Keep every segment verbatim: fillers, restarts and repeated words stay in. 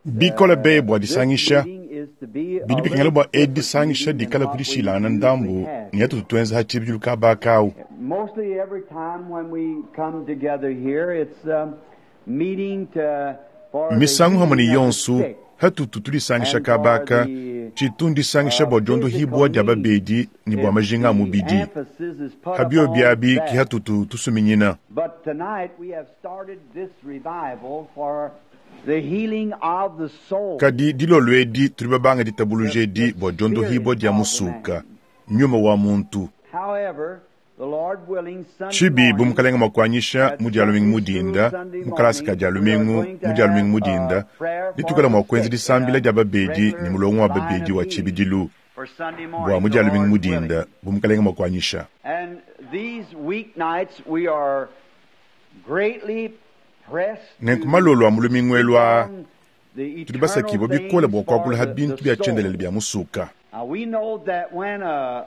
Bikole be bua disangisha bidi bikengela bua edi disangisha dikala ku dishilangana ndambu ne atutu tuenza ha tshibidilu kaba akawu. Mostly every time when we come together here, it's um, meeting to, for the Misangu hamwe ne healing of the yonso sick. hatutu tudisangisha kaba aka tshitu ndisangisha bua diondohibua dia babedi ne bua majinga a mubidi. Emphasis is put Habio upon biabi that. ki hatutu tusuminyina. But tonight we have started this revival for the healing of the soul. Kadi dilolo edi tuli babanga ditabuluja edi bua diondohibua dia musuka nyuma wa muntu. However, the Lord willing, Sunday Tshibi bu morning, mukalenga muakuanyisha mu dia lumingu mudinda mu kalasa ka dia lumingu mu dia lumingu mudinda ditukala mua kuenza disambila dia babedi ne mulongo wa babedi wa tshibidilu for Sunday morning, bua mu the dia lumingu Lord mudinda willing. bu mukalenga muakuanyisha. And these weeknights we are greatly pressed Nenku to malolo a mu lumingu elu aa on the tudi basakibua eternal bikole bua things kuakula for ha the, bintu the bia soul. tshiendelele bia musuka. Now we know that when a,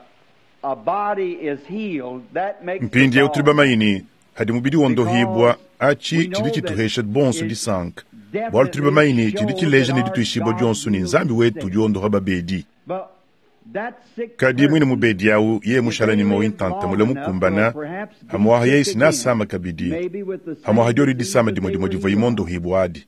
a body is healed, that makes the Mpindieu tuli body bamanyi ne hadi mubidi wondohibua achi tshidi tshituhesha bonso disanka bualu tuli bamanyi ne tshidi tshileja ne dituishibua dionso ne Nzambi wetu udi wondoha babedi. But that sick Kadi mwine person, mubedi awu yeye mushala ne moyo ntanta mule mukumbana hamuaha yeye sinasama kabidi maybe with the same hamuaha dioli disease disama that dimwe they dimwe were divua healed of. imondohibua adi.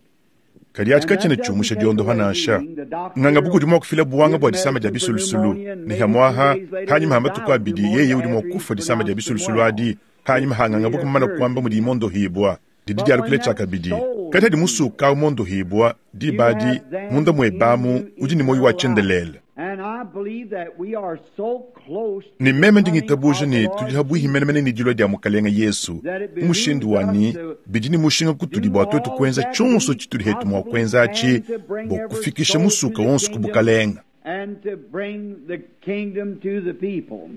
Kadi achi And that katshiena doesn't tshiumusha take diondoha away nansha. healing. The doctor Nganga buku udi mua kufila buwanga gives bua disama dia medicine for bisulusulu pneumonia, and ne maybe two hamuaha days later hanyima ha he'll die matuku of abidi pneumonia yeye udi mua after he's kufa disama dia pronounced him bisulusulu well. adi hanyima hanganga buku mumana kuamba mudi imondohibua didi But when dialukile that tshiakabidi soul kadi hadi is healed, musuka umondohibua you diba adi have then munda muebamu into udi ne moyo wa eternal life. tshiendelele. And I believe that we are so close to Ne the meme coming ndingitabuja of the ne Lord tudi habuihi Jesus menemene ne dilua dia mukalenga Yesu that it mu mushindu behooves us wani to bidi ne mushinga kutudi do bua tuetu all kuenza that tshionso we tshitudi hetu mua possibly kuenza achi can to bring bua every kufikisha soul to musuka the wonso ku kingdom bukalenga and to bring the kingdom to the people.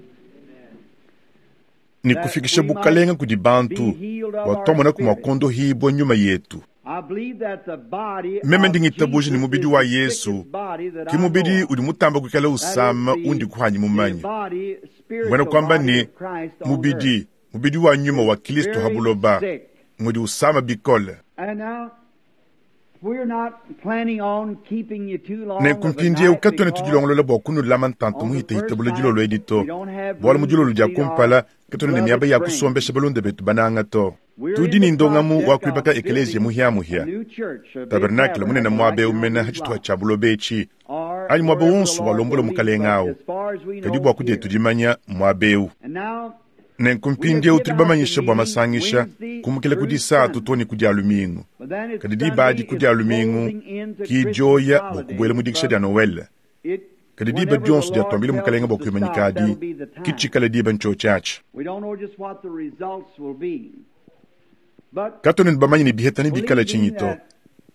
ne That kufikisha we might bukalenga kudi be bantu healed of bua our twamonaku mua spirit. kondohibua nyuma yetu. I believe that the body Meme of ndingitabuja ne Jesus mubidi is wa the Yesu sickest body that ki I know mubidi of. udi mutamba kuikala That is usama the, undi kuhanyi the mumanya body, mbwena spiritual kuamba body ne of Christ on earth mubidi mubidi wa nyuma is wa Kristo very habuloba sick. ngudi usama bikole. And now, we're not planning on keeping you too long Nenku of a mpindieu night katuena because tudilongolola bua kunulama ntanta on the muhitahita first bula night dilolo edi we to don't have bualu mu room to dilolo dia seat our kumpala katuena ne miaba beloved ya friends. kusombesha balunda betu bananga to. We're Tudi in ne the ndongamu wa project kuibaka of ekeleziya building a muhiamuhia new church, a big tabernakele munene tabernacle muaba like eu on mena these ha tshituha lots, tshia buloba etshi or anyi muaba wherever the wonso Lord walombola will lead. mukalenga But awu as far as we kadi know bua kudietu here. dimanya muaba eu. And now Nenku we have mpindieu give tudi out the bamanyisha bua meeting masangisha Wednesday kumukila ku through disatu Sunday. to ne ku dia lumingu But then it's kadi diba adi Sunday ku is dia lumingu closing into ki Christmas dioya bua kubuela mu holidays, dikisha but dia Noel it kadi diba whenever the dionso Lord diatuambile tells mukalenga us bua to kuimanyika stop, adi that'll be the ki time. tshikala diba ntshiotshiatshi. We don't know just what the results will be. But Katuena ne bamanyi ne biheta ne bikala believing tshinyi to that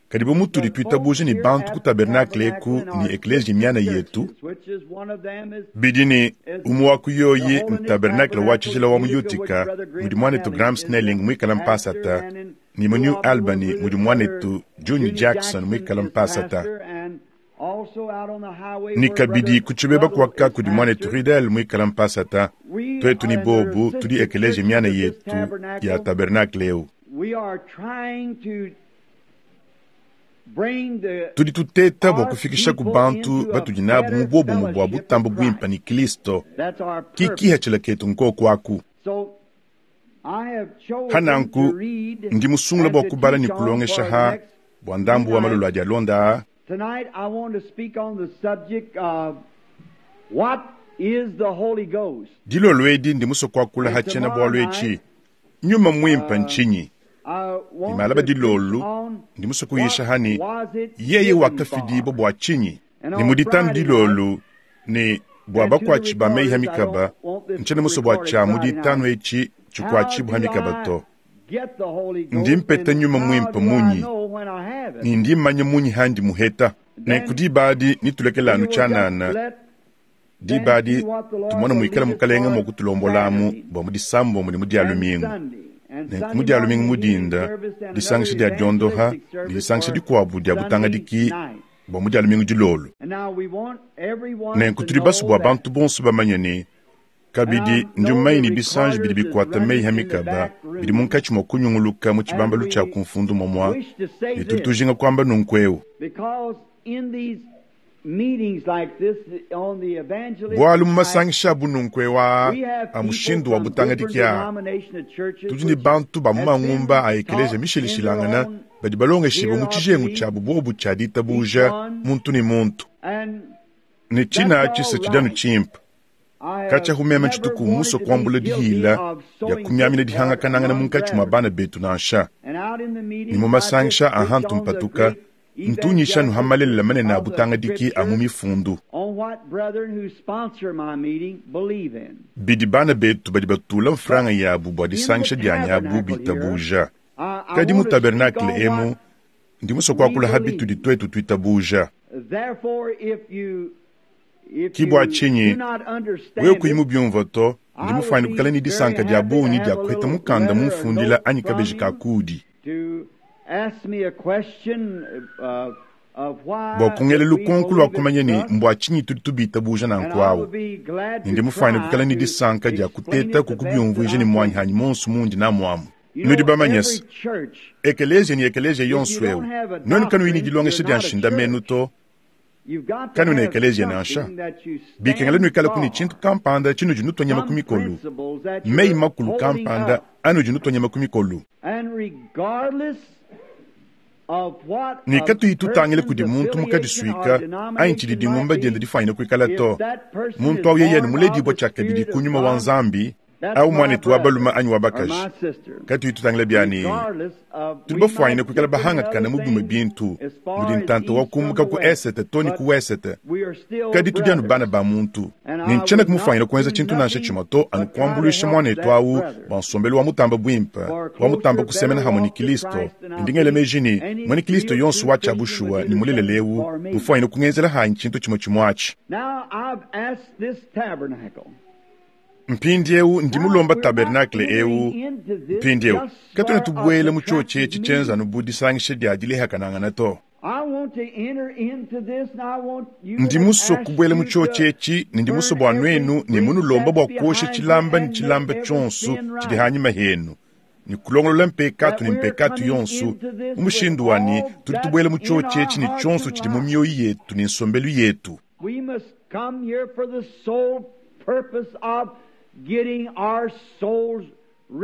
kadi bu mutudi the folks tuitabuja ne here bantu ku at the tabernakele tabernacle eku in ne our ekeleziya sister miana yetu churches, which is one of them is bidi ne is umue wa ku the yoyi Holiness ntabernakele wa Tabernacle tshijila wa mu Utica, which Utica Brother mudi Graham muanetu Snelling Graham is the Snelling muikala pastor, mpasata and in ne mu New New Albany Albany where mudi Brother muanetu Junior Junior Jackson Jackson muikala is mpasata pastor, and also out on the highway ne where kabidi Brother ku tshibeba Ruddell kuaka is kudi muanetu pastor. Riddell muikala mpasata We tuetu ne are in their bobu tudi sister ekeleziya churches miana of this yetu ya tabernacle. tabernakele eu. We are trying to bring the Tudi tuteta bua our kufikisha ku people bantu into a batudi nabu mu better buobumu bua fellowship with butambo buimpa Christ. ne Kristo That's our ki purpose. kihachila ketu nkoku aku. So I have chosen Hananku to read ndi musungula and bua to kubala ne teach on kulongesha for the ha next bua few ndambu wa malolo nights. adi alonda aa Tonight I want to speak on the subject of what is the Holy Ghost. dilolo edi ndi musue kuakula ha And tshiena tomorrow bualu night etshi nyuma muimpa uh, ntshinyi I ne want malaba to preach dilolo on ndi musue what kuyisha hani was it yeye given wakafidibua for. bua tshinyi And ne on mu ditanu Friday night dilolo ne bua and to the bakuatshi ba meyi ha recorders, I mikaba don't want this ntshiena musue bua recorded tshia mu Friday ditanu night. etshi How tshikuatshibua ha do mikaba I to get the Holy ndi Ghost mpeta and nyuma how muimpa do I munyi know when I have it? ne ndi mmanya munyi handi muheta nenku Then diba adi nitulekela we anu will just tshianana let diba then adi see what the Lord tumona will muikala lead us mukalenga for mua kutulombolamu Saturday bua mu disambo ne mu dia and lumingu. Sunday. And Nenku Sunday mu dia lumingu morning mu healing dinda service and another disangisha dia diondoha evangelistic ne service disangisha for dikuabu dia Sunday butangadiki night. bua mu dia lumingu dilolo. And now we want everyone Nenku to tudi basu know bua that bantu bonso bamanye ne Kabidi ndi mumanye ne bisanji bidi bikwata meyi ha mikaba bidi munkatshi mua kunyunguluka mu tshibambalu tshia kumfundu momwa ne tudi tujinga kuamba nunku eu. Bualu mu masangisha abu nunku eu aa a mushindu wa butangadiki aa tudi ne bantu ba mu mangumba a ekeleziya mishilashilangana badi balongeshibua mu tshijengu tshiabu bobu tshia ditabuja muntu ne muntu. Ne tshina atshi se tshidi anu tshimpe. Katshia humema tshituku musue kuambula dihila dia kumiamina dihangakanangana munkatshi mua bana betu nansha. Ne mu masangisha a hantu mpatuka ntunyisha nuha malelela manene a butangadiki a mu mifundu. Bidi bana betu badi batula mfranga yabu bua disangisha dianyi abu bitabuja. Kadi mu tabernakle emu ndi musue kuakula ha bitudi tuetu tuitabuja. Ki bua tshinyi wewe kuyi mubiumvua to, ndi mufuane kuikala ne disanka dia bungi dia kuheta mukanda mumfundila anyi kabeji ka kudi. Bua kungela lukonko lua kumanya ne mbua tshinyi tudi tubitabuja nanku awu. Ne ndi mufuane kuikala ne disanka dia kuteta kukubiumvuija ne muanyi hanyi monso mundi namuamu. Nudi bamanye se ekeleziya ne ekeleziya yonso eu nuenu kanuyi ne dilongesha dia nshindamenu to, kanuna ekeleziya nansha. Bikengela nuikalaku ne tshintu kampanda tshinudi nutua nyama ku mikolu, meyi makulu kampanda anudi nutua nyama ku mikolu. Ne katuyi tutangila kudi muntu mukadisuika anyi tshidi dingumba diende difanyine kuikala to. Muntu awu yeye ne muledibua tshiakabidi ku nyuma wa Nzambi, awu muanetu wa balume anyi wa bakaji. Katuyi tutangila biani tudi bafuanyine kuikala bahangakana mu bimue bintu mudi ntanta wa kumbuka ku esete to ne ku wesete, kadi tudi anu bana ba muntu. Ne ntshiena kumufuanyine kuenza tshintu nansha tshimue to anu kuambuluisha muanetu awu bua nsombelu wa mutamba buimpe wa mutamba kusemena hamwe ne Kristo. Ne ndi ngela meji ne muena Kristo yonso wa tshia bushuwa ne mulelela eu mufuanyine kungenzela hanyi tshintu tshimue tshimue atshi. Mpindieu ndi mulomba tabernakle eu. Mpindieu katuena tubuela mu tshiotshi etshi tshienza anu bu disangisha dia dilehakanangana to. Ndi musue kubuela mu tshiotshi etshi ne ndi musue bua nuenu ne munulomba bua kuosha tshilamba ne tshilamba tshionso tshidi hanyima henu ne kulongolola mpekatu ne mpekatu yonso mu mushindu wa ne tudi tubuela mu tshiotshi etshi ne tshionso tshidi mu mioyo yetu ne nsombelu yetu.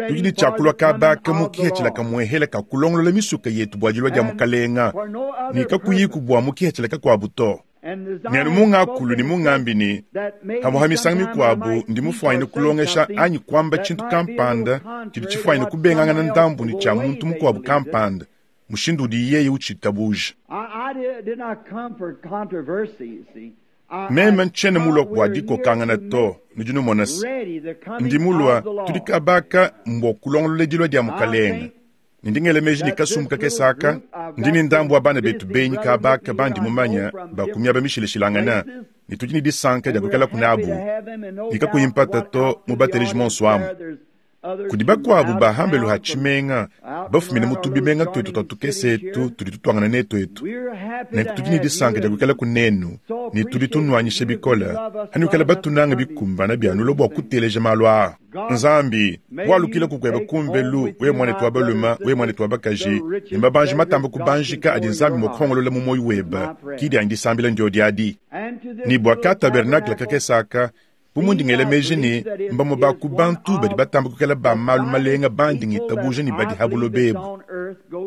Tudi ne tshiakulua kabaka mu kihetshila kamuehela ka kulongolola misuka yetu bua dilua dia mukalenga ne kakuyiku bua mu kihetshila kakuabu to. Ne anu mungakulu ne mungambi ne hamue ha misangu mikuabu ndi mufuanyine kulongesha anyi kuamba tshintu kampanda tshidi tshifuanyine kubengangana ndambu ne tshia muntu mukuabu kampanda mushindu udi yeye utshitabuja. Meme ntshiena mulua bua dikokangana to, nudi numona se ndi mulua tudi kabaka mbua kulongolola dilua dia mukalenga. Ne ndi ngela meji ne kasumbu kakese aka, ndi ne ndambu wa bana betu benyi kabaka bandi mumanya ba ku miaba mishilashilangana, ne tudi ne disanka dia kuikalaku nabu, ne kakuyi mpata to mu bateleji monso amu. Kudi bakuabu bahambelu ha tshimenga bafumine mu tubimenga tuetu tua tukese etu tudi tutuangana netu etu. Nenku tudi ne disanka dia kuikala kunenu ne tudi tunuanyisha bikole hanuikala batunanga bikumbana bianulo bua kuteleja malu aa. Nzambi walukila kukweba kumbelu we mwanetu wa balume we mwanetu wa bakaji ne mabanji matamba kubanjika adi Nzambi mua kuhongolola mu moyo weba kidi andi disambila ndio diadi. Ne bua ka tabernakle kakesaka bu ngela meji ne mbamue ba ku bantu badi batamba kuikala ba malu malenga bandi ngitabuja ne badi habuloba ebu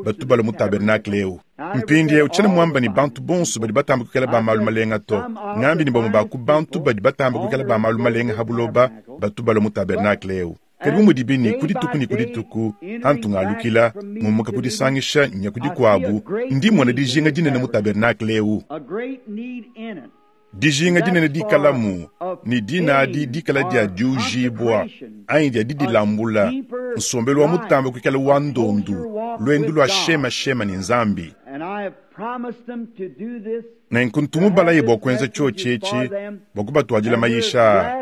batu balua mu tabernakle eu. Mpindieu tshiena muamba ne bantu bonso badi batamba kuikala ba malu malenga to, ngambi ne bamue ba ku bantu badi batamba kuikala ba malu malenga habuloba batu balua mu tabernakle eu. Kadi bu mudibi ne ku dituku ne ku dituku antu ngalukila ngumuka kudisangisha nya ku dikuabu, ndi mona dijinga dinene mu tabernakle eu. Dijinga dinene dikalamu ne dina adi dikala dia diujibua anyi dia didilambula, nsombelu wa mutamba kuikala wa ndondu, luendu lua shema shema ne Nzambi. Nenku ntumubalaye bua kuenza tshiotshi etshi bua kubatuadila mayisha.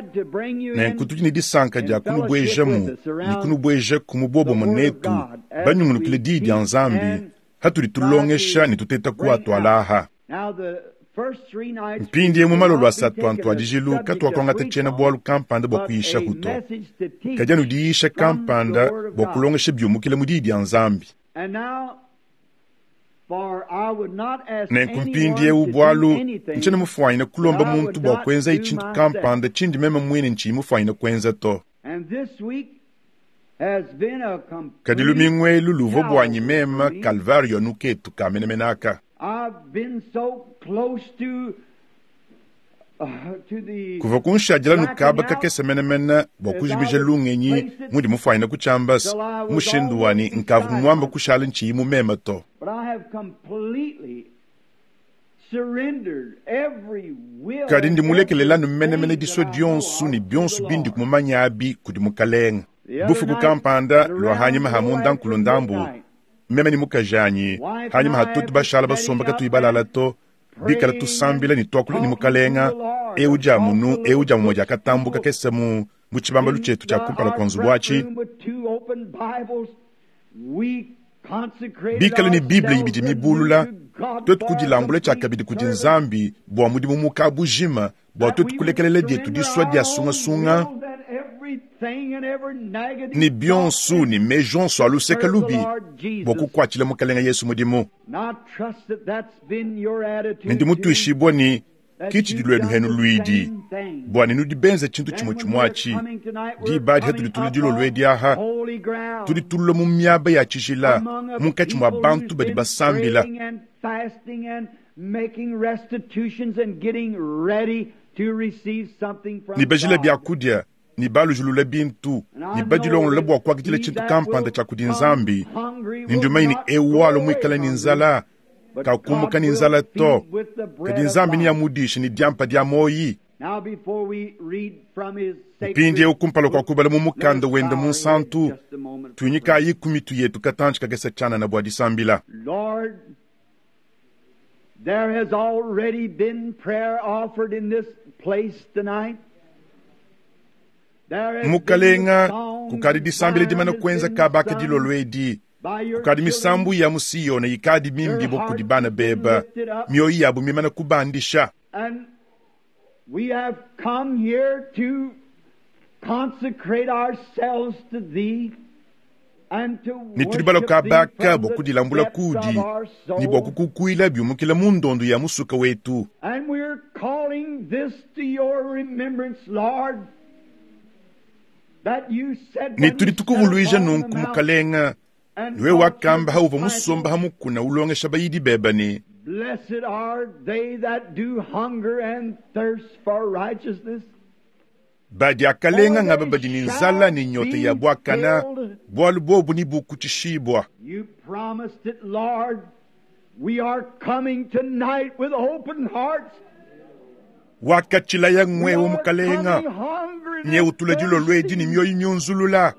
Nenku tudi ne disanka dia kunubuejamu ne kunubueja ku mubobomo netu banyungulukile diyi dia Nzambi hatudi tulongesha ne tuteta kuatualaha. Mpindie mu malolo asatu antuadijilu katuakuangata tshiena-bualu kampanda bua kuyishaku to, kadi anu diyisha kampanda bua kulongesha biumukile mu diyi dia Nzambi. Nenku mpindiewu bualu ntshiena mufuanyine kulomba muntu bua kuenzaye tshintu kampanda tshindi meme muine ntshiyi mufuanyine kuenza to. Kadi lumingu elu luvua buanyi meme Kalvario nuketu ka menemene aka. Kuva kunshadila nukaba kakese menemene bua kujimija lungenyi mudi mufuanyine kutshiambasa mushindu wani nkavu muamba kushala ntshiyi mu meme to. Kadi ndi mulekelelanu menemene disua dionso ne bionso bindi kumumanya abi kudi mukalenga. Bufuku kampanda lua hanyima ha munda nkulu ndambu, meme ne mukajanyi hanyima ha tutu bashala basomba katuyi balala to, bikala tusambila ne tuakula ne mukalenga eu dia munu eu dia mumue diakatambuka kese mu mu tshibambalu tshietu tshia kumpala kua nzubu atshi, bikala ne Bible ibidi mibulula, tuetu kudilambula tshiakabidi kudi Nzambi bua mudimu muka bujima bua tuetu kulekelela dietu disua dia sungasunga ne bionso ne meji onso a luseka lubi bua kukuatshila mukalenga Yesu mudimu. Ne ndi mutuishibua ne kitshidi luenu henu luidi bua ne nudi benze tshintu tshimue tshimue atshi. Diba adi hatudi tula dilolo edi aha, tudi tulula mu miaba ya tshijila munkatshi mua bantu badi basambila ne bajila biakudia ne balujulula bintu ne badilongolola bua kuakidila tshintu kampanda tshia kudi Nzambi. Ne ndiumanyi ne ewu walo muikale ne nzala kakumbuka ne nzala to, kadi Nzambi niyamudishe ne diampa dia moyi. Mpindiewu kumpala kua kubala mu mukanda wende munsantu, tuinyikayi ku mitu yetu katantshi kakese tshianana bua disambila. There has already been prayer offered in this place tonight. Mukalenga kukadi disambila dimana kuenza kabaka dilolo edi, kukadi misambu ya mu Siyone ikadi mimbibo kudi bana beba, mioyo yabu mimana kubandisha. And we have come here to consecrate ourselves to thee and to Ne tudi baloka worship thee baka from bua the kudilambula depths kudi of our ne bua soul. kukukuila biumukila mu ndondo ya musuka wetu. And we're calling this to your remembrance, Lord, that you said Ne when tudi you sat tukuvuluija upon the nunku mount mukalenga, and niwe taught your wakamba hauva disciples, musomba hamukuna ulongesha bayidi beba ne Blessed are they that do hunger and thirst for righteousness, badi akalenga for ngaba they badi ne nzala shall ne nyota ya be buakana, filled. bualu bobu ni bukutshishibwa. You promised it, Lord. We are coming tonight with open hearts. Wakatshilaya We ngwewe are mukalenga, coming hungry nye and utula dilolo edi ne thirsty. mioyo myunzulula,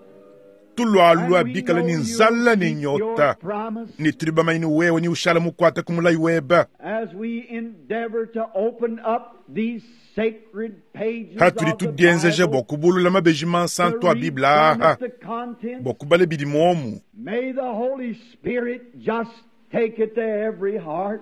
tulwalwa And we bikala know ne you'll nzala ne keep your nyota, promise ne tudi bamanye ne wewe ni ushala mukuata ku mulayi weba. as we endeavor to open up these sacred pages Hatudi of the tudienzeja Bible bua kubulula mabeji to mansantu a read Bible from aha, it the contents. bua kubala bidi muomu. May the Holy Spirit just take it to every heart.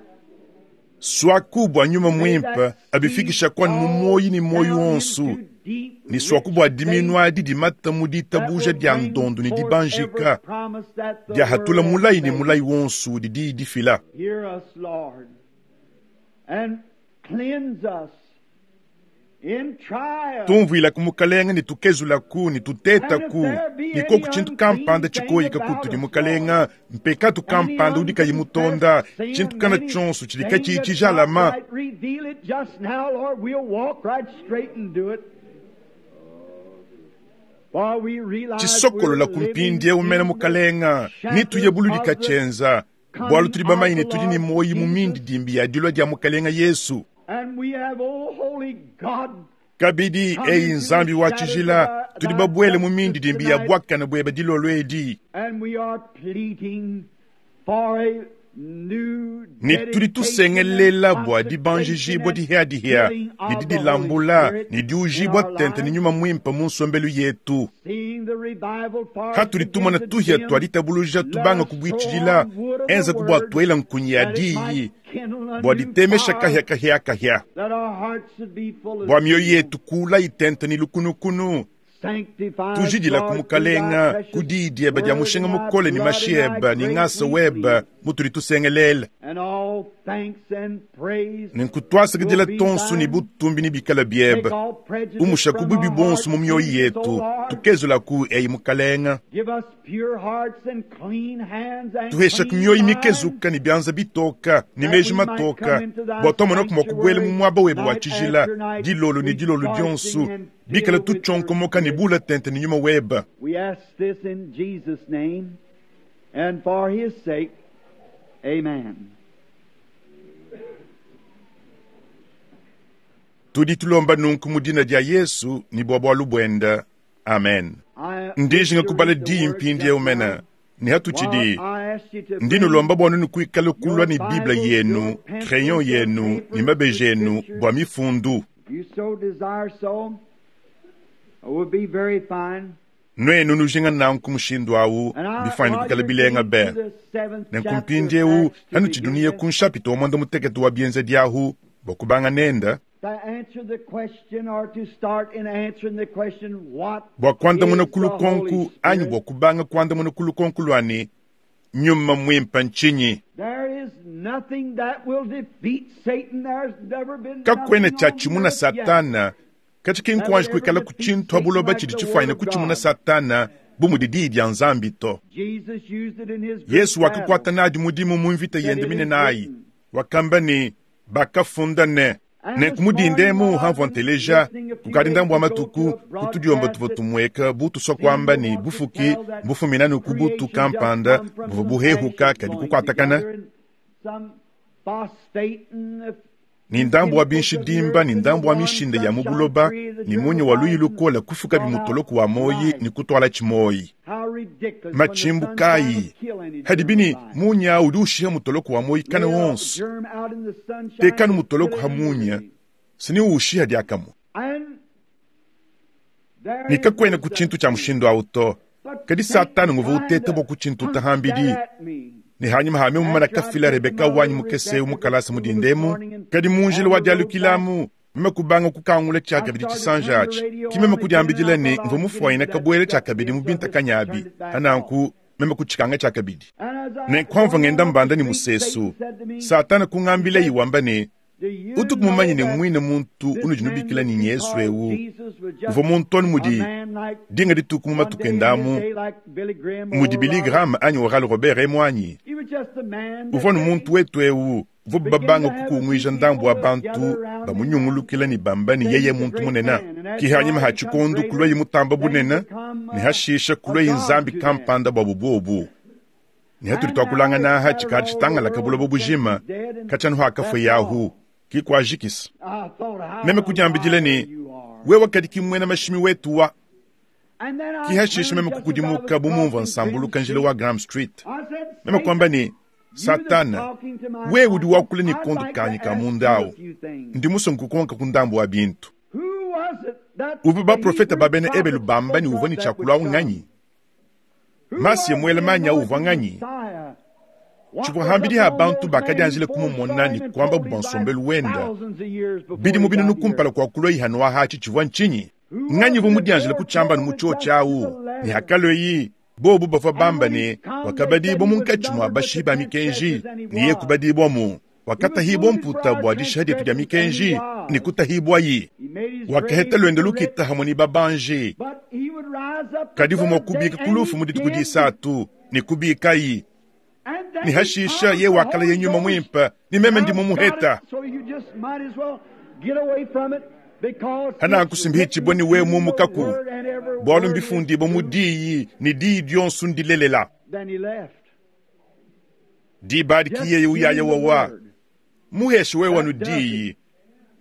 Swaku bua nyuma May muimpe that seed abifikisha kwanu mu fall moyi ne moyi down wonso, into deep, ne swaku rich bua faith diminu adi dimata mu that ditabuja will dia bring ndondo ne forth every dibanjika promise that the dia hatula Word has mulayi ne made. mulayi wonso udi diyi difila. Hear us, Lord, and cleanse us in trial. Tumvuila mukalenga ne tukezulaku ne And if tutetaku there be ne any koku tshintu unclean kampanda thing tshikoyika about kutudi us, Lord, mukalenga, mpekatu any kampanda udi kayi mutonda, unconfessed sin, tshintu kana tshionso tshidi anything katshiyi that's not tshijalama. right, reveal it just now, Lord. We'll walk right straight and do it. For we realize we're Tshisokolola ku living mpindiewu mene in the mukalenga, ne tuye shadow buludi of the katshienza, bualu coming tudi of bamanye the ne tudi ne Lord moyi mu Jesus. mindidimbi ya dilua dia mukalenga Yesu. And we have, oh, holy God, Kabidi come eyi into the Nzambi wa shadows of tshijila, thy, tudi thy babuele mu justice mindidimbi ya tonight, buakana bueba dilolo edi. and we are pleading for a Ne tudi tusengelela bua dibanjijibua dihiadihia ne didilambula ne diujibua tente ne nyuma muimpe mu nsombelu yetu. Hatudi tumona tuhia tua ditabuluja tubanga kubuitshidila enza ku bua tuela nkunyi ya diyi bua ditemesha kahia kahia kahia bua mioyo yetu kula itente ne lukunukunu tujidila ku mukalenga ku diyi diebe dia mushinga mukole ne mashi ebe ne ngasa webe mutudi tusengelela nenku twasakidila tonso ne butumbi ne bikala biebe umusha ku bubi bonso mu mioyo yetu tukezulaku eyi mukalenga tuhesha ku mioyo mikezuka ne bianza bitoka ne meji matoka bua twamona kumua kubuela mu muaba webe wa tshijila dilolo ne dilolo dionso bikala tutshonkomoka ne bula tente ne nyuma webe. We ask this in Jesus' name and for his sake. Amen. Tudi tulomba nunku mu dina dia Yesu ni bua bualu buenda. Amen. Ndijinga kubala diyi mpindieu mena ne hatutshidi ndi nulomba bua nunu kuikala kulua ne Bible yenu, crayon yenu ne mabeji enu bua mifundu. You so desire so, it would be very fine. Nuenu nujinga nanku mushindu awu bifanye kuikala bilenga be. Nenku mpindieu hanutshiduniye ku nshapita wa mwanda mutekete wa bienza diahu bua kubanga nenda bua kuandamuna ku lukonku anyi bua kubanga kuandamuna ku lukonku lua ne nyuma mwimpe ntshinyi. Kakwena tshia tshimuna Satana katshiki nkuanji kuikala ku tshintu abuloba tshidi tshifanyine kutshimuna Satana bu mudi diyi dia Nzambi to. Yesu wakakuata nadi mudimu mu mvita yende minene ayi wakamba ne bakafunda ne nenku mudindemu hamvua nteleja kukadi ndambu wa matuku kutudiomba tuvua tumueka butu kwamba ni bufuki bufumina nuku butu kampanda buvua buhehuka kadi kukuatakana ni ndambu wa binshidimba ni ndambu wa mishinde ya mubuloba ni munyi wa luyi lukola kufuka bimutoloku wa moyi ni kutwala tshimoyi machimbu kayi hadibini munya udi ushiha mutoloku wa moyi kana wonso tekanu mutoloku ha munya sini ushiha diakamu ni kakwena ku tshintu tshia mushindu awu to kadi Satana nguva uteta bua ku tshintu tahambidi ni hanyuma hame mumana kafila Rebeka wanyi mukese mukalasa mudindemu kadi munjila wa dialukilamu meme kubanga kukangula tshiakabidi tshisanja atshi ki meme kudiambidila ne mvua mufuanyina kabuela tshiakabidi mu bintakanyabi hananku meme kutshikanga tshiakabidi nenku ngenda mbanda ni musesu Satana kungambila yiwamba ne utuku mumanye ne mwine muntu unudi nubikila ni Yesu ewu uvua muntu onu mudi dinga dituku mu matuku endamu mudi Billy Graham anyi Oral Robert emu anyi uvua nu muntu wetu ewu uvua babanga kukunguija ndambu wa bantu bamunyungulukila ni bamba ni yeye muntu munene kihanyima ha tshikondu kulua mutamba bunene ni hashisha kulua nzambi kampanda bua bubobu ni hatuli twakulangana aha tshikadi tshitangala buloba bujima katshanu hakafwe yahu kikwajikisa meme kudiambidila ne wewe kadi kimwena mashimi wetu wa kihashisha meme kukudimuka bumumva nsambuluka njila wa Graham Street meme kwamba ne Satana wewe udi wakula ni kondu kanyi ka mundawu ndi musongo kukonka ku ndambu wa bintu uvu baprofeta babene ebelu bamba ni uvua ni tshiakula nganyi masi mwele manya uvua nganyi tshivua hambidi ha bantu bakadianjile kumumona ni kwamba bubansombelu wenda bidi mu binunu kumpala kwa kulwa ihanu ahatshi tshivua ntshinyi nganyi uvua mudianjile kutshamba nu mutshio tshiawu ni hakaloyi bobu bavua bamba ne wakabadibwa munkatshi mua bashi ba mikenji ni ye kubadibwa mu wakatahibwa mputa bua dishiha dietu dia mikenji ni kutahibwayi wakaheta lwendo lukita hamwe ni babanji kadi vua mua kubika kulufu mu dituku disatu ni kubikayi ni hashisha ye wakala ye nyuma mwimpe ni meme ndimo muheta hana kusimbihichibwa ni we mumukaku bwalu mbifundibwa mu diyi ni diyi dionso ndilelela dibadi kiyeye uyaya wawa muheshe we wanu diyi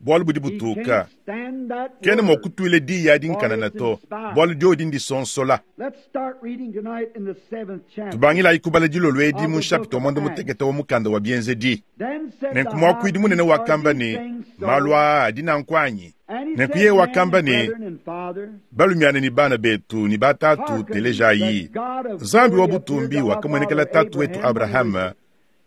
Bwalu budi He butuka. can't stand that Kena word. mwa kutwila diya dinkanana to, bwalu dyodi ndisonsola. Let's start reading tonight in the seventh chapter. Tubangilayi kubala dilolo edi mu nshapita wa mwanda mutekete wa mukanda wa bienzedi. Then said the Nenku high mwakwidi munene priest, Are wakamba these ne, things so? malu aa adi nanku anyi? And he Nenku said, yeye Men, wakamba ne, brethren and fathers, balumiana ni bana betu ni batatu hearken, telejayi. the God of Nzambi wa glory appeared butumbi to our wakamuonekela father tatu wetu Abraham Abrahama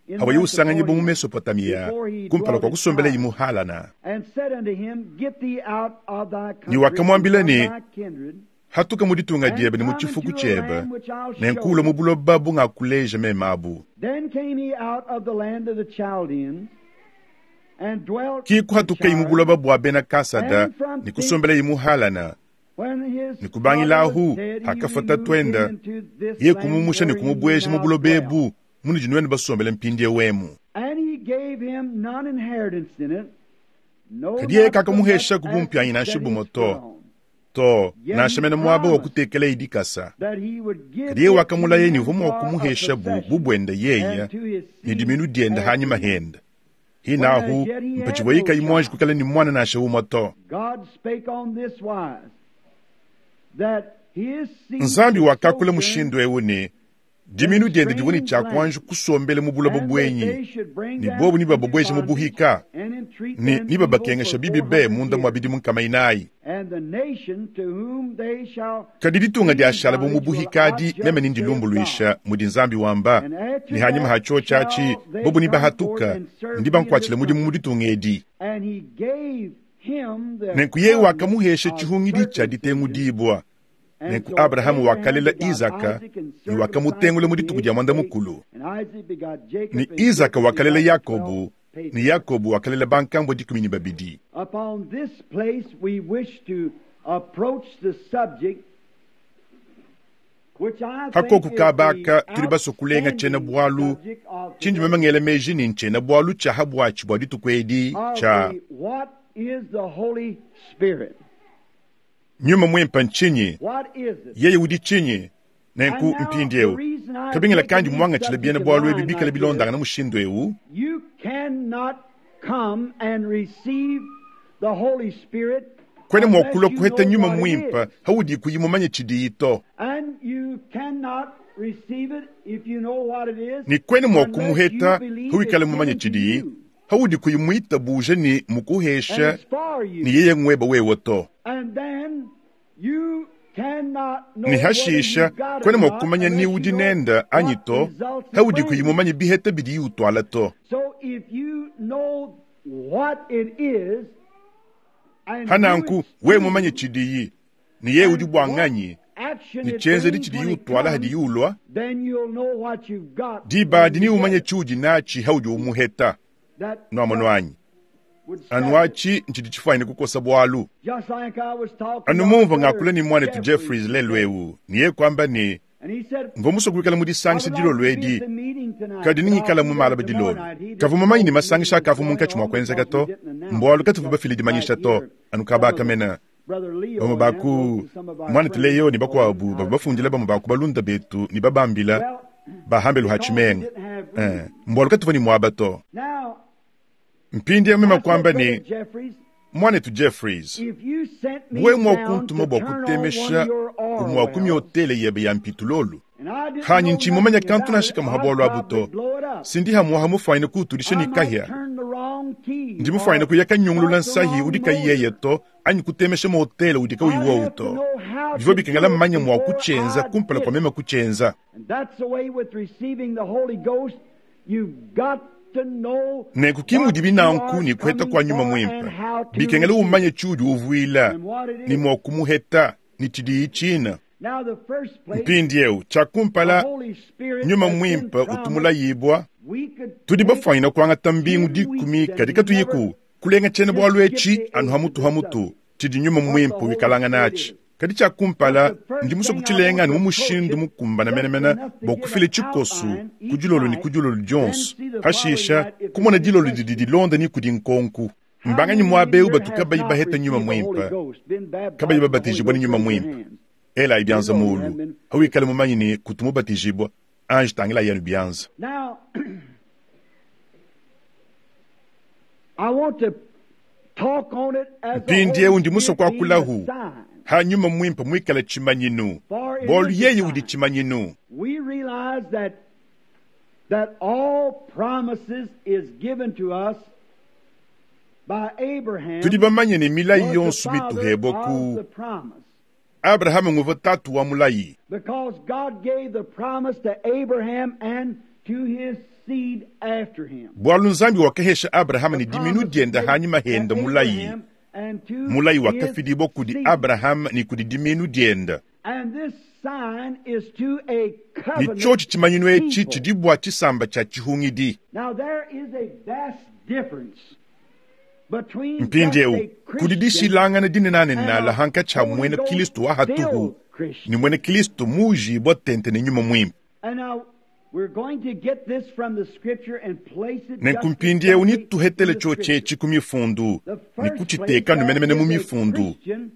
in hawaye usanganyibwa mu Mesopotamia, Mesopotamia before he kumpala dwelt kwa at kusombela Haran, imuhalana. and said unto him, Get thee out of thy Ni country and wakamwambila from ne, thy kindred, hatuka mu ditunga and dyebe ne mu come chifuku into a chebe, land which I'll show nenkuula mu thee. buloba bungakuleja memabu. Then came he out of the land of the Chaldeans, and dwelt Ki in kuhatuka imu Charan. buloba bwa bena Kasada And from ni thence, kusombela imuhalana. when his Ni father was kubangilahu dead, he hakafa removed him tatwenda into this ye land kumumusha ni wherein ye kumubweja mu now buloba dwell. ebu muni jinwene basombela mpindi ewemu. And he gave him none inheritance in it, no, Kadi yeye not so much kakamuhesha as to kubumpyanyi set nansha his bumo foot to. on, To yet nansha he mena mwaba wa promised kutekela idikasa. that he would give Kadi yeye it to wakamulaye ni him vumwa for a kumuhesha bu possession, bubwenda yeye and to his ni seed diminu dyenda after hanyuma him. henda. When Hinahu as yet he had mpachivoyika no imwanji child, kukala ni mwana nansha umwe to. God spake on this wise, that his seed Nzambi should wakakula sojourn mushindu ewu ne in diminu dyenda divwe ni strange chakwanji lands, kusombele mu buloba and that bwenyi they should bring ni them bobu ni into bababweja mu bondage buhika and entreat ni them ni evil babakengesha for bibi four be hundred munda mwa years. bidimu nkama inayi. And the nation to whom they shall Kadi ditunga be in dyashala bu mu bondage will buhikadi I meme judge, ni saith God. ndilumbulwisha mudi nzambi wamba And after ni hanyuma that hacho chachi shall they bobu ni come forth bahatuka and serve ndi me in bankwachila this mudimu mu country. ditunga edi. And he gave him the Nenku yeye covenant wakamuhesha of chihungidi cha circumcision. ditengudibwa. And Nenku so Abrahamu Abraham wakalela begot Isaka Isaac and ni circumcised wakamutengula him mu the dituku dya eighth mwanda day. mukulu. And Isaac begot Ni Jacob, and Isaka Jacob wakalela begot the twelve Yakobu ni patriarchs. Yakobu wakalela bankambwe dikumi ni babidi. Upon this place we wish to approach the subject which I think Hakoku is the kabaka tuli baso kulenga chena outstanding bwalu subject of chindi today memangela meji ni nchena bwalu cha habwachi bwa dituku edi of cha the what is the Holy Spirit? nyuma mwempa nchinyi What is it? yeye udi chinyi nenku And now mpindi the ewu reason I've kabingila taken kandi this mwangachila subject byena in bwalu ebi line bikala like this, bilondangana mushindu ewu you cannot come and receive the Holy Spirit kwene unless mwakula you kuheta know nyuma what it mwimpa is. haudi kuyimumanye chidiito And you cannot receive it if you know what it is ni kwene unless you mwakumuheta believe huikala it's mumanye given to chidiyi you haudi kuyimwita buje ni and mukuhesha it's for ni you. yeye ngweba wewe to And then you cannot know ni whether hashisha you've got it kwene or not mwakumanya ni unless you udi know nenda anyi what to results it haudi brings. kuyimumanye biheta bidi utwala to So if you know what it is and who hananku it's we to mumanye chidiyi ni yeye udi and what bwanganyi action ni it chenzedi brings chidiyi when it utwala hadi comes, yulwa then you'll know what you've got when dibadi ni you get umanye it. chudi nachi haudi umuheta That nwamwe just nwanyi would settle it. anwachi nchidi chifwanyine kukosa bwalu Just like I was talking to anu our mumva brother ngakula ni mwanetu Jeffries Jeffries today, lelwewu niye kwamba ni and he said, mva kuikala I mudisangisha would like to dilolo be at edi the meeting tonight, kadi but I'll ningikala be mu there malaba tomorrow dilolo night. He kavu didn't mumanyi ni know the masangisha meeting was akavu going munkatshi on mwa because kwenzeka we to didn't announce mbwalu it katuvu just bafile dimanyisha right to here. anu Some of kabaka the mena Brother Leo bamwe and them baku wrote to some of our mwana friends tuleyo ni and told them bakwabu out baba of bafundila town. bamwe baku balunda betu ni babambila Well, bahambelu because we hachimenga didn't have eh room. mbwalu katuvu ni mwaba to Now, mpindi amema I said, kwamba Brother ni Jeffries, mwanetu Jeffries if you sent me we down to mwakuntuma bwa turn on one kutemesha of your oil umwakumya wells, otele yebe ya mpitulolu and I didn't hanyi know nchimumanya nothing kantu about it, nashika I'd muhabwalu probably abuto blow it up. sindi hamuha mufwaine kuutulisha I ni might kahya turn the wrong key ndi mufwaine or kuyaka nyungulula start the nsahi wrong udi kayiyeye motor. to anyi kutemesha motele udi I'd kauyiwa have to uto know how bivyo to bikengela do it mmanya mwa before kuchenza I kumpala did kwa it. mema kuchenza And that's the way with receiving the Holy Ghost. You've got to know nenku what kimudi you binanku are ni kuheta coming kwa nyuma for and mwimpa how to bikengela receive umanye it chudi uvuila and what it ni is. mwa kumuheta ni chidiyi china Now, the first place, mpindi ewu the chakumpala Holy Spirit nyuma has been mwimpa promised. utumula We could tudi take bafwanyina kuangata mbingu ten weeks dikumi and kadi katuyiku never kulenga chene just bwalu skip echi the anu eighth of hamutu the hamutu subject, tshidi nyuma what the mwimpa Holy wikalanga Spirit nachi is. kadi tshiakumpala But the first ndi muso thing I kutshilenga want ni to mu approach mushindu it mukumbana just menemene enough to bua give kufila an tshikosu outline each kudilolo ni night, kudilolo then dionso see the following hashisha night if there's kumona any dilolo didi questions. dilonda ni kudi nkonku How mbanganyi many in mwabewu here batu has kabayi not baheta nyuma received the Holy mwimpa Ghost, been kabayi baptized in the Holy babatijibwa ni Ghost? nyuma Raise your mwimpa hands. ela You ibyanza know you mulu haven't been. hawikale mumanyi ni kutumubatijibwa anji tangila yanu byanza Now, I want to talk on it as the Mpindiewu Holy ndi musue Spirit being the kuakulahu. sign. Hanyuma mwimpe mwikala chimanyinu. For it Bolu is the yeye udi sign. chimanyinu. We realize that that all promises is given to us by Abraham Tudi bamanye ne milayi was the yonso father mituhebwa of ku the promise. Abrahamu nguva tatu wa mulayi. Because God gave the promise to Abraham and to his seed after him. Bwalu Nzambi wakahesha Abrahamu The ne diminu promise dienda given hanyuma to henda mulayi. Abraham and to Mulayi his wakafidibwa kudi seed. Abrahamu ne kudi diminu dienda. And this sign is to a Ne covenant chochi chimanyinu echi people. chidi bwa chisamba cha chihungidi. Now there is a vast difference between just Mpindiewu a kudi Christian dishilangana dinenane and nala a hanka cha Holy mwene Ghost Kristo wa hatuhu filled Christian. ni mwene Kristo mujibwa tente ne nyuma mwimpe. And now we're going to get this from the scripture and place it just Nenku mpindiewu exactly in nituhetele the chochi scripture. echi ku mifundu The ni first place kuchiteka there numenemene mu is a mifundu. Christian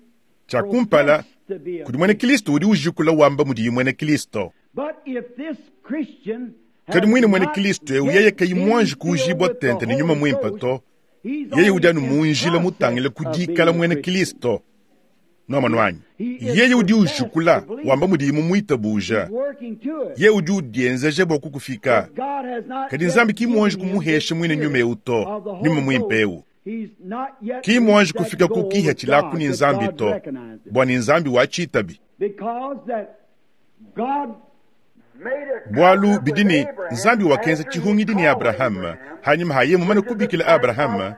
Cha kumpala professed to be a kudi mwene Christian. Kristo udi ujikula wamba mudi mwene Kristo. But if this Christian Kadi has mwine mwene not Kristo eu yet yeye kayi been mwanji filled kuujibwa with the tente ne nyuma Holy mwimpe Ghost, to he's yeye only udi anu in munjila process mutangile of being kudikala a mwene Christian. Kristo. Noma nwanyi. He is Yeye udi professed to ujikula believe. wamba mudi mumuitabuja. He's working to it. Ye udi udienzeje bwa kukufika. But God has not Kadi yet Nzambi ki mwanji given him the kumuhesha mwine nyuma spirit eu to of the nyuma Holy mwimpe Ghost. eu. He's not yet Ki mwanji reached that kufika ku goal kiha of chilaku God ni that Nzambi God to recognized it. bwa ni Nzambi wachitabi. Because that God Bwalu bidini Nzambi wakenza chihungidi ni Abrahamu hanyuma haye mumane kubikila Abrahamu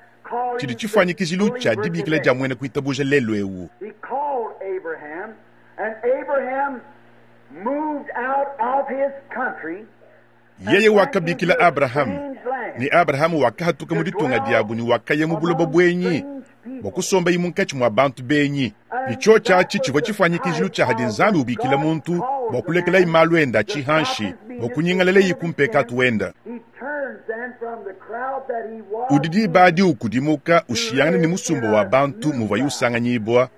chidi chifanyikizilu cha dibikila ja mwene kuitabuja lelo ewu. He called Abraham, and Abraham moved out of his country Yeye wakabikila Abrahamu ni Abrahamu wakahatuka mu ditunga diabu ni wakaya mu buloba bwenyi bwa kusomba imu nkatshi mwa bantu benyi. Ni cho chachi chivwa chifanyikizilu cha hadi Nzambi ubikila muntu bwa kulekela imalu enda chihanshi bwa kunyingalela ikumpeka atuenda. He turns then from the crowd that he was Udi in dibadi ukudimuka ushiyangana ni musumba wa bantu muva yusanganyibwa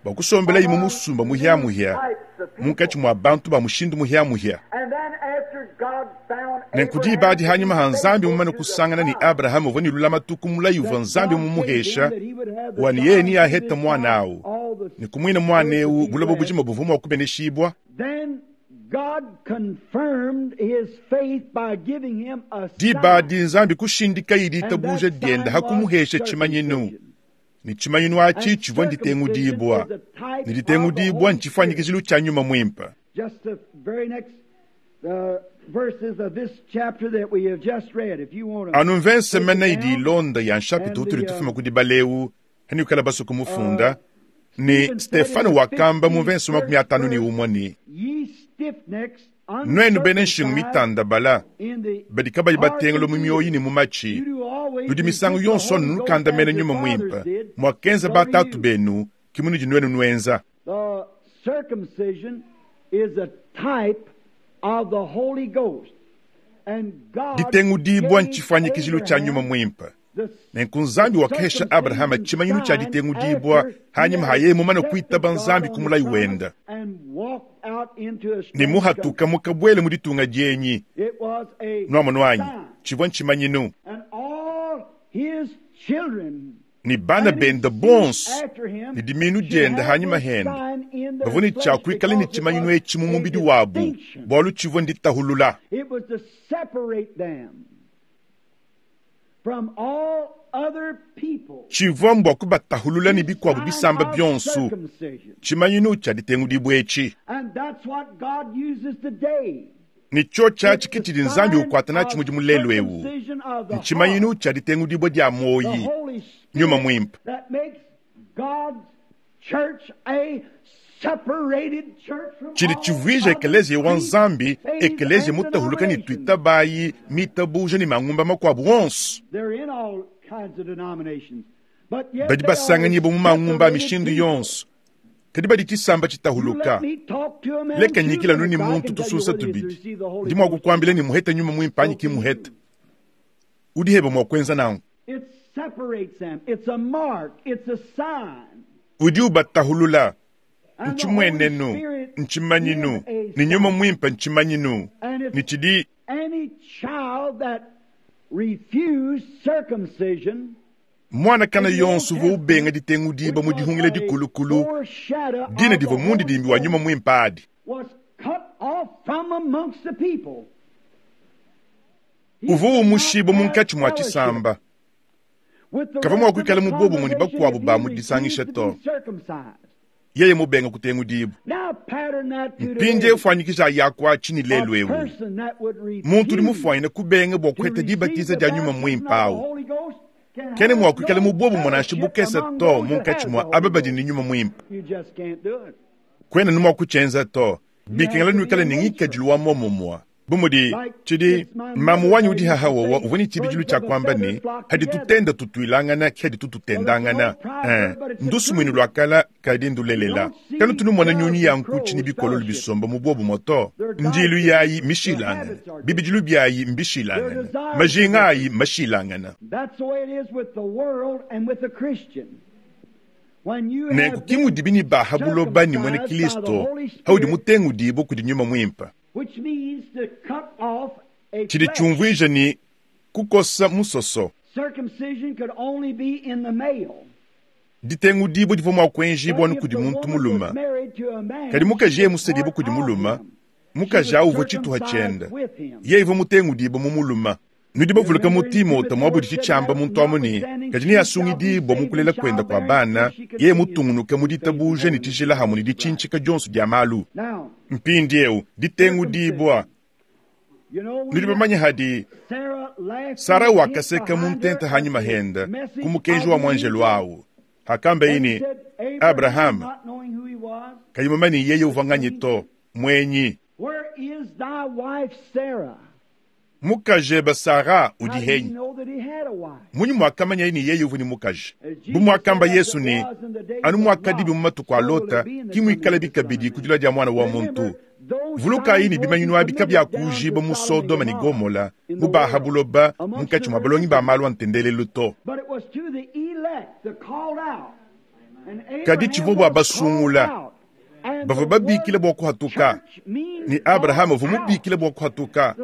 bwa kusombela imu musumba muhyamuhya types of people. munkatshi mwa bantu ba mushindu muhyamuhya. And then after God found Nenku Abraham dibadi to be hanyuma ha Nzambi faithful mumane to the kusangana ni promise, Abrahamu uvua ni lulamatu mulayi uvua that Nzambi God gave him mumuhesha that he would have the wani yeye child ni through aheta this mwana child awu all the ni kumwina mwana earth to ewu be buloba blessed. bujima buvua mua kubeneshibwa. Then God confirmed his faith by giving him a Dibadi sign. Nzambi kushindika And iditabuja that sign dienda was hakumuhesha chimanyinu. circumcision. Ni chimanyinu achi And chivua circumcision nditengudibwa. is a type Ni of the litengudibwa Holy Spirit. nchifanyikizilu cha nyuma mwimpa. Just the very next uh, verses of this chapter that we have just read. If you want to Anu mvense take it mene idi down, ilonda ya nshapita and utuli the uh, tufuma kudi baleu hani baso uh, kumufunda ni Stephen said in Stefano the wakamba mu mvense makumi fifty-first atanu ni verse, umwe ni Ye stiff-necks, nwenu bene nshingu uncircumcised mitanda bala in the badi kabayi heart batengelo and mu myoyi ears, ni mu machi you do always ludi misango resist the yonso Holy Ghost nukanda as mene your nyuma fathers mwimpa did, mwakenza so do batatu you. benu kimuniji nwenu nwenza. The circumcision is a type of the Holy Ghost. And God Ditengudibwa gave nchifanyikizilu cha nyuma Abraham mwimpa. the, Nenku the Nzambi wakahesha Abrahama circumcision chimanyinu cha sign ditengudibwa after he hanyuma had haye mumane accepted kuitaba God Nzambi on his kumulayi promise wenda. and walked out into a Ni strange country. muhatuka mukabwele mu ditunga dyenyi It was a nwamo nwanyi sign. chivwa nchimanyinu And all his children ni bana and his benda seed bonso after him ni diminu should dienda have hanyuma this henda sign in their bavua ni flesh chakuikala ni because it chimanyinu was echi mu a mubidi wabu distinction. bwalu chivwa nditahulula. It was to separate them from all other people. Chivwa mbwa kubatahulula ni This bikwabu sign bisamba of byonso circumcision. chimanyinu cha ditengudibwa echi And that's what God uses today. ni cho It's chachi the kichili Nzambi sign ukwata nachi of mudi mulelu ewu circumcision of the nchimanyinu heart, cha ditengudibwa dya the moyi Holy nyuma Spirit mwimpa. that makes God's church a separated church from Chili all chivuija other ekeleziya wa creeds, Nzambi faiths, ekeleziya and mutahuluka ni denominations. twitabayi mitabuja ni mangumba makwabu onso They're in all kinds of denominations, but yet badi they are a basanganyibwa mu mangumba a separated mishindu people. yonso kadi badi chisamba You chitahuluka let me talk to a man leka two nyikila nuni minutes, I muntu can tell you tususa whether he's tubidi received the Holy ndi mwa Ghost or kukwambila not. ni muheta nyuma mwimpa anyi So can kimuheta you. udiheba mwa kwenza nangu It separates them. It's a mark. It's a sign. udi ubatahulula And the Holy nchimwenenu Spirit nchimanyinu is a ni nyuma sign. mwimpa nchimanyinu And if ni chidi any child that refused circumcision Mwana kana yonso uvua ubenga ditengudiba mu dihungila dikulukulu dina divua mundidimbi wa nyuma mwimpe adi. Uvua umushiba munkatshi mua tshisamba. Kavua mua kuikala mu bobumue ne bakuabu ba mu disangisha to. Yeye mubenga kutengudiba. Mpindiewu fuanyikija yakuatshi ne lelu ewu. Muntu udi mufuanyine kubenga bua kuheta dibatiza dia nyuma mwimpe awu. Kene mua kuikala mu bobumue nansha bukese to munkatshi mua aba badi ne nyuma mwimpe. Kwena ni mua kutshienza to. Bikengela nuikale ne ngikadilu wa momumue. Bumudi tshidi mamu wanyi udi hahawowa uvua ne tshibidilu tshia kuamba ne hadi tutenda tutuilangana ki hadi tututendangana. Eh, ndusumuinu lua kala kadi ndulelela. Kanu tunumona nyunyi ya nkutshi ne bikololo bisomba mu bobumue to. Ndilu yayi mishilangana, bibidilu byayi mbishilangana, majinga ayi mashilangana. Nenku kimudibi ne baha buloba ne mwene Kristo haudi mutengudibo kudi nyuma mwimpe. Tshidi tshiumvuija ni kukosa musoso. Ditengudibo divua mua kuenjibua anu kudi muntu mulume. Kadi mukaji yeye musedibo kudi mulume, mukaji awu uvua tshituha tshiende. Yeye uvua mutengudibo mu mulume. Nudi bavuluka mu Timote muabudi tshitshiamba muntu amu ne kadi neasungidibua mu kulela kuenda kua bana, yeye mutungunuke mu ditabuja ne tshijila hamwe ne ditshintshika dionso dia malu. Mpindiewu ditengudibua. Nudi bamanye hadi Sara wakaseka mu ntenta hanyima henda ku mukenji wa mwanjelu awu. Hakamba yeye ne Abraham kayi mumanye yeye uvua nganyi to mwenyi. Mukajebe Sara udi henyi. Munyi mwakamanya yeye ne yeye uvua ne mukaji. Bu mwakamba Yesu ne anu mwakadibi mu matuku a Lota ki muikala bikabidi ku dilua dia mwana wa muntu. Vulukayi ne bimanyinu abi kabyakujiba mu Sodoma ne Gomola mu baha buloba munkatshi mua balongi ba malu a ntendelelu to. Kadi tshivua bua basungula bavua babikila bua kuhatuka ne Abraham uvua mubikila bua kuhatuka.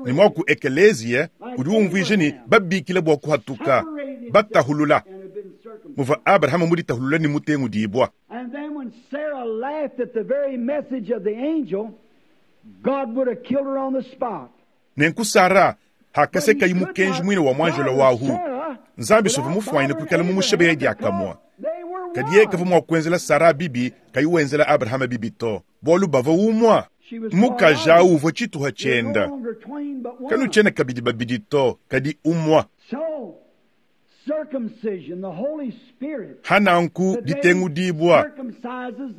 Ne mwaku ekeleziya udi umvuija ne babikila bua kuhatuka batahulula. Muvua Abraham muditahulula ne mutengudibua. Nenku Sara hakasekayi mukenji mwine wa mwanjelo wahu. Nzambi sovua mufuanyine kuikala mu mushebe diakamua. Kadi yeye kavua mua kuenzela Sara bibi kayi wenzela Abraham bibi to. Bualu bavua umua. Mukaji awu uvua tshituha tshienda. Kanu tshiena kabidi babidi to, kadi umua. Hananku ditengudibua.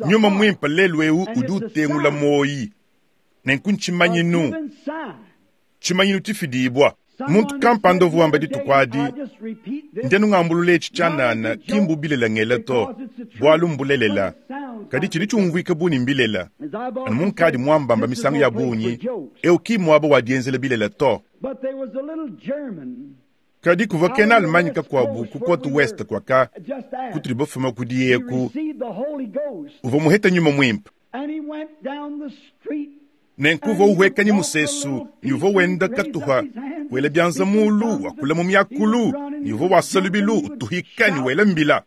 Nyuma mwimpe lelu ewu udi utengula moyi. Nenku ntshimanyinu. Tshimanyinu tshifidibua. Muntu kampanda uvua wamba dituku adi, ndienu ngambulula etshi tshianana ki mbubilela ngela to, bualu mbulelela. Kadi tshidi tshiumvuika bu ne mbilela. Anu munkadi muambamba misangu ya bungi, ewu ki muaba wa dienzela bilela to. Kadi kuvua kena Allemagne kakuabu ku Côte Ouest kuaka kutudi bafuma kudi yeku uvua muheta nyuma mwimpe. Nenku uvua uhuekanya musesu ne uvua wenda katuha wela bianza mulu wakula mu miakulu ne uvua wasa lubilu utuhika ne wela mbila.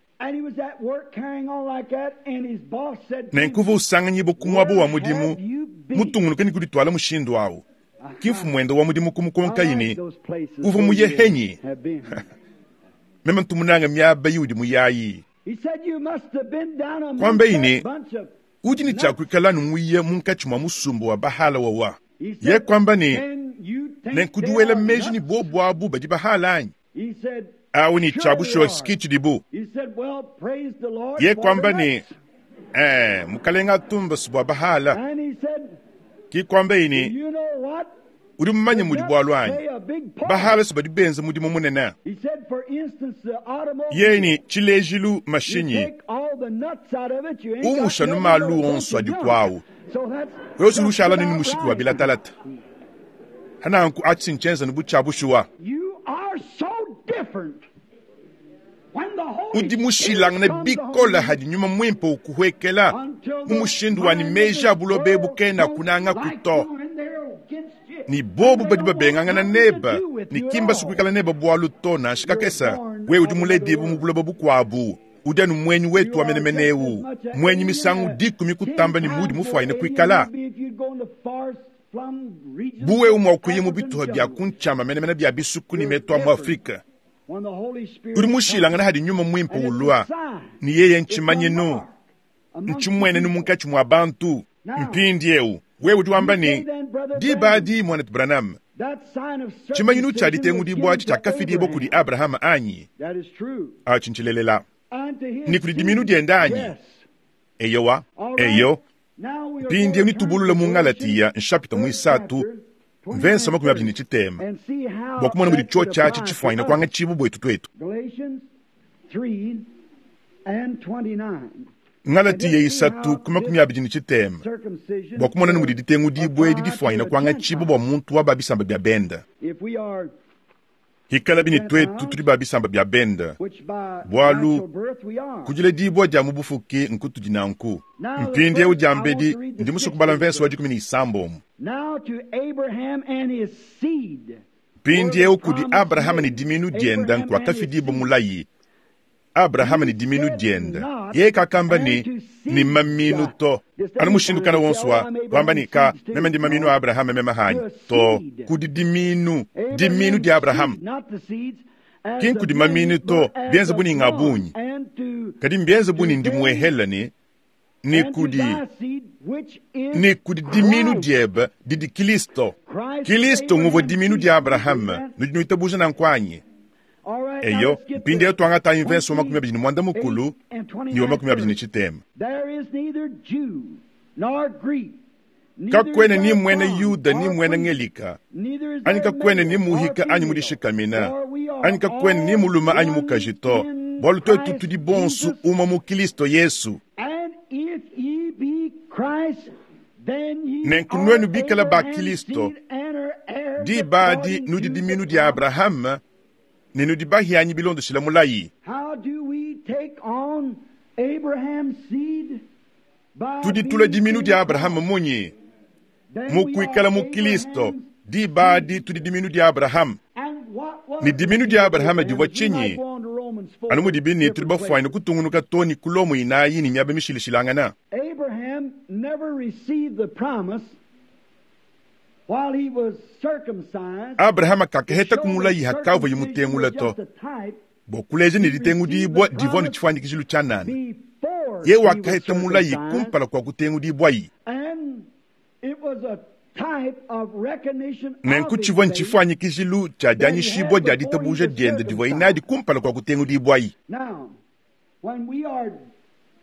Nenku uvua usanganyibua ku muaba wa mudimu mutungunuke ne kudituala mushindu awu. Ki mfumuende wa mudimu kumukonkayi ne uvua muye henyi. Meme ntumunanga miaba iudi muyayi. Kuambayi ne udi ne tshiakuikala numuye munkatshi mua musumba wa bahala wawa. Ye kuamba ne nenku wela meji ne bobu abu badi bahala anyi? Awu ne tshiabushuwa tshidibu. Ye kuamba ne eh mukalenga atumba bua bahala. Ki kuamba ne udi mumanye mudi bualu anyi? Bahala badi benza mudimu munene. Yeye ne tshilejilu mashinyi. Umusha malu onso adi kwawu. Wewe ushala ni mushiki wa bilatalata. Hananku atshi nchenza ne butshiabushuwa. Udi mushilangane bikola hadi nyuma mwimpe ukuhwekela mu mushindu wa ni meji abulobe bukena kunanga kuto. Ni bobu badi babengangana neba ni kimba sukuikala neba bualu to nansha kakesa. Wewe udi muledibue mu buloba bukuabu, udi anu mwenyi wetu wa menemene eu, mwenyi misangu dikumi kutamba ne mudi mufuanyine kuikala. Bu wewe mua kuya mu bituha bia kuntshiama menemene bia bisuku ne metu a mu Afrika, udi mushilangana hadi nyuma mwimpe ulua, ni yeye ntshimanyinu, ntshimwenenu munkatshi mua bantu. Mpindi eu, wewe udi wamba ne, diba adi mwanetu Branham, tshimanyinu tshia ditengudibua tshiakafidibua kudi Abrahama anyi? Atshi ntshilelela. Ni kudi diminu dienda anyi? Eyowa, eyo. Mpindi eu nitubulula mu Ngalatiya nshapita muisatu, mvensa makumi abidi ne tshitema, bua kumona mudi tsho tshiatshi tshifuanyine kuanga tshibu buetu twetu. Ngalatiya isatu ku makumi abidi ne tshitema, bua kumona mudi ditengudibua edi difuanyine kuanga tshibu bua muntu wa ba bisamba bia benda. Hikalabi ne twetu tudi ba bisamba bia benda, bualu kudiledibua dia mu bufuki nkutudi nanku. Mpindi eu diambedi ndi musue kubala mvenso wa dikumi ne isambombo. Mpindi eu kudi Abrahama ne diminu dienda nkuakafidibua mulayi. Abrahama ne diminu dienda, yeye kakamba ne ni maminu to. Anu mushindu kana wonso wa wamba ne ka meme ndi maminu a Abrahama meme hanyi to. Kudi diminu, diminu dia Abrahama ki nkudi maminu to, bienze buni ngabunyi, kadi mbienze buni ndi muehela ne ni kudi ni kudi diminu diebe didi Kristo. Kristo nguvua diminu dia Abrahama, nudi nuitabuja nanku anyi? Eyo, mpindi eu tuangata mvenso wa makumi abidi ne muanda mukulu ni wa makumi abidi ne tshitema. Kakwene ni mwene Yuda ni mwene Ngelika, anyi kakwene ni muhika anyi mudishikamina, anyi kakwene ni muluma anyi mukaji to, bualu twetu tudi bonsu uma mu Kristo Yesu. Nenku nuenu bikala ba Kristo, diba adi nudi diminu dia Abrahama, ne nudi bahianyi bilondeshila mulayi. Tudi tula diminu dia Abrahama munyi? Mu kuikala mu Kristo, diba adi tudi diminu dia Abrahama. Ne diminu dia Abrahama divua tshinyi? Anu mudibi ne tudi bafuanyine kutungunuka to ne ku Lomo inayi ne miaba mishilashilangana. Abraham never received the promise while he was circumcised. Abrahama kakaheta kumulayi hakavua yimutengula to, bua kuleja ne ditengudibua divua ne tshifuanyikijilu tshia nana. Before Ye he was wakaheta mulayi circumcised, kumpala kua kutengudibwayi. and it was a type of recognition of Nenku his tshivua faith. ntshifuanyikijilu tshia dianyishibua dia ditabuja diende divua inadi kumpala kua kutengudibwayi. Now, when we are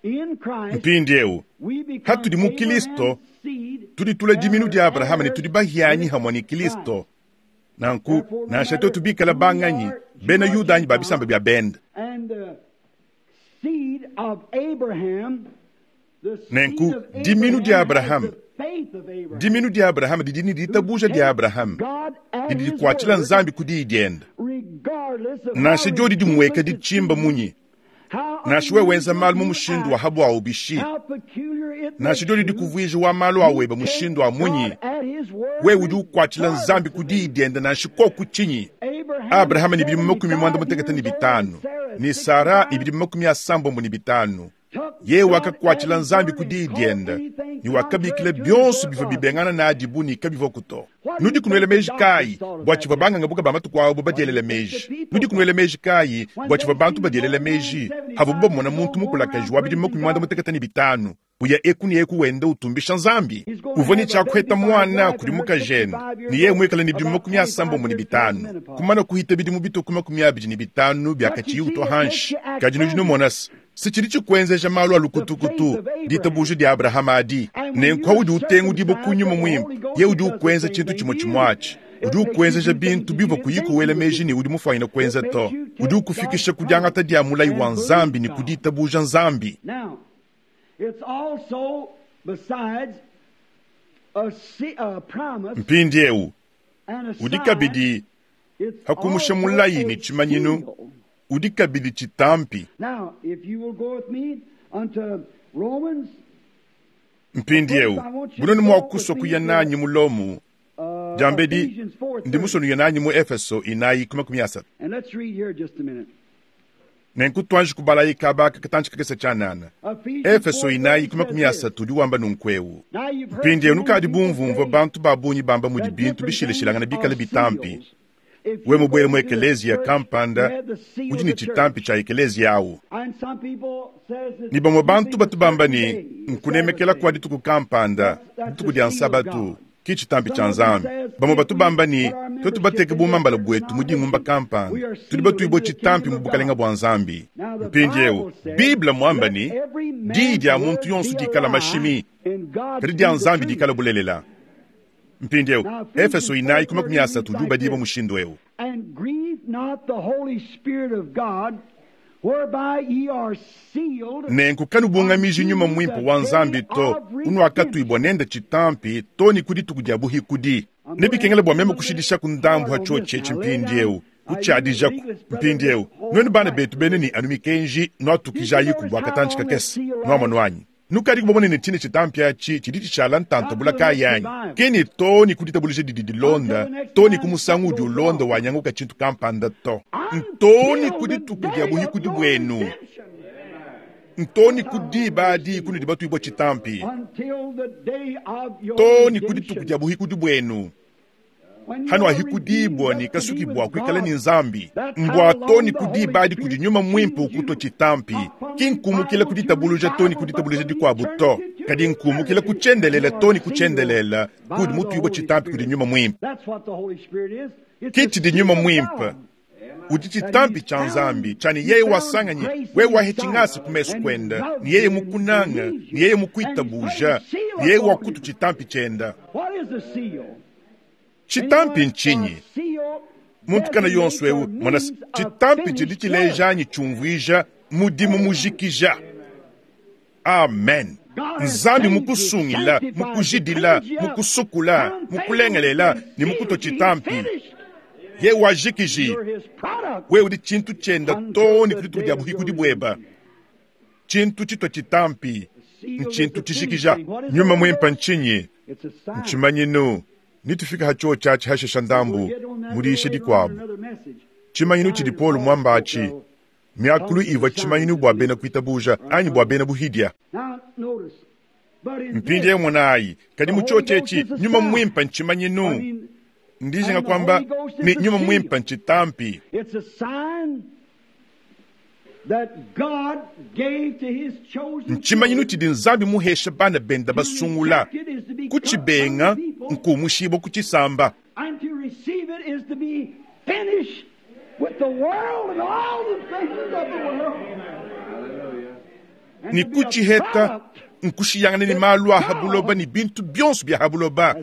in Christ, Mpindi eu, we become hatudi mu Kristo, Abraham's seed tudi tula diminu dia Abrahama ne and tudi bahianyi heirs hamwe ne with Kristo. Christ. Nanku, nansha twetu bikala banganyi, bena Yuda anyi ba bisamba bia benda. And the seed of Abraham, the seed Nenku, of diminu dia Abraham Abrahama, has the faith of Abraham, diminu dia Abrahama didi ne ditabuja dia Abrahama, God at didi his dikuatshila word, Nzambi ku diyi diende. regardless of Nansha how diodi dimueka ridiculous it ditshimba seems, munyi, how nansha wewe wenza unusual malu mu you mushindu act, wa habwawu bishi, how peculiar it nansha makes diodi you, dikuvuija wa malu aweba you mushindu take wa munyi, God at his word wewe udi ukuatshila Nzambi ku regardless of diyi it. diende nansha koku tshinyi. Abraham Abrahama ni bidimu makumi mwanda seventy-five mutekete ne years old, bitanu, Sarah ne Sara ni sixty-five, bidimu makumi asambombo ne bitanu. took Ye God at wakakuatshila his Nzambi word ku and diyi called diende, anything ne wakabikila contrary to his bionso word bivua was. bibengana nadi bu ne kabivua kuto. What do you Nudi kunuela think the meji doctors kayi thought of bua that tshivua day? bangangabuka ba matuku abo What do you badielela think the meji? people Nudi kunuela thought? meji kayi When bua they tshivua bantu seen an badielela old man meji? Havubu seventy-five bamona years muntu old going mukulakaji around wa bidimu praising makumi mwanda God, mutekete ne bitanu, uya eku ne eku wenda utumbisha Nzambi. he's going to Uvua ne have a baby tshiakuheta by his mwana wife kudi and her mukajende, sixty-five ne years yeye old, muikale ne bidimu about makumi asambombo twenty-five ne years past bitanu, menopause. kumana kuhita bidimu bitoku makumi abidi ne bitanu But you biakatshiyi see, utwa it makes hanshi. you act Kadi nudi funny. numona se, se tshidi tshikuenzeja malu a The faith lukutukutu, of Abraham. ditabuja dia Abrahama adi. And when Nenku you're udi utengudibua circumcised ku nyuma with the muimpe, Holy Ghost, ye it udi does the ukuenza same tshintu thing tshimue to you. tshimue atshi. It Udi makes you ukuenzeja do things bintu that you bivua didn't kuyi think you kuwela would meji do. ne udi mufuanyine It kuenza makes to. you Udi take God's ukufikisha ku promise diangata dia mulayi and wa believe Nzambi ne ku God. ditabuja Nzambi. Now, it's also, besides, a, se- a promise Mpindi eu, and a udi sign, kabidi it's hakumusha also mulayi ne a tshimanyinu, seal. udi kabidi tshitampi. Now, if you will go with me unto Romans, Mpindi eu, first I want you to bunoni mua go with kusua me kuya to nanyi mu Lomu, uh, diambedi Ephesians ndi four thirty. musonuya nanyi mu Efeso inayi ku makumi asatu. And let's read here just a minute. Nenku tuanji kubalayi kaba aka katanci kakese tshianana. Efeso inayi ku makumi asatu udi wamba nunku eu. Mpindieu nukadi bumvumvua bantu ba bungi bamba mudi bintu bishilashilangana bikale bitampi. We mubuele mu ekeleziya kampanda udi ne tshitampi tshia ekeleziya awu. Ne bamue bantu batu bamba ne, nkunemekela kua dituku kampanda, dituku dia Nsabatu, ki tshitampi tshia Nzambi. Bamue batu bamba ne, tuetu bateke bumambala buetu mu dingumba kampanda, tudi batuibue tshitampi mu bukalenga bua Nzambi. Mpindieu, Bible muamba ne, diyi dia muntu yonso dikala mashimi, kadi dia Nzambi dikala bulelela. Mpindieu, Efeso inayi ku makumi asatu udi ubadibua mushindu eu. And grieve not the Holy Spirit of God, whereby ye are sealed. Nenku kanubungamiji nyuma mwimpe wa Nzambi to, unuakatuibua nende tshitampi to ne ku dituku dia buhikudi. Nebikengele bua meme kushidishaku ndambu ha tshiotshi etshi mpindieu, kutshiadijaku mpindieu. Nuenu bana betu bene ne anu mikenji nuatukijayiku bua katanci kakese, nuamonu anyi? Nukadi kubamona ne tshine tshitampi atshi tshidi tshishala ntanta kayi anyi? Ke ne to ne ku ditabuluja didi dilonda, to ne ku musangu udi ulonda wanyanguka tshintu kampanda to. Nto ne ku dituku dia buhikudi buenu. Nto ne ku diba adi kunudi batuibua tshitampi. Until the day of your To ne ku dituku redemption. dia buhikudi buenu. When you Hano are ahikudibua redeemed ne up to be kasukibua with kuikala God, ne Nzambi. that's how Mbua to long ne the ku Holy diba adi kudi Spirit nyuma mwimpe seals you. ukutwa tshitampi. Not from Ki nkumukila ku revival to ditabuluja to ne ku revival, but ditabuluja from dikuabu to. eternity to Kadi nkumukila ku eternity. tshiendelela You to are ne ku sealed tshiendelela by kudi the mutuibua Holy tshitampi kudi Spirit. nyuma mwimpe. That's what the Holy Spirit is. It's Ki the tshidi seal nyuma of mwimpe. God. Udi tshitampi tshia Nzambi tshani yeye wasanganyi we wahe tshingasi ku mesu kwenda ni yeye mukunanga ni yeye mukuitabuja ni yeye wakutu tshitampi tshienda. What is a seal? Tshitampi ntshinyi? A seal Muntu kana yonso eu mona designates or means a tshitampi tshidi finished tshileja anyi tshiumvuija mudimu mujikija. Amen. Nzambi mukusungila, mukujidila, mukusukula, mukulengelela ne mukuto tshitampi. Ye wajikiji You're his product. we udi tshintu tshienda to ne ku dituku dia buhikudi bueba. Tshintu tshitwa tshitampi ntshintu tshijikija. Nyuma mwimpe ntshinyi? It's a sign. Ntshimanyinu nitufika ha chio tshiatshi hashesha ndambu mudiisha dikuabu. Another message. Tshimanyinu tshidi Paul muamba atshi miakulu ivua tshimanyinu bua bena kuitabuja anyi bua bena buhidia. Now notice. But in Mpindieu this, monayi kadi mu chio tshetshi nyuma mwimpe I ntshimanyinu. mean, Ndijinga kwamba ni nyuma mwimpe ntshitampi. it's a sign that God gave to his chosen Ntshimanyinu tshidi Nzambi muhesha bana benda basungula kutshibenga nkumushibwa kutshisamba. And to receive it is to be finished with the world and all the things of the world. And Ni to be a kuchiheta product nkushiyangana ne malu a habuloba ne bintu bionso bia habuloba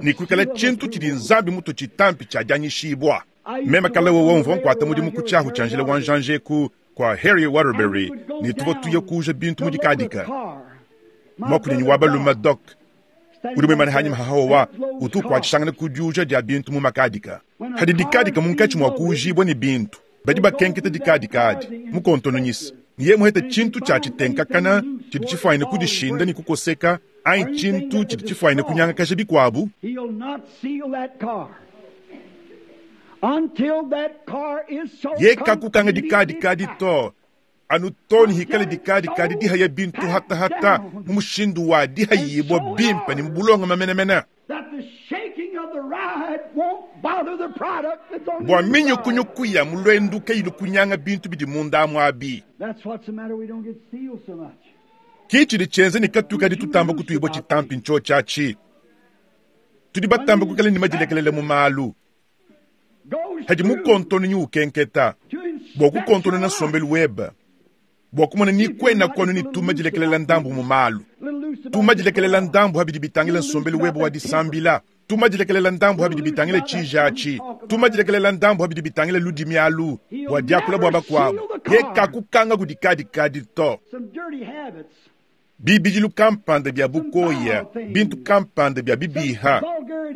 ne kuikala tshintu tshidi Nzambi mutu tshitampi tshiadianyishibua. Meme kala wowo mvua nkuata mudimu ku tshiahu tshia njila wa njanjeku kwa Harry Waterbury ne tuvua tuya kuja bintu mu dikadika. Mwakunyi wa baluma Doc udi muimane hanyima hahawa utu kuatshishangana ku diuja dia bintu mu makadika. Hadi dikadika munkatshi mua kuujibua ne bintu badi bakenketa dikadika adi mukontononyisa niye muhete tshintu tshia tshitenkakana tshidi tshifuanyine kudishinda ne kukoseka anyi tshintu tshidi tshifuanyine kunyangakaja bikuabu. He'll not seal that car until that car is so Ye kakukanga completely dikadikadi packed. to anu to ne hikale dikadikadi dihaya bintu hatahata mu mushindu wa dihayibua bimpe ne mu bulongama menemene. That the shaking of the ride won't bother the product that's on the Bua inside. minyukunyuku ya mulwendu kayilu kunyanga bintu bidi munda amu abi. That's what's the matter. We don't get sealed so much. Ki tshidi tshienze ne katukadi tutamba kutuibua tshitampi ntsho tshiatshi. Tudi batamba kuikala ne madilekelele mu malu. Goes Hadi through mukontononyi ukenketa to inspect bua kukontonona your life. nsombelu webe bua kumona ni kwena kwanu ni tuma dilekelela ndambu mu malu. Little loose about Tuma the dilekelela car. ndambu habidi bitangila nsombelu webe wa disambila. Tuma dilekelela ndambu habidi bitangila tshijatshi. Tuma dilekelela ndambu habidi bitangila ludimi alu bua diakula bua bakuabu. Ye kakukanga kudikadikadi to. Some dirty habits. Bibidilu kampanda bia bukoya, bintu kampanda bia bibiha,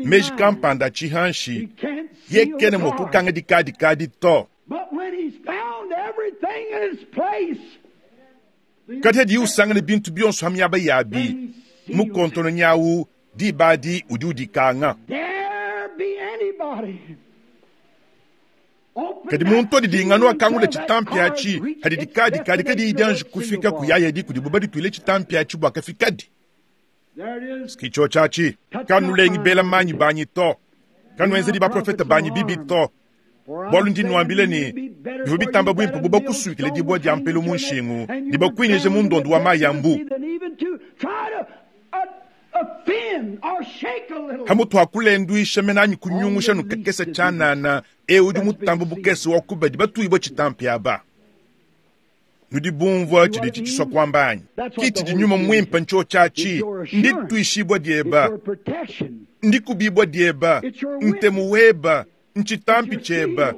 meji kampanda He tshihanshi. can't Ye seal the kene mua car. kukanga dikadikadi to. But when he's found everything in its place, Kadi hadi usangane bintu bionso ha miaba yabi, mukontono nyawu dibadi udi udikanga. There be anybody open Kadi muntu adidinganu akangula tshitampi atshi hadi dikadi kadi kadi idianji kufika kuyaya di kudibo badituile tshitampi atshi bua kafikadi. Skicho chachi kanulengi bela manyi banyi to kanuenzedi baprofeta banyi bibi to bwalu ndi nwambile ni bivua bitamba bwimpe buba kusukile dibwa dia mpelu mu nshingu ne bakuinyeje mu ndondo wa mayi ya mbu. Hamutu hakulenduisha menanyi kunyungusha nukakesa chanana e udi mutambu bukese wa kubadi batuibwa chitampi aba. Nudi bumvua chidi chichiswa kwambanyi kiti di nyuma mwimpa ncho chachi ndi tuishibwa dieba ndi kubibwa dieba ntemu weba nchitampi cheba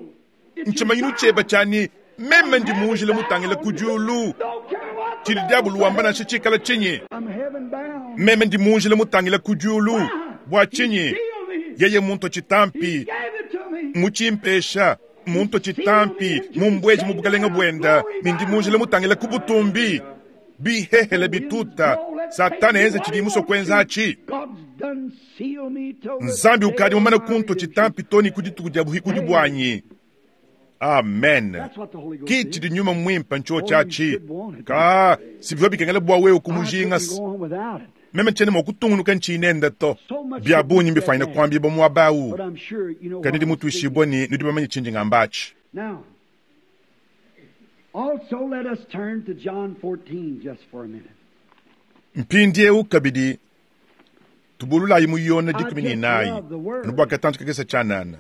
nchimanyinu cheba chani meme ndi munjile mutangila kujulu chidi diabulu wamba nansha chikala chinyi meme ndi munjile mutangila kujulu bwa chinyi yeye muntu chitampi muchimpesha muntu chitampi mumbweji mubukalenga bwenda nindi munjile mutangila kubutumbi bihehele bituta satana enze chidi muso kwenza achi nzambi ukadi mumana kunto chitampi toni kudituku dia buhikudi bwanyi. Amen. Kiti di nyuma mwimpa ncho chachi ka sivyo bikengela bwa wewe kumujinga meme chene mokutungunuka nchinenda to bya bunyi mbifaina kwambi bo mwabau kandi ndi mutuishibwa ni nudi bamanye chinji ngambachi. Also let us turn to John fourteen just for a minute. Mpindie ukabidi tubululayi muyona dikumi ni nayi nubwa katantu kakesa chanana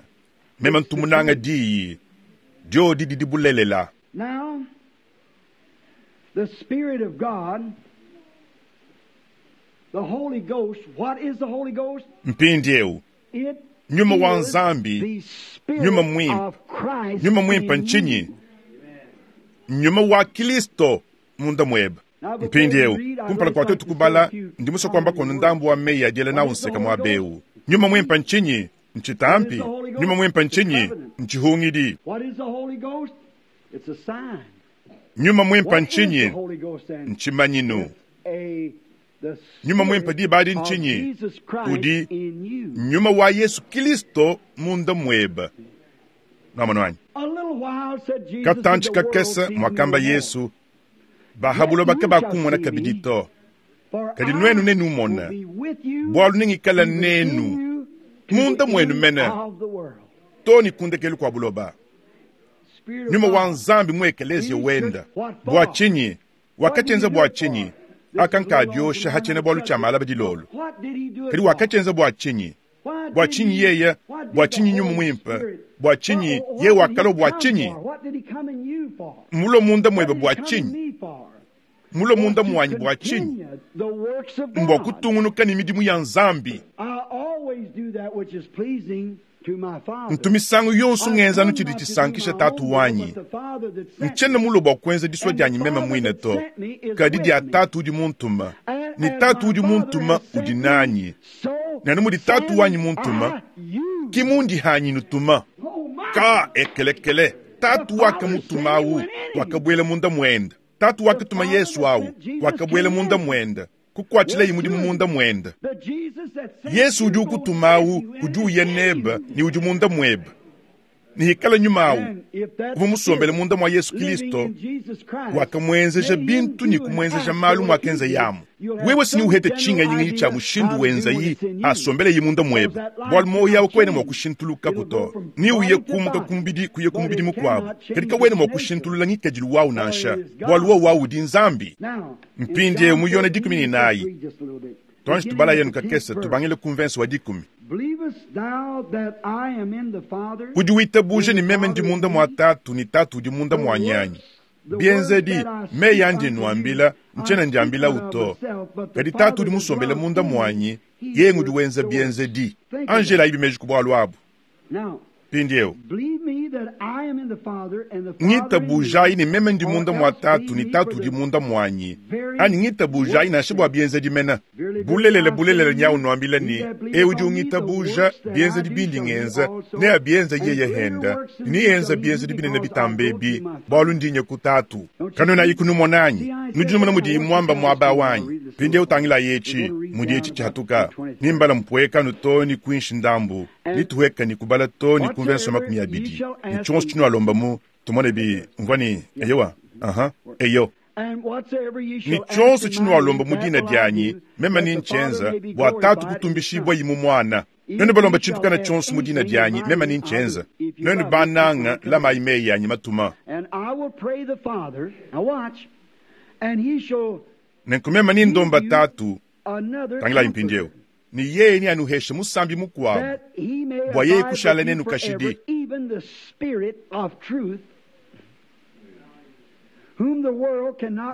meme ntumunanga diyi dio didi dibulelela. Now the Spirit of God, the Holy Ghost, what is the Holy Ghost? Mpindie nyuma wa nzambi nyuma mwimpa nyuma mwimpa nchinyi nyuma wa Kristo munda mweba. Mpindie kumpala kwa tetu kubala ndimuso kwamba kono ndambu wa meyi adiele na unseka mwa beu nyuma mwimpa nchinyi nchitampi nyuma mwimpa nchinyi nchihungidi nyuma mwimpa nchinyi nchimanyinu nyuma mwimpa dibadi nchinyi udi nyuma wa Yesu Kristo munda mweba. Namanwanyi katanchi kakesa mwakamba Yesu bahabulo baka bakumona kabidi to kadi nwenu nenumona bwalu nengikala nenu munda mwenu mene toni kundekelu kwa buloba nyuma wa nzambi mwekelezia wenda bwa chinyi wakachenza bwa chinyi akankadyosha hachene bwalu chamala badilolo kadi wakachenza bwa chinyi bwa chinyi yeye bwa chinyi nyuma mwimpa bwa chinyi ye wakalo bwa chinyi mulo munda mwebe bwa chinyi mulo munda mwanyi bwa chinyi mbwa kutungunuka ni midimu ya nzambi. Ntumisango yonso ngenzanu chidi chisankisha tatu wanyi nchene mulo bwa kwenza diswa dyanyi meme mwine to kadi dia tatu udi muntuma ni tatu udi muntuma udi nanyi nanu mudi tatu wanyi muntuma kimundi hanyi nutuma ka ekelekele tatu wakamutumawu wakabwela munda mwenda tatu wakatuma Yesu awu wakabwela munda mwenda kukwachila imudi munda mwenda Yesu udi ukutumawu udi uya neba ni udi munda mweba ni hikala nyumawu uva musombele munda mwa Yesu Kristo wakamwenzeja bintu ni kumwenzeja malu mwakenza yamu wewe sini uhete chinga nyingi cha mushindu wenza yi asombele yi munda mweba bwalu moyo yawe kwene mwa kushintuluka kuto ni uye kumuka kumbidi kuye kumbidi mukwabo kadika wene mwa kushintulula ngikadilu wawu nansha bwalu wo wawu udi nzambi. Mpindie muyona dikumi ni nayi twanji tubala yenu kakesa tubangile kumvensi wa dikumi. Udi witabuje ni meme ndi munda mwa tatu ni tatu udi munda mwa nyanyi bienzedi me yandi nwambila nchena ndiambila uto kadi tatu udi musombele munda mwanyi yengu udi wenza bienzedi. Angela ibi meji kubwalu abu. Mpindiewu ngitabujayi ni meme ndi munda mwa tatu ni tatu udi munda mwanyi ani ngitabujayi nansha bwa bienzedi mena bulelele bulelele nyawu nwambila ni e udi ungitabuja bienzedi bindi ngenza ne abienza yeye henda ni yenza bienzedi binene bitambebi bwalu ndinye ku tatu kanonayi kunumonanyi nudi numona mudi mwamba mwaba wanyi Mpindieu utangilayi etshi mudi etshi tshihatuka nimbala mpuekanu to ni kuinshi ndambu nituheka ni kubala to ni kumvenso makumi abidi ni tshionso tshinualomba mu tumone bi mvua ni eyowa aha eyo ni tshionso tshinualomba mu dina dianyi meme ni nchenza bua tatu kutumbishibwa yimu mwana. Nenu balomba tshintu kana tshionso mu dina dianyi meme ni nchenza. Nenu bananga lamayi meyi yanyi matuma. Nenku meme ni ndomba tatu tangilayi mpindieu ni yeye ni anuheshe musambi mukuabu bua yeye kushala nenu kashidi.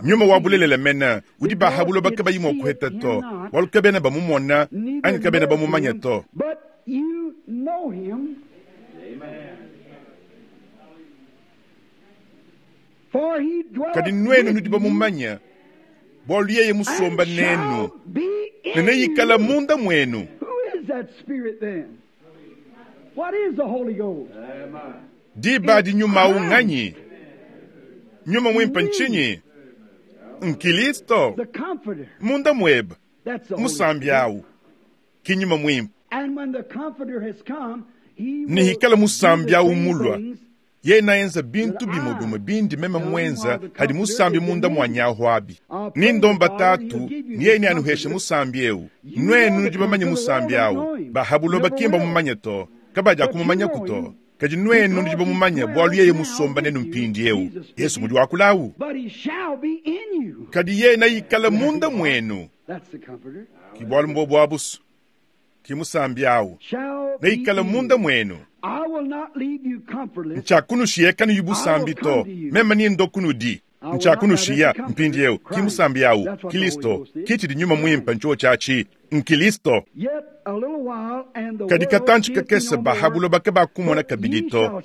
Nyuma wa bulelela mena udi bahabulo bakabayi mua kuheta to walu kabena bamumona anyi kabena bamumanya to. Kadi nwenu nudi bamumanya bwalu yeye musomba nenu nene yikala munda mwenu. Diba di nyuma unganyi nyuma mwimpa nchinyi nkilisto munda mweba musambi awu kinyuma mwimpa nihikala musambi awu mulwa ye naenza bintu bimo bimo bindi meme mwenza hadi musambi munda mwanyaho abi nindomba tatu niye ni anuheshe musambi ewu nwenu nudi bamanye musambi awu bahabulo bakimba mumanye to kabaja kumumanya kuto kadi nwenu nudi bamumanya bwalu yeye musomba nenu mpindi ewu Yesu mudi wakulawu kadi ye nayikala munda mwenu kibwalu mbo bwabusu kimusambi awu nayikala munda mwenu. Nchakunushiye kanu yubusambi to meme ni ndo kunudi nchakunushiya mpindi ewu kimusambi awu Kristo kichidi nyuma mwimpa ncho chachi nkilisto. Kadi katanchi kakese bahabulo bake bakumona kabidi to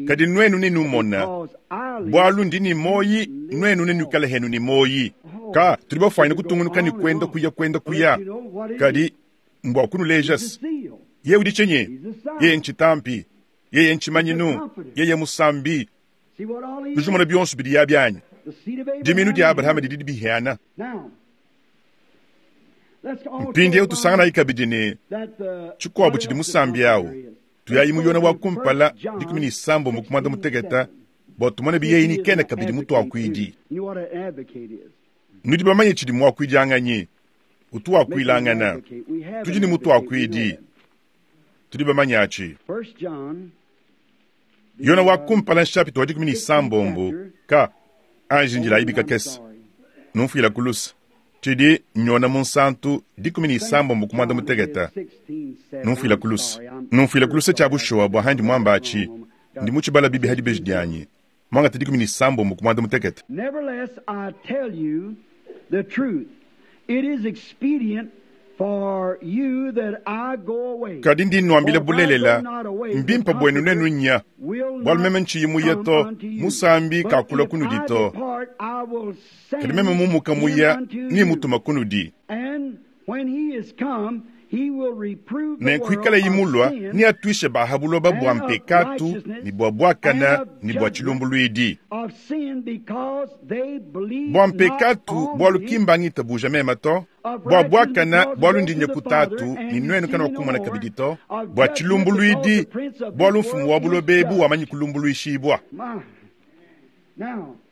kadi nwenu ninumona bwalu ndi ni moyi nwenu ninukala henu ni moyi ka tuli bafwanyina kutungunuka ni kwenda kuya kwenda kuya kadi mbwa kunulejas ye udi chinyi ye nchitampi yeye nchimanyinu yeye musambi nujumona bionso bidi ya byanyi diminu dia Abrahama didi bihiana. Mpindi tusangana ikabidi ne chikuabu chidi musambi awu tuyayi muyona wa kumpala dikumi ni sambo mukumanda muteketa bua tumone biyeyi ni kena kabidi mutu akuidi. Nudi bamanye chidi muakuidi anganyi utu akuilangana tudi ni mutu akuidi tudi bamanye achi. Yona wa kumpala nshapito wa dikumi ni sambombo ka anjinjila ibika kesa numfuila kulusa chidi nyona munsantu dikumi ni sambombo kumanda muteketa numfuila kulusa numfuila kulusa cha bushowa bwa handi mwamba achi ndi muchibala bibi hadi beji dyanyi mwangata dikumi ni sambombo kumanda muteketa. Nevertheless, I tell you the truth. It is expedient for you that I go away. Kadi ndi nwambile bulelela mbimpa bwenu nenu nya bwalu meme nchiyi muya to musambi kakula kunudi to kadi meme mumuka muya ni mutuma kunudi. Nenkuikala yimulwa ni atwishe bahabuloba bwa mpekatu ni bwa bwakana ni bwa chilumbulwidi bwa mpekatu bwa lukimbangita buja mema to bwa bwakana bwa lundinye kutatu ni nwenu kana wakumona kabidi to bwa chilumbulwidi bwa lumfumu wa bulobebu wamanyi kulumbulwishibwa.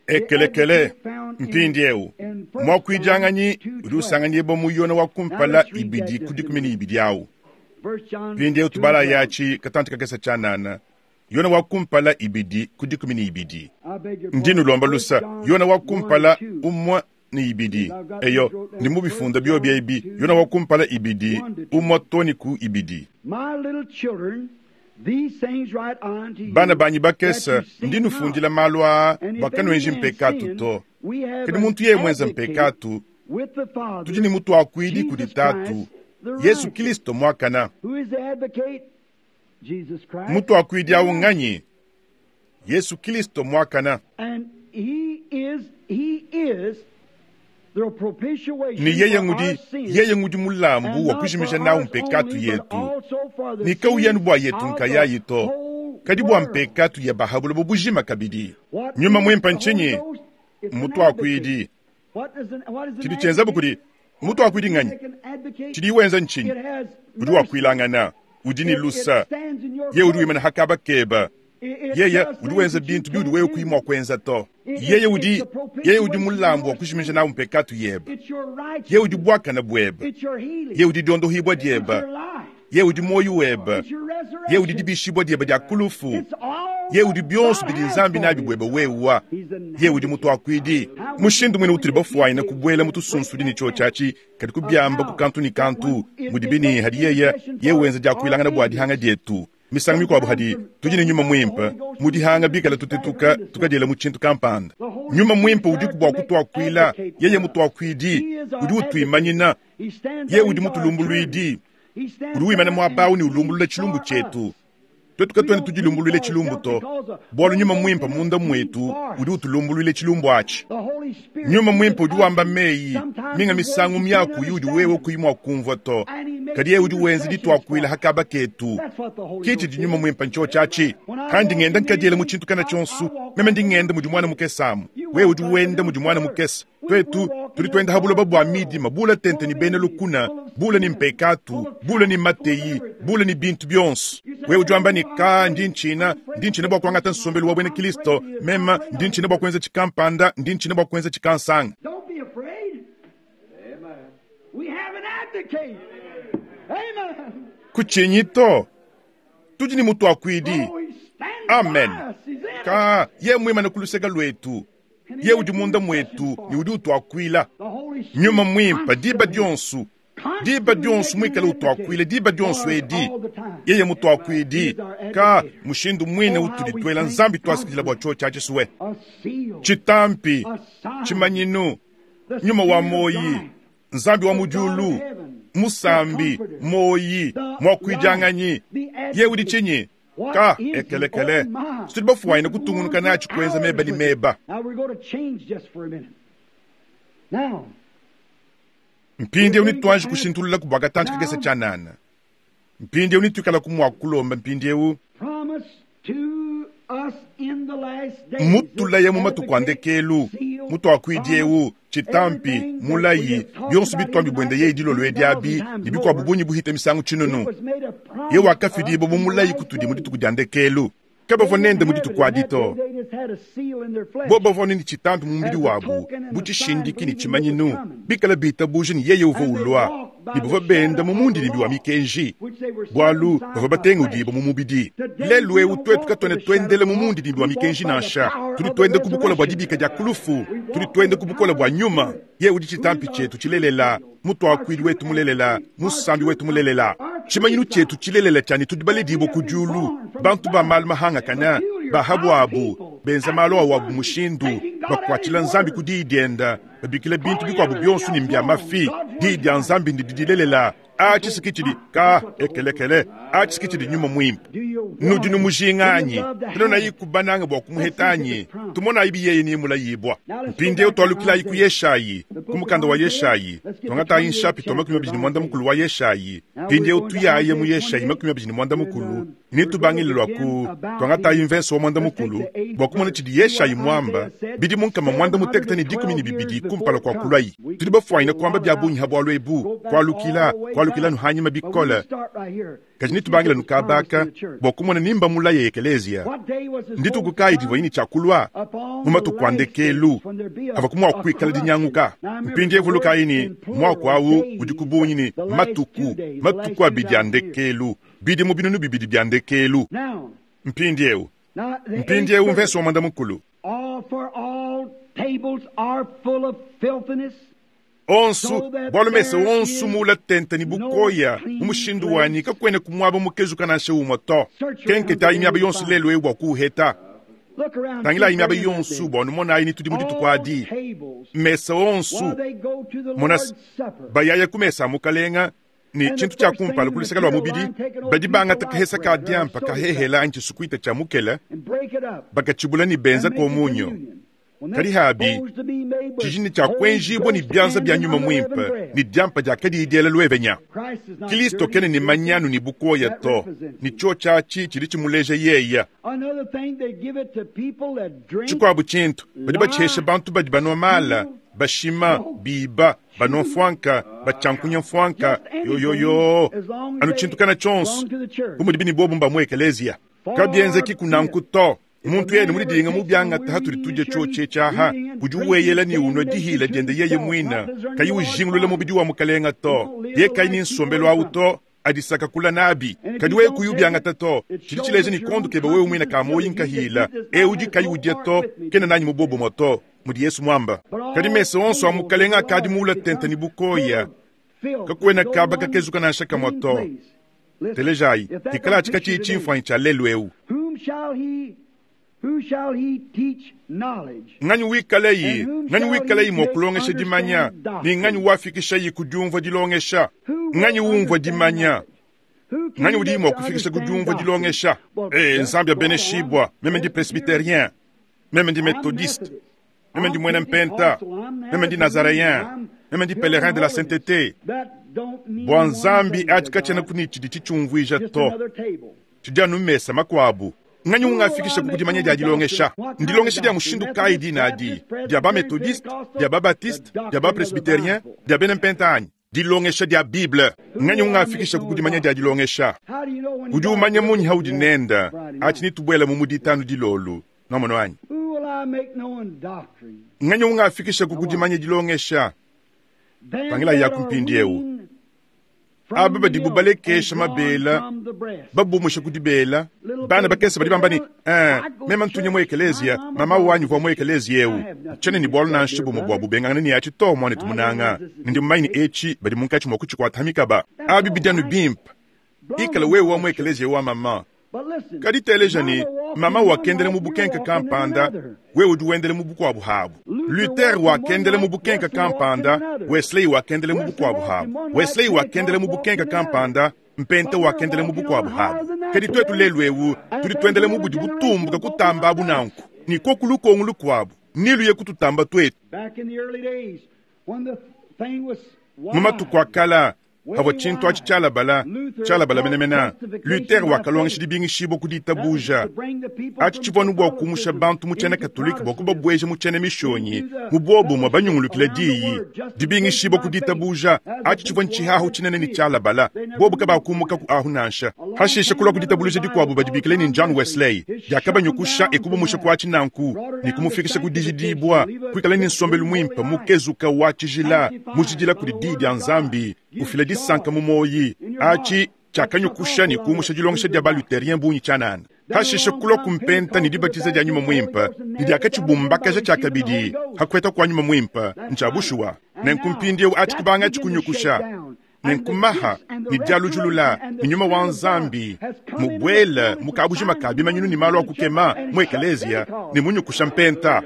Ekelekele mpindi ewu mwakuijanganyi udi usanganyibwa muyona wa kumpala ibidi kudikumi ni ibidi awu mpindi ewu tubala yachi katanti kakesa chanana yona wa kumpala ibidi kudikumi ni ibidi ndinu lomba lusa yona wa kumpala umwa ni ibidi eyo ndi mubifunda byobya ibi yona wa kumpala ibidi umwa toni ku ibidi. Bana banyi bakesa ndi nufundila malu aa bakanwenji mpekatu to kadi muntu yeye mwenza mpekatu tudi ni mutu akuidi kudi tatu Yesu Kristo mwakana. Mutu akuidi awu nganyi Yesu Kristo mwakana. Ni yeye ngudi yeye ngudi mulambu wa kujimisha nawu mpekatu yetu ni kauyanu bwa yetu nkayayi to kadi bwa mpekatu ya bahabulo bubujima kabidi. Nyuma mwimpa nchinyi mutu akuidi chidi chenzabu kudi Mutuakuidi nganyi? Tshidi wenza ntshinyi? Udi wakuilangana, udi ne lusa. Ye udi wimana hakaba keba. Yeye udi wenza bintu biudi wewe kuyi mua kuenza to. Yeye udi yeye udi mulambu wa kujimija nawu mpekatu yebe. Yeye udi buakana buebe. Yeye udi diondohibua diebe. Yeye udi moyo webe. Yeye udi dibishibua diebe dia kulufu. Yeye udi bionso bidi Nzambi nabi buebe wewa. Yeye udi mutuakuidi. Mushindu mwene utuli bafuayina kubuela mu tusunsudi ne tshiotshi kadi kubiamba ku kantu ne kantu mudibi ne hadi yeye yeye wenza diakuilangana bua dihanga dietu. Misangu mikuabu hadi tudi ne nyuma mwimpe mu dihanga bikala tutetuka tukadiela mu tshintu kampanda. Nyuma mwimpe udi bua kutuakuila, yeye mutuakuidi udi utuimanyina, yeye udi mutulumbuluidi, udi wimana muaba ne ulumbulula tshilumbu tshietu. Twetu katuena tudilumbuluile tshilumbu to, bualu nyuma mwimpe munda mwetu udi utulumbuluile tshilumbu atshi. Nyuma mwimpe udi wamba meyi minga misangu miaku yudi wewe kuyi mua kumvua to, kadi yeye udi wenza dituakuila hakaba ketu. Kitshi di nyuma mwimpe ntsho atshi. Kandi ngenda nkadiela mu tshintu kana tshionso, meme ndi ngenda mudi mwana mukesamu, wewe udi wenda mudi mwana mukesa. Twetu tudi twenda habuloba bua midima, bula tente ni bena lukuna, bula ni mpekatu, bula ni mateyi, bula ni bintu bionso. Wewe udi wamba ni ka ndi nchina, ndi nchina bua kuangata nsombelu wa bwena Kristo, mema ndi nchina bua kuenza tshikampanda, ndi nchina bua kuenza tshikansanga. Don't be afraid. We have an advocate. Amen. Kutshinyi to, tudi ni mutuakuidi. Oh, he stands Amen. by us. He's in us. Ka ye mwimana kuluseka lwetu, ye udi munda mwetu ni udi utuakuila. The Holy Spirit Nyuma mwimpe diba constantly, dionso, diba dionso mwikale utuakuile, diba dionso edi all the time. yeye mutuakuidi. Ka mushindu mwine utudi twela Nzambi twasikilila bua tsho tshia tshisuwe. A seal, Chitampi, a sign, chimanyinu, the nyuma wa Spirit of moyi, life, Nzambi wa mudiulu, musambi, moyi, mwakuidianganyi. Ye udi tshinyi? Ka ekelekele. Tudi bafuayina kutungunuka natshi kuenza meba ni meba. Now we're going to change just for a minute. Now, Mpindieu nitwanji kushintulula kubwa katanji kakese tshanana. Mpindieu nituikala kumwa kulomba mpindieu promise to us in the last days. mutulaya mu matuku a ndekelu, mutuakuidieu chitampi mulayi bionso bitwambi bwende ye dilolo ediabi ne bikuabu bunyi buhita misangu tshinunu. Ye wakafidibwa mu mulayi kutudi mu dituku dia ndekelu. Kabavua nende mu dituku adi to. Bo bavua nini chitampi mu mubidi wabu bu tshishindiki ne tshimanyinu bikala bitabuja ne yeye uvua ulua ne bavua benda mu mundidimbi wa mikenji bualu bavua batengudibwa mu mubidi. Lelu eu twetu katuena twendele mu mundidimbi wa mikenji nansha, tudi twende ku bukola bua dibika dia kulufu, tudi twende ku bukola bua nyuma. Ye udi chitampi tshietu tshilelela, mutuakuidi wetu mulelela, musambi wetu mulelela, tshimanyinu tshietu tshilelela tshani tudi baledibwa ku diulu, bantu ba malu mahangakana bahabwabu benza malu awabu mushindu bakuatshila Nzambi ku diyi dienda, babikila bintu bikuabu bionso ne mbia mafi. Diyi dia Nzambi ndi dilelela. Atshi tshidi ka ekelekele, atshi tshidi nyuma mwimpe. Nudi numujinganyi tunonayi kubananga bua kumuhetanyi, tumonayi biyeye ni mulayibwa. Mpindieu twalukilayi ku Yeshayi, ku mukanda wa Yeshayi, twangatayi nshapito makumi abidi ne mwanda mukulu wa Yeshayi. Mpindieu tuyaye mu Yeshayi makumi abidi ne mwanda mukulu, nitubangile lwa ku twangatayi mvenso wa mwanda mukulu bua kumona tshidi Yeshayi mwamba bidi munkama mwanda mutekete ne dikumi ne bibidi kumpala kwa kulayi. Tudi bafuanyina kuamba bia bungi ha bualu ebu, kualukila kualukila nuhanyima bikole. Kadi nitubangila nukabaka bua kumona nimba mulayi ekelezia. Ndituku kayi divua yini tshiakulua mu matuku a ndekelu ava kumua kuikala dinyanguka. Mpindieu vulukayi ni muaku awu udi ku bungi ni matuku, matuku abidi a ndekelu, bidimu binunu bibidi bia ndekelu. Now, Mpindieu, now the mpindieu eighth mvese wa mwanda mukulu. All for all tables are full of filthiness. Onsu bualu mese onsu mula tente ni bukoya mu mushindu wanyi kakwene kumwaba mukezuka nansha umwe to. Kenketayi miaba yonsu lelu eu bua kuuheta. Look around. Tangilayi miaba see where yonsu they bua numonayi ni tudi mu dituku All adi. tables, Mesa onsu while they go to the mona Lord's Supper. bayaya ku mesa a mukalenga ne tshintu tshia kumpala ku luseke lua mubidi badi bangata kahesa ka diampa kahehela anyi tshisukuita tshia mukele and break it up. bakatshibula ne benza and make it komunyo. communion. When Kadi that's habi, supposed to be made with tshijini tshia Holy kuenjibwa ne Ghost bianza and bia nyuma unleavened mwimpe bread. ne diampa dia kadiyi diela luevenya. Christ is not Kristo dirty, kene ne filthy. manyanu ne bukoya That to, represents ne him. tsho tshiatshi tshidi tshimuleja yeya. Another thing, they give it to people that drink, Tshikuabu tshintu badi batshesha bantu badi banwa mala, Bashima, biba, banua mfwanka, batyankunya mfwanka, yoyoyo, anu tshintu tshionso bu mudi bini bobu mba mu ekeleziya. Kabienzeki kunanku to. Muntu yene mulidinga mu byangata hatuli tudya tshotshe tshaha udi weyela ni unwa dihila diende yeye mwina kayi ujingulula mubidi wa mukalenga to ye kayi ni nsombelo awu to adisaka kula nabi kadi wewe kuyu byangata to tshidi tshileja ni kondu kebe wewe mwina ka moyi nkahila e udi kayi udya to kena nanyi mubobo moto mudi Yesu mwamba kadi mese onso a mukalenga akadi muula tente ni bukoya kakwena kaba kakezuka nansha kamwa to telejayi ikala tshika tshiyi tshimfuanyi tshia lelu ewu. Who shall he teach knowledge? Nganyi wikaleyi, nganyi wikaleyi mwa kulongesha dimanya, ni nganyi wafikisha kudiumvua dilongesha, nganyi umvua dimanya, nganyi udi mwa kufikisha kudiumvua dilongesha. Eh, Nzambi abeneshibwa, meme ndi presbyterien, meme ndi methodiste, meme ndi mwena mpenta, meme ndi nazaréen, meme ndi pèlerin de la sainteté. Bwa Nzambi atikatshena kuni tshidi tshitshiumvuija to, tshidi anu mesa makuabu. Nganyi ungafikisha kukudimanya dia dilongesha. Ndilongesha dia mushindu kayi dinadi, dia ba methodiste, dia ba baptiste, dia ba presbyterien, dia bena mpenta anyi. Dilongesha dia Bible. Nganyi ungafikisha kukudimanya dia dilongesha. Udi umanya munyi haudi nenda, achi nitubwela mu muditanu dilolu. Nomono anyi. Nganyi ungafikisha kukudimanya dilongesha. Tangila ya kumpindi eu. Aba badibu balekesha mabela, babumusha kudibela, bana bakese badi bamba ni, eh, mema ntunya mu ekelezia, mama wanyu vwa mu ekelezia eu. Tshene ni bwalu nansha bumwe bwa bubengana ni achi to mwane tumunanga. Ndi mumaini echi badi munkachi mwa kuchikwata hamikaba. Abi bidyanu bimpa. Ikala wewe wa mu ekelezia wa mama. Kadi teleja ni, mama wakendele mu bukenka kampanda, wewe udi wendele mu bukwabu habu. Luther wakendele mu bukenka kampanda, Wesley wakendele mu bukwabu habu. Wesley wakendele mu bukenka kampanda, Mpenta wakendele mu bukwabu habu. Kadi twetu lelu ewu, tudi twendele mu budi butumbuka kutamba abu nanku. Ni koku lukongu lukwabu, nilu ye kututamba twetu. Mu matuku akala, havwa tshintu atshi tshialabala, tshialabala menemene. Luther wakalongesha dibingishibo ku ditabuja. Atshi tshivua bua kumusha bantu mu tshiena Katolike bua kubabweja mu tshiena mishonyi, mu bobumwe banyungulukila diyi. Dibingishibo ku ditabuja, atshi tshivua ntshihahu tshinene ni tshialabala. Bobu kabakumuka ku ahu nansha. Hashisha kulwa ku ditabuluja dikuabu badibikile ni John Wesley. Diakabanyukusha ekubumusha kwa tshinanku, ni kumufikisha ku dijidibwa, kuikala ni nsombelu mwimpe mukezuka wa tshijila, mujidila kudi diyi dia Nzambi. Ufila disanka mu moyi achi chakanyukusha ni kumusha dilongesha dia ba-luthérien bungi tshianana. Hashisha kulwa kumpenta ni dibatiza dia nyuma mwimpe, ni diakatshibumbakaja tshiakabidi hakweta kwa nyuma mwimpe ntshabushuwa. Nenkumpindiewu achi kubanga tshikunyukusha nenkumaha ni dialujulula ni nyuma wa Nzambi mubwela mukabujima kabimanyinu ni malu akukema mu ekelezia ni munyukusha mpenta.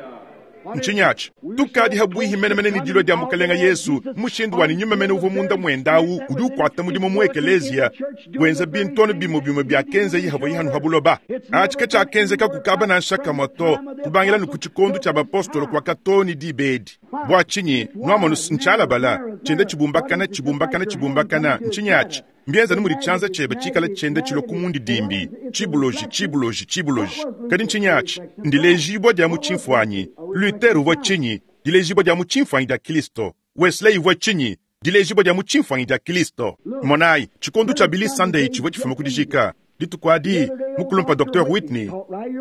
Nchinyachi tukadi habwihi menemene ni dilwa dia mukalenga Yesu mushindu wa ni nyuma mene uvo munda mwendawu udi ukwata mudimu mu ekelezia wenza bintono bimo bimo bya kenze yihavwa yihanu habuloba. Achi katshakenze kakukaba na nshaka moto kubangila nu kutshikondu tsha bapostolo kwa katoni dibedi. Bwa chinyi nwamonu nchalabala chende chibumbakana chibumbakana chibumbakana nchinyachi mbienza numuri chanza chebe chikala chende chilo kumundi dimbi chibuloji chibuloji chibuloji kadi nchinyachi ndilejibwa dia muchimfwanyi. Luther uvwa chinyi dilejibwa dia muchimfwanyi dia Kristo. Wesley uvwa chinyi dilejibwa dia muchimfwanyi dia Kristo. Monai chikondu cha Billy Sunday chivwa chifuma kudijika ditukwadi mukulumpa Docteur Whitney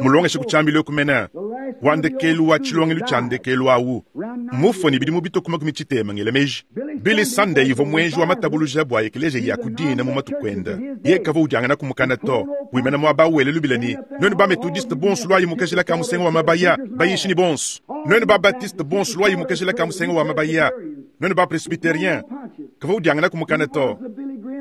mulongeshe kuchambile kumena wandekelu wa chilongelu chandekelu awu mufo ni bidi mubito kuma kumichitema ngelemeji. Billy Sunday ivo mwenji wa matabuluja bwa ekeleje ya kudina mu matukwenda ye kava ujangana kumukana to wimena mwa bawele lubilani nonu ba methodiste bonsu lwa yimukajila ka musengo wa mabaya bayishi ni bonsu nonu ba baptiste bonsu lwa yimukajila ka musengo wa mabaya nonu ba presbyterien kava ujangana kumukana to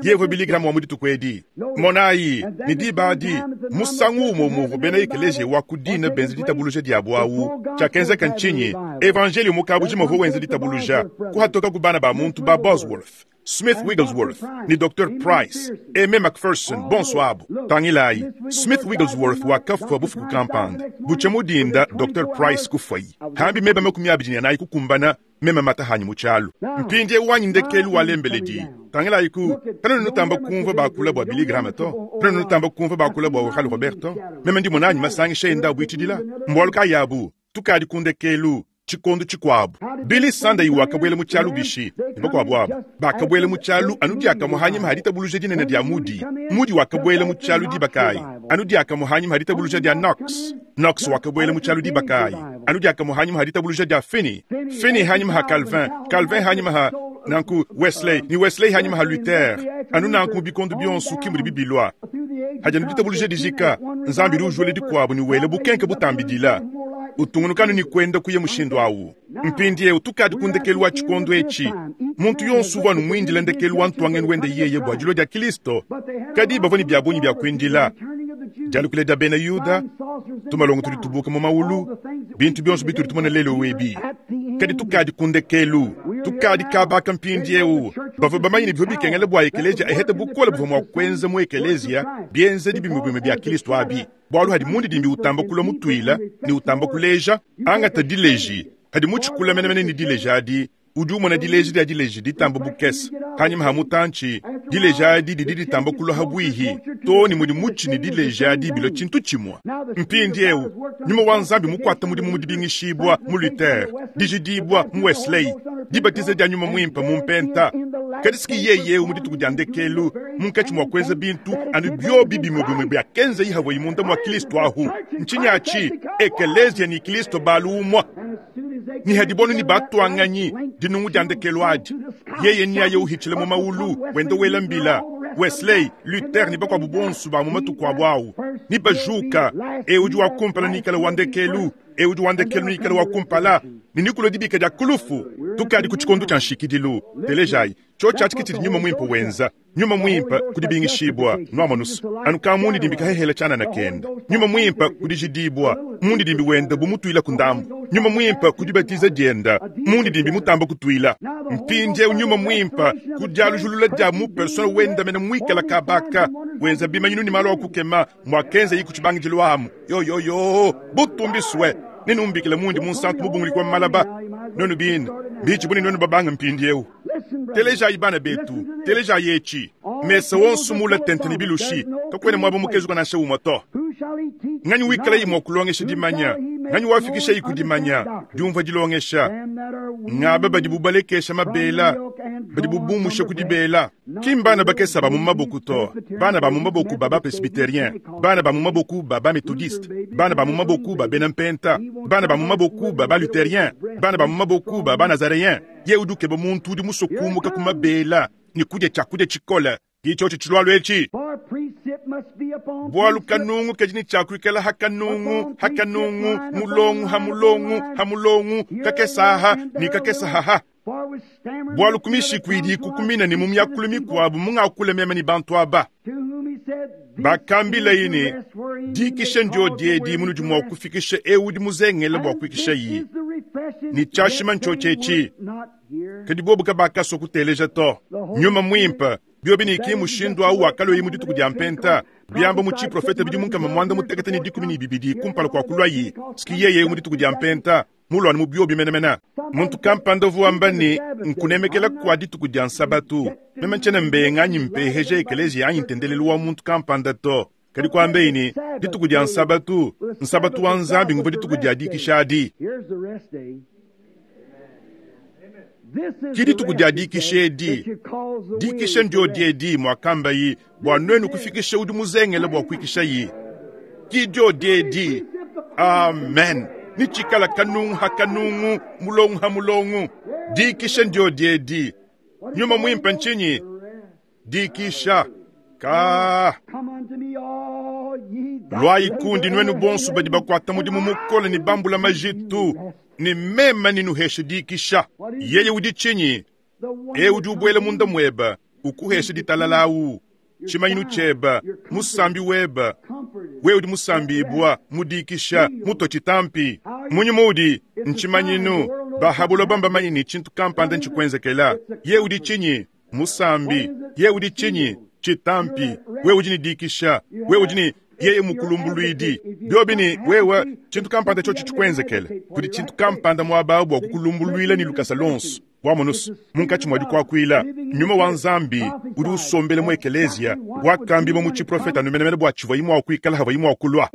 yevo Billy Graham wa muditu kwedi monai ni dibadi musangu umo muvo bena ekeleje wa kudina benzi ditabuluja diabu awu tshakenza kanchinyi evangeli mukabuji movo wenze ditabuluja kuhatoka kubana ba muntu ba Bosworth, Smith Wigglesworth ni Docteur Price, Aimé McPherson, bonsoir. Tangilai, Smith Wigglesworth wakafwa bufuku kampanda. Buchemudinda Docteur Price kufwayi. Hambi meba makumi abiri na kukumbana mema matahanyi muchalo. Mpindie wanyi ndekelu walembeledi. Tangilai ku, tano nutamba kumva bakula bwa Billy Graham to. Tano nutamba kumva bakula bwa Oral Roberto. Mema ndi monanyi masangisha enda bwitidila. Mbwaluka yabu, tukadi kundekelu. Tshikondo tshikuabu Billy Sunday wakabwela mu tshialu bishi ne bakuabu abo bakabwela mu tshialu anu diakamue hanyima ha ditabuluja dinene dia Moody. Moody wakabwela mu tshialu diba kayi? Anu diakamue hanyima ha ditabuluja dia Knox. Knox wakabwela mu tshialu diba kayi? Anu diakamue hanyima ha ditabuluja dia Finney. Finney hanyima ha Calvin, Calvin hanyima ha nanku Wesley, ni Wesley hanyima ha Luther. Anu nanku mu bikondo bionso ki mudi bibilwa. Hadi anu ditabuluja dijika, Nzambi udi ujula dikuabu ne wela bukenke butambidila. Utungunukanu ni kwenda kuya mushindu awu. Mpindiewu tukadi ku ndekelu wa tshikondo etshi. Muntu yonso uvua numwindila ndekelu wa ntwangeni wende yeye bua dilua dia Kristo. Kadi bavua ne bia bungi bia kuindila. Dialukila dia bena Yuda, tumalongo tudi tubuka mu maulu, bintu bionso bitudi tumona lelo webi. Kadi tukadi ku ndekelu, tukadi kabaka mpindiewu. Bavua bamanye ne bivua bikengela bua ekelezia ehete bukole buvua mua kuenza mu ekelezia bienzedi bimue bimue bia Kristo abi. Bwalu hadi mundidimbi utamba kulua mutuila ne utamba kuleja, angata dileji. Hadi mutshikula menemene ne dileji adi, udi umona dileji dia dileji ditamba bukese. Hanyima ha mutantshi, dileji adi didi ditamba kulua ha bwihi, to ne mudi mutshi ne dileji adi bilua tshintu tshimue. Mpindiewu, nyuma wa Nzambi mukuata mudimu mu dibingishibua mu Luther, dijidibua mu Wesley, dibatiza dia nyuma mwimpe mu mpenta. Kadi siki yeye mu dituku dia ndekelu, munkatshi mua kuenza bintu anu biobi bimue bimue bia kenza yihavua imunda mua Kristo ahu. Ntshinyi ekelezia ni Kristo balu umua. Ni hadibonu ni batwanganyi dinungu dia ndekelu adi. Yeye ni aye uhichila mu maulu wenda wela mbila. Wesley, Luther ni bakuabu bonso ba mu matuku abu awu. Ni bajuka, e udi wa kumpala ni ikala wa ndekelu, e udi wa ndekelu ni ikala wa kumpala. Ni nikulo dibika dia kulufu. Tukadi ku tshikondo tshia nshikidilu. Telejai, tsho tshiatshi tshidi nyuma mwimpe wenza. Nyuma mwimpe kudibingishibwa nwamonusu. Anu ka mundi dimbika hehela tshanana kenda. Nyuma mwimpe kudijidibwa mundi dimbi wenda bumutuila ku ndambu. Nyuma mwimpe kudibatiza dienda mundi dimbi mutamba kutuila. Mpindiewu nyuma mwimpe kudialujulula dia mu persona wenda mena mwikala kabaka wenza bimanyinu ni malo akukema mwakenza yiku tshibangidilo amu. Yo yo yo butumbiswe nenumbikila mundi munsantu mubunguli kwa malaba. Nonu bina bichi buni nonu babanga mpindiewu. Teleja ibana betu, teleja yechi. Mesa wonso mula tente ni bilushi, kakwene mwabo mukezu kana sha umoto. Nganyi wikala yimwa kulongesha dimanya, nganyi wafikisha yiku dimanya, diumva dilongesha. Ngaba badi bubalekesha mabela, badi bubumusha kudibela. Kimbana bakesa ba mu maboku to, bana ba mu maboku baba presbytérien, bana ba mu maboku baba méthodiste, bana ba mu maboku ba benampenta, bana ba mu maboku baba luthérien, bana ba mu maboku baba nazaréen. Ye uduke ba muntu udi musokumuka ku mabela, ni kudya tshakudya tshikola. Kicho tshilwalo etshi. Bwalu kanungu kajini chakuikala hakanungu, hakanungu, mulongu, hamulongu, hamulongu, kakesaha, ni kakesaha. Bwalu kumishikwidi kukumina ni mumyakulu mikwabu mungakule mema ni bantu aba. Bakambila yini, dikisha ndio diedi munudi mwa kufikisha eudi muzengele bwa kuikisha yi. Ni chashima nchochechi. Kadi bobu kabakaso kuteleja to. Nyuma mwimpe. Biobi ni ki mushindu au wakalo yimu dituku dia mpenta. Biamba muchi profeta bidi munkama mwanda mutekete ni dikumi ni bibidi kumpala kwa kulwa yi. Siki yeye mu dituku dia mpenta. Mulwani mu biobi menemena. Muntu kampanda vuamba ni nkunemekela kwa dituku dia nsabatu. Meme nchene mbenga anyi mpeheje ekelezi anyi ntendelelu wa muntu kampanda to. Kadi kwambe ini dituku dia nsabatu. Nsabatu wa nzambi nguva dituku dia dikishadi. Ki dituku dia dikishedi. Dikisha ndio diedi mwakamba yi bwa nwenu kufikisha udi muzengele bwa kuikisha yi. Ki dio diedi. Amen. Ni chikala kanungu hakanungu, mulongu hamulongu. Dikisha ndio diedi. Nyuma mwimpe nchinyi. Dikisha. Ka. Lwai kundi nwenu bonsu badi bakwata mudimu mukole ni bambula majitu. Ni mema ni nuheshe dikisha. Yeye udi chinyi. E udi ubwele munda mweba. Ukuheshe ditalalawu. Chimanyinu cheba. Musambi weba. We udi musambi ibwa. Mudikisha. Muto chitampi. Munyi mudi. Nchimanyinu. Bahabulo bamba manyini chintu kampanda nchikwenzekela. Ye udi chinyi. Musambi. Ye udi chinyi. Chitampi. We udi ni dikisha. We udi ni yeye mukulumbuluidi. Biobi ni wewe chintu kampanda chochi chikwenzekele. Kudi chintu kampanda mwaba bwa kukulumbuluila ni lukasa lonso. Wamonusu munkachi mwadi kwakwila. Nyuma wa nzambi udi usombele mu ekelezia wakambi mu chiprofeta numenemene bwa chivwa imwa kuikala hava imwa kulwa.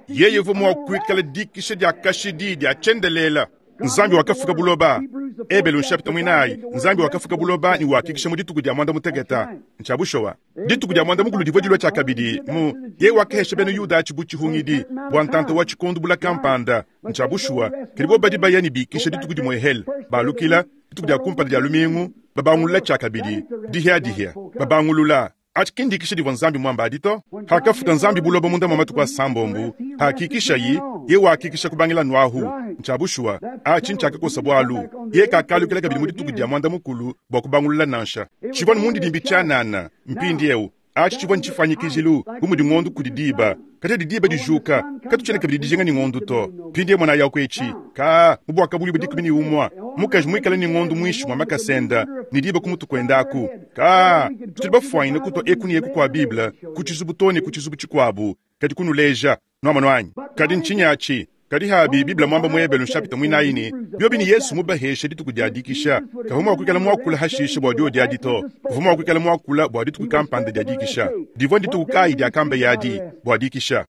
Yeye uvua mua kuikala dikisha dia kashidi dia tshiendelela. Nzambi wakafuka buloba. Ebelu nshapita mwinayi, Nzambi wakafuka buloba ne wakikisha mu dituku dia mwanda muteketa. Ncha bushowa. Dituku dia mwanda mukulu divua dilua tshiakabidi mu yeye wakahesha bena Yuda achi bu tshihungidi bua ntanta wa tshikondu bula kampanda. Ncha bushuwa kadi bo badi baya ne bikisha dituku dimwe hel balukila dituku dia kumpala dia lumingu babangulula tshiakabidi dihia dihia babangulula. Achi kindikisha divua Nzambi mwamba adi to. Hakafuka Nzambi buloba munda mwa matuku asambombo, hakikisha yi ye wakikisha kubangila nwahu. Ncha bushuwa achi nchakakosa bwalu ye kakalukila kabidi mu dituku dia mwanda mukulu bwa kubangulula nansha. Chivwa mundi dimbi chanana mpindi eu achi chivwa nchifanyikijilu bu mudi ng'ondu kudi diba kati diba dijuka katuchene kabidi dijinga ni ng'ondu to. Mpindi mwana yako echi ka mubwaka buli budikumi ni umwa mukaji mwikala ni ng'ondu mwishi mwa makasenda ni diba kumutu kwendaku ka tudi bafwaine kutwa eku ni eku kwa Biblia kuchizubu toni kuchizubu chikwabu kadi kunuleja nwamano anyi kadi nchinyachi kadi habi Biblia mwamba mwebelu nshapita mwinaini byobi ni Yesu mubahesha dituku dia dikisha kavuma wakwikala mwakula hashisha bwa dio dia dito kavuma wakwikala mwakula bwa dituku kampanda dia dikisha divwa dituku kai dia kamba yadi bwa dikisha.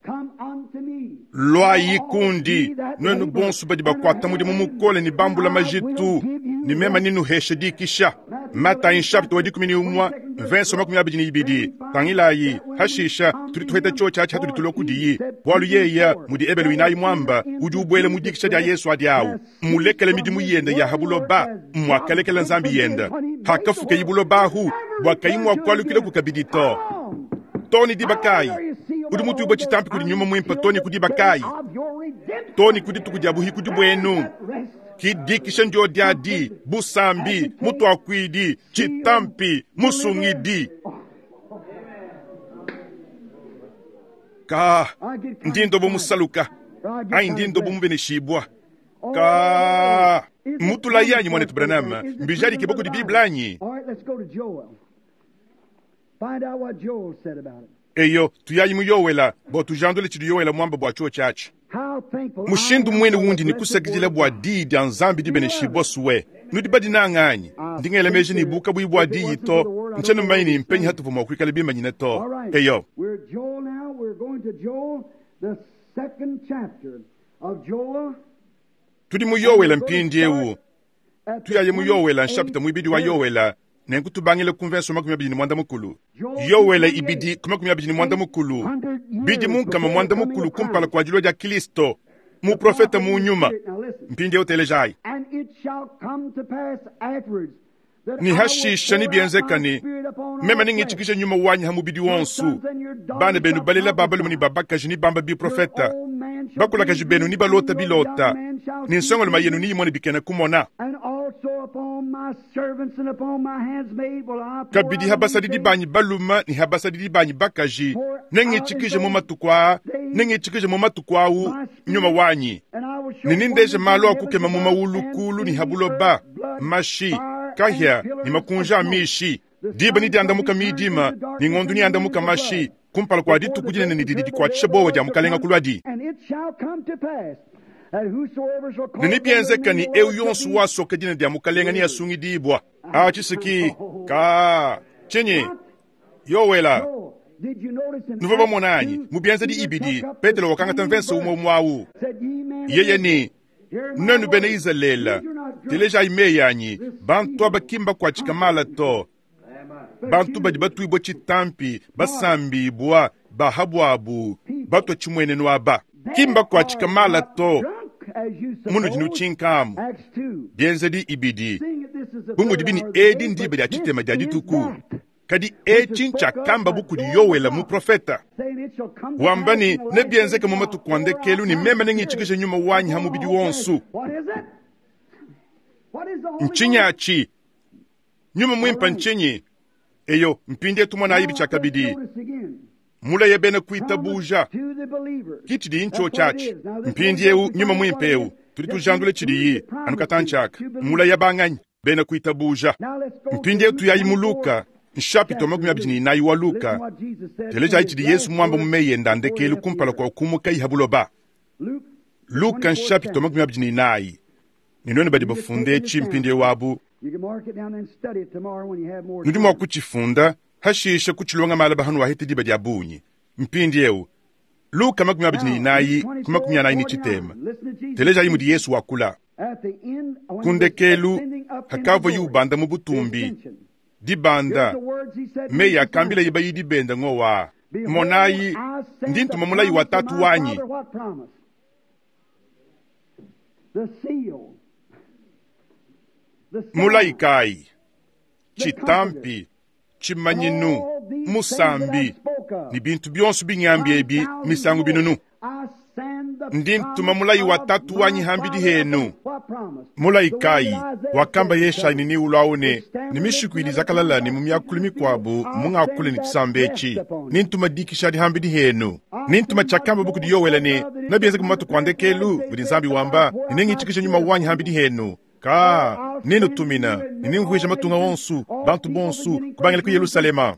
Lwayi kundi nwenu bonso badi bakwata mudimu mukole ni bambula majitu ni mema ninu hesha dikisha. Matayi nshapita wa dikumi ni umwa mvenso makumi abidi ni ibidi tangilayi hashisha tudi tuheta cho chachi hatudi tulwa kudiyi bwalu yeya mudi ebelu inayi mwamba udi ubwele mudikisha dia Yesu adi awu mulekele midimu yenda ya habuloba mwakalekela Nzambi yenda hakafuka yibulobahu bwakayi mwakwalukile kukabidi to toni dibakayi udi mutu ubwa chitampi kudi nyuma mwimpa toni kudibakayi toni kudituku dia buhi kudi bwenu kidikisha ndio diadi busambi mutwakwidi chitampi musungidi ka ndindo bomusaluka ai ndindo bomubeneshibwa ka mutula yanyi mwanetu Branham mbijali kiboko di Biblia anyi. Eyo tuyayi muyowela bo tujandule chidi yowela mwamba bwa chuo chachi mushindu mwene wundi ni kusakidila bwa di dia Nzambi dibeneshibwa suwe nudi badi nang'anyi nding'ela meji ni buka bwi bwa di yito nchenu maini mpenyi hatuvu mwa kuikala bimanyine to. Eyo tudi muyowela mpindi ewu tuyaye muyowela nshapita mwibidi wa yowela nenku tubangile kumvenso makumi abidi ni mwanda mukulu yowela ibidi kumakumi abidi ni mwanda mukulu bidi munkama mwanda mukulu kumpala kwa dilua dia Kristo muprofeta munyuma mpindi eu telejai ni hashisha ni bienzekani mema ningitshikisha nyuma wanyi ha mubidi wonsu bana benu balela babalume ni babakaji ni bamba biprofeta bakulakaji benu ni balota bilota ni nsongoloma yenu ni yimone bikena kumona kabidi habasadidi banyi baluma ni habasadidi banyi bakaji nengitshikishe mu matuku aa nengitshikishe mu matuku awu nyuma wanyi ninindeje malo akukema mu mawulukulu ni habuloba mashi kahya ni makunja amishi diba ni diandamuka midima ni ng'ondu ni andamuka mashi kumpala kwa dituku dinene ni didi dikuatshisha bowa dia mukalenga kulwadi. Ninibienzeka ni eu yonsu wasoka dina dia mukalenga ni asungidibwa achisiki ka chinyi yowela nuva bamonanyi mubienza di ibidi Petelo wakangata mvenso umwe mwawu yeye ni nenu bena Izalele teleja imeyanyi bantu abakimba kwa chikamala to bantu badi batwibwa chitampi basambibwa bahabwabu batwa chimwenenu aba kimba kwa chikamala to munu dinu chinkamu bienzedi ibidi bumudi bini edi ndibe dia chitema dia dituku kadi echi nchakamba bukudi yowela mu profeta wambani ne bienzeke mu matuku andekelu ni meme nengitshikishe nyuma wanyi ha mubidi wonsu nchinyachi nyuma mwimpa nchinyi eyo mpindi etumwana ayibi chakabidi muleye bene kuitabuja kichidi incho chachi mpindi eu nyuma mwimpe eu tudi tujandule chidiyi anukatanchaka muleye banganyi bene kuitabuja mpindi eu tuyayi muluka nshapito makumi abidi ni inayi wa Luka teleja ichidi Yesu mwamba mumeye ndandekelu kumpala kwa kumuka ihabuloba Luka nshapito makumi abidi ni inayi ninone badi bafunde echi mpindi eu abu nudi mwa kuchifunda hashisha kuchilonga mala bahanu wahete diba dia bunyi mpindi eu Luka makumi abidi ne inayi ku makumi anayi ne tshitema. Telejayi mudi Yesu wakula. Ku ndekelu, hakavua yubanda mu butumbi, dibanda, meyi akambilaye bayidi bende ngowa. Monayi, ndi ntuma mulayi wa tatu wanyi. Mulayi kayi? Tshitampi, tshimanyinu, musambi, ne bintu bionso bingambi ebi misangu binunu. Ndi ntuma mulayi wa tatu wanyi hambidi henu. Mulayi kayi? Wakamba Yeshayi ne niwulwawo ne ne mishiku idi zakalala ne mu myakulu mikwabu mungakule ne tshisamba etshi. Nintuma dikisha adi hambidi henu. Nintuma tshiakamba buku di Yowele ne nabienzeka mu matuku a ndekelu mudi Nzambi wamba ne nengitshikishe nyuma wanyi hambidi henu. Ka nenutumina ne nimvuija matunga onsu bantu bonsu kubangila ku Yerusalema.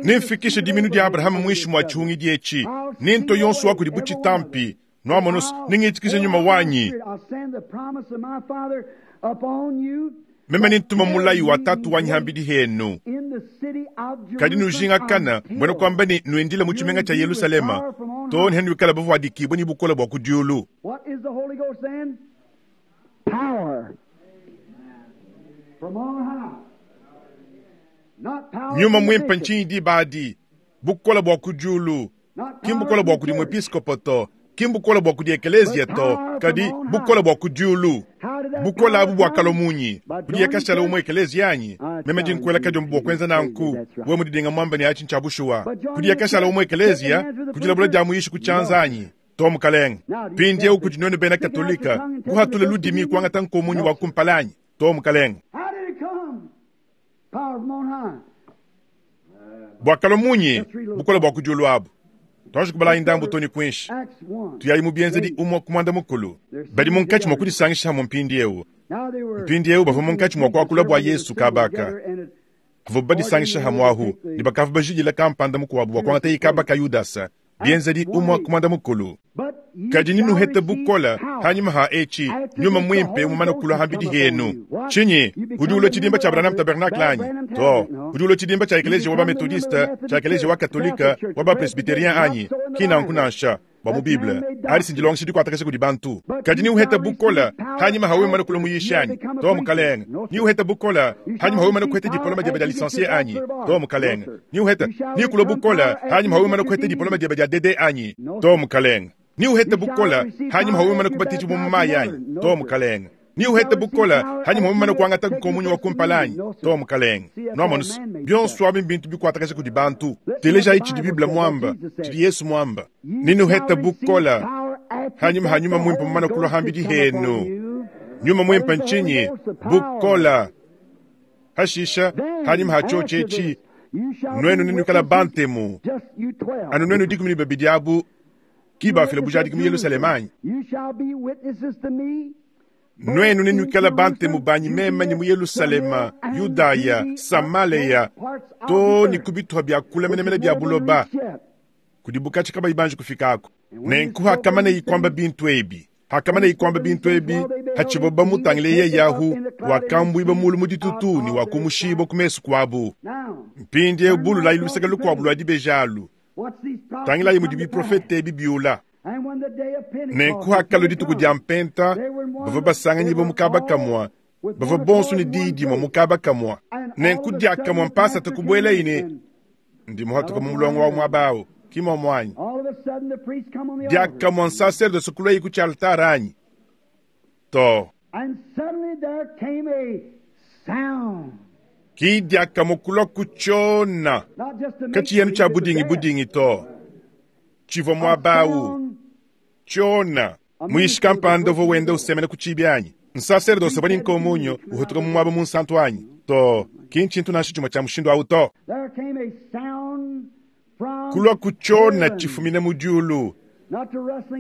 Nimfikishe diminu dia Abrahama mwishi mwa tshihungidi etshi. Ninto yonsu wa kudi butshitampi. Nwamonos ningitshikishe nyuma wanyi. Meme nintuma mulayi wa tatu wanyi hambidi henu. Kadi nujingakana mbwena kwamba ne nuendile mu tshimenga tsha Yerusalema to ne nuikala bavuadikibwe ne bukola bua ku diulu. Nyuma mwimpe ntshinyi diba adi bukola bua ku diulu ki mbukola bua kudi muepiskopo to, ki mbukola bua kudi ekelezia to, kadi bukola bua ku diulu. Bukola abu bua kalomunyi kudi yakashala umwe ekelezia anyi? Meme ndi nkuela kadiombo bua kuenza nanku we mudidinga mwamba ne atshi ntshia bushuwa. Kudi yakashala umwe ekelezia kudilabula dia muyishi ku tshianza anyi? To mukalenge. Mpindieu kudi nwenu bena Katolika kuhatula ludimi kuangata nkomunyi wa kumpala anyi? To mukalenge. Bua kalomunyi bukola bua ku diulu abu. Twaje kubala ndambu toni kwinshi. Tuyayi mu bienzedi umwe ku mwanda mukulu. Badi munkatshi mwa kudisangisha hamwe mpindieu. Mpindieu bavua munkatshi mwa kuakula bua Yesu kabaka. Bavua badisangisha hamwe ahu ne bakavua bajidila kampanda mukuabu bua kuangata ikabaka Yudasa. Bienzedi umwe ku mwanda mukulu. Kadi ninuhete bukola hanyuma ha etshi nyuma mwimpe mumana kulwa hambidi henu. Tshinyi udi ulwa tshidimba tsha Branham Tabernacle anyi? To, udi ulwa tshidimba tsha ekelezia wa ba Methodiste, tsha ekelezia wa Katolika, wa ba Presbyterien anyi? Kina nkunansha bua mu Bible. Adi sindilongesha dikuatakasha kudi bantu. Kadi niuhete bukola hanyuma hawe mumana kulwa muyishi anyi? To mukalenge. Niuhete bukola hanyuma hawe mumana kuhete diploma diebe dia licencié anyi? To mukalenge. Niuhete nikulwa bukola hanyuma hawe mumana kuhete diploma diebe dia D D anyi? To mukalenge. Niuhete bukola hanyuma hawe mumana kubatiji mu mayi anyi? To mukalenge. Niuhete bukola hanyuma hawe mumana kuangata nkomunyi wa kumpala anyi? To mukalenge. Nwamonos bionso abi mbintu bikuatakasha kudi bantu. Teleja tshidi Bible mwamba, tshidi Yesu mwamba. Ninuhete bukola hanyuma hanyuma mwimpe mumana kulwa hambidi henu. Nyuma mwimpe ntshinyi bukola. Hashisha hanyuma hachoche etshi nwenu ninukala bantemu. Anu nwenu dikumi ne babidi abu kibafila bujadiki mu Yerusalema anyi? Nwenu ninukala bantemu banyi mema ni mu Yerusalema, Yudaya, Samaleya, to ni kubituha bya kula menemene bya buloba. Kudi bukachi kabayi banji kufikako. Nenku hakamana ikwamba bintu ebi. Hakamana ikwamba bintu ebi, hachiboba mutangile ye yahu, wakambwiba mulu muditutu ni wakumushiba kumesu kwabu. Mpindi ebulu la iluseka lukwabu lwa dibejalu. Tangilayi mudi biprofete ebi biula. Nenku hakalo dituku dia mpenta, bavua basanganyi ba mukaba kamwa, bavua bonso ne diyi dimue mukaba kamwa. Nenku diakamwa mpasa takubuela ine, ndi muhatuka mu mulongo wa muaba awu, ki momo anyi. Diakamwa nsacerdoce kulwa ku tshialtare anyi? To. Ki diakamwa kulwa ku tshiona. Katshiyenu tshia budingi budingi to. Tshivua muaba awu. Tshiona. Muishi kampanda uvua wenda usemena ku tshibi anyi? Nsacerdoce bani nkomunyo uhutuka mu muaba munsantu anyi? To. Ki ntshintu nansha tshimue tshia mushindu awu to. Kulwa ku tshiona tshifumine mu diulu.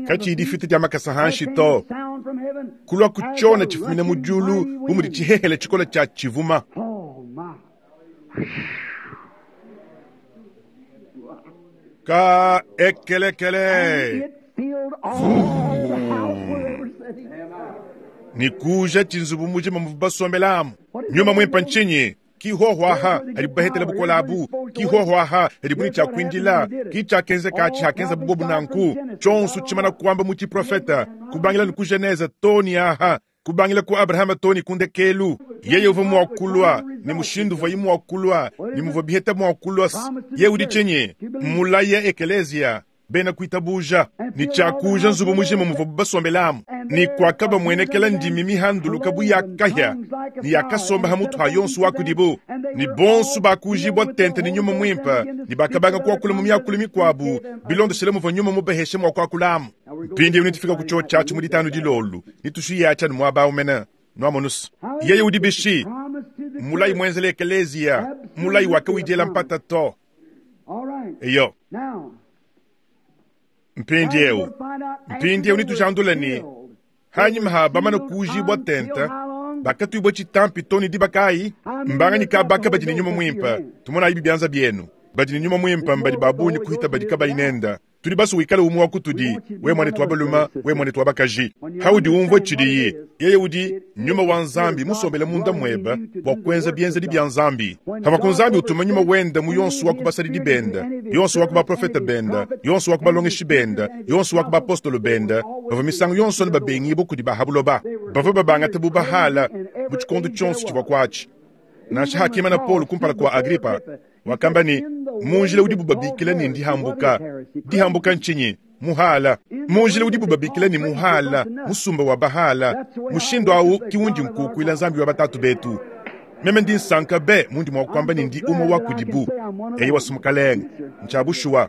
Katshi difita dia makasa hanshi to. Kulwa ku tshiona tshifumine mu diulu bu mudi tshihehele tshikola tshia tshivuma. Ka ekelekele. Ni kuja tshinzubu mujima muvu basombelamu. Nyuma mwimpe ntshinyi? Ki hohwaha hadibu bahetela bukola abu. Ki hohwaha hadibu ni chakwindila. Ki chakenzeka chakenza bubobu nanku. Chonsu chimana kuamba muti profeta. Kubangila ni ku Genese toni aha. Kubangila ku Abrahama toni kundekelu. Yeye uva mwakulwa ni mushindu uva imwakulwa ni muvwa biheta mwakulwa. Ye udi chenye mulaya ekelezia bena kuitabuja ni chakuja nzubu mujima muvwa basombelamu ni kwakaba mwenekela ndimi mihanduluka bu yakahya ni yakasomba hamutu ha yonsu wakudibu ni bonsu bakujibwa tente ni nyuma mwimpa ni bakabanga kwakula mu myakulu mikwabu bilondeshele muvwa nyuma mubeheshe mwa kwakulamu. Mpindi unitufika ku cho chachu mu ditanu dilolu nitushiyacha ni mwaba umena nwamonusu. Yeye udi bishi mulayi mwenzele ekelezia mulayi wakawidela mpata to eyo. Mpindi eu mpindi eu nitujandula ni hanyima ha bamana kujibwa tenta bakatwibwa chitampi toni dibakayi mbanganyika baka badi ni nyuma mwimpa tumona ibi byanza byenu badi ni nyuma mwimpa mbadi babunyi kuhita badi kabayinenda tudi basu wikale umwe wakutudi we mwane twabaluma we mwane twabakaji haudi umvwe chidiyi yeye udi nyuma wa nzambi musombele munda mweba bwa kwenza byenzedi bya nzambi hava ku nzambi utuma nyuma wenda mu yonsu wa kubasalidi benda yonsu wa kubaprofeta benda yonsu wa kubalongeshi benda yonsu wa kubapostolo benda bava misango yonsu ne babengi bo kudi bahabuloba bava babangate bubahala mu chikondo chonsu chivwa kwachi nansha hakima na Paulo kumpala kwa Agripa wakamba ni munjila udi bubabikila ni ndihambuka dihambuka nchinyi muhala munjila udi bubabikila ni muhala musumba wa bahala mushindo awu kiwundi nkukwila nzambi wa batatu betu meme ndi nsanka be mundi mwakwamba ni ndi umwe wa kudibu eyi wasumukalenga nchabushuwa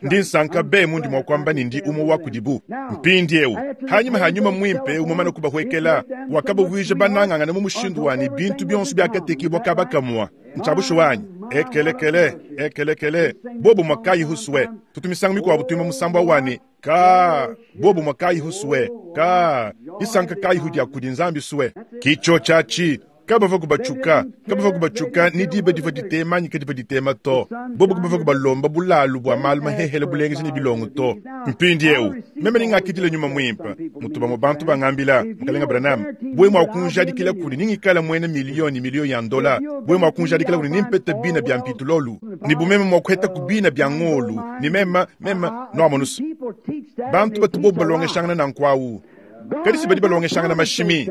ndi nsanka be mundi mwakwamba ni ndi umwe wa kudibu mpindi eu hanyuma hanyuma mwimpe umwe kubahwekela wakabuvwije banangangana mu mushindu wani bintu byonso byakatekibwa kabakamwa nchabushuwanyi ekelekele ekelekele bobo mwakayi huswe tutumisango mikwabu tuima musambwa wani ka bobo mwakayi huswe ka isanka kayi hudya kudi nzambi swe kicho chachi kabava kubachuka kabava kubachuka ni diba diva ditema nyika diva ditema to bobo kubava kubalomba bulalu bwa malu mahehele bulengezi ni bilongo to mpindi eu meme ningakidile nyuma mwimpa mutuba mu bantu bangambila mukalenga Branham bwe mwakunjadikila kuli ningikala mwene milioni milioni ya ndola bwe mwakunjadikila kuli nimpete bina bya mpitulolu ni bumeme mwakuheta kubina bya ngolu ni mema mema noamonusu bantu batu bobo balongeshangana na nkwawu kadisi badi balongeshangana mashimi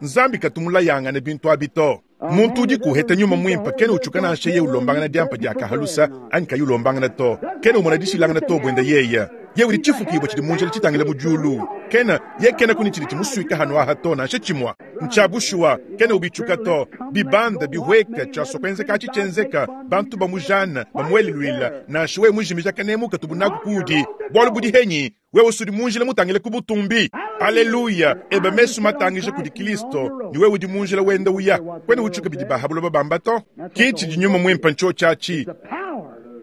nzambi katumulayangana bintu abito muntu udi kuheta nyuma mwimpa kene uchuka nansha ye ulombangana diampa dia kahalusa anyi kayi ulombangana to kene umona dishilangana to bwenda yeya ye udi chifukibwa chidi munjila chitangila mujulu kena ye kena kuni chidi chimuswika hanu aha to nansha chimwa nchabushuwa kene ubichuka to bibanda bihweka chasokwenzeka achichenzeka bantu bamujana bamuelilwila nansha we mujimija kanemuka tubunaku kudi bwalu budi henyi wewe usudi munjila mutangile kubutumbi aleluya ebe mesu matangisha kudi Kristo ni wewe udi munjila wenda uya kwene uchuka bidi bahabulo babamba to kichi dinyuma mwimpa ncho chachi